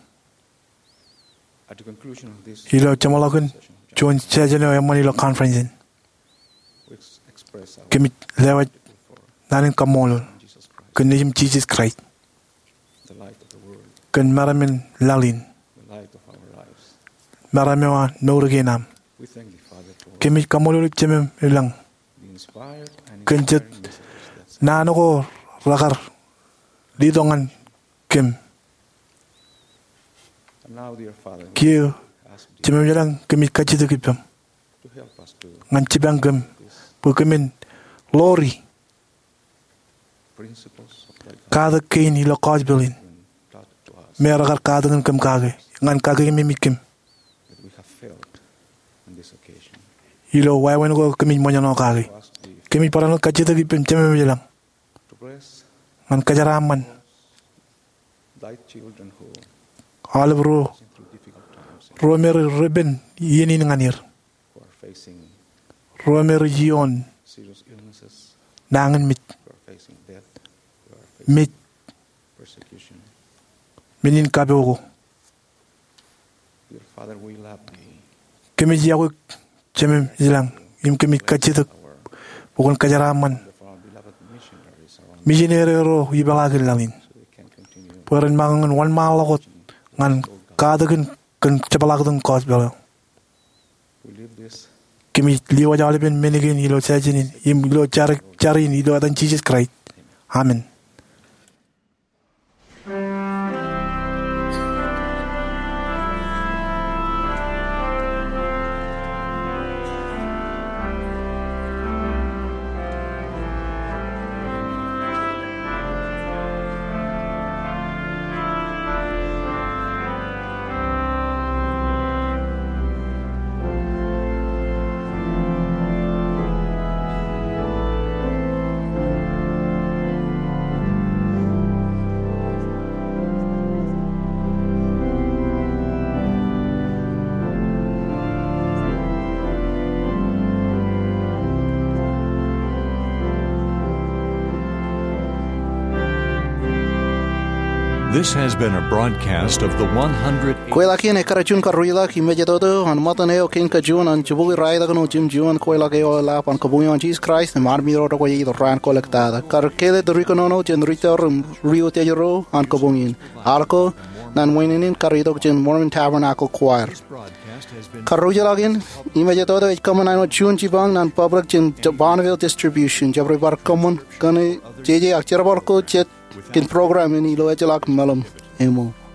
Father, ilo jeṃḷọkin juon session eo eṃṃan ilo conference in, we express our kōmij lewōj naan in kaṃṃoolol kōn Nejūṃ Jisōs Kraist, the light of the world, kōn meram in laḷ in, the light of meram eo an mour kein aṃ. Kōmij kaṃṃoolol eok Jemem ilañ kōn jet naan ko rekar letok ñan kōm. Kiiō Jemem ilañ, kōmij kajjitōk ippaṃ ñan jipañ kōm bwe kōmin ḷoori katak kein ilo gospel in me rekar katakin kōm kake ñan kakememej kōm ilo wāween ko kōmij ṃōjṇọ kake. Kōmij barāinwōt kajjitōk ippaṃ Jemem ilañ ñan kōjeraaṃṃan aolep ro, ro me rej ripen iien in ñan er, ro me rej ioon nañinmej, mej, men in kapo ko. Kōmij iọkwe eok Jemem ilañ im kōmij kajjitōk bwe kwōn kōjeraaṃṃan misineri ro ipeḷaakin laḷ in bwe ren ṃōk ñan wōnṃaanḷọk wōt ñan katakin kōn jepḷaaktok gospel eo. Kōmij lewōj aolepen men kein ilo session in im ilo jar, jar in ilo etan Jisōs Kraist. Amen. This has been a broadcast of the one hundred. Kweilọk in ekkar juon karreoḷọk im ejetoto an ṃōttan eo kein kajuon an jibukwi raetak ṇo jimjuon. Kweilọk eo eḷap an kabuñ eo an Jisōs Kraist im armej ro rej kwe itok raan ko ḷọk tata. Kar kele tōre kōnono jān ri tōre im ri utiej ro an kabuñ in. Al ko ñan wāween in kar itok jān Mormon Tabernacle Choir. Karreoḷọk in im ejetoto ej kōṃṃan āinwōt juon jipañ ñan public jān Bonneville Distribution. Jab rej bar kōṃṃan kōn jeje ak jerbal ko jet kōn program in ilo ejjeḷọk meḷeṃ eo ṃōk.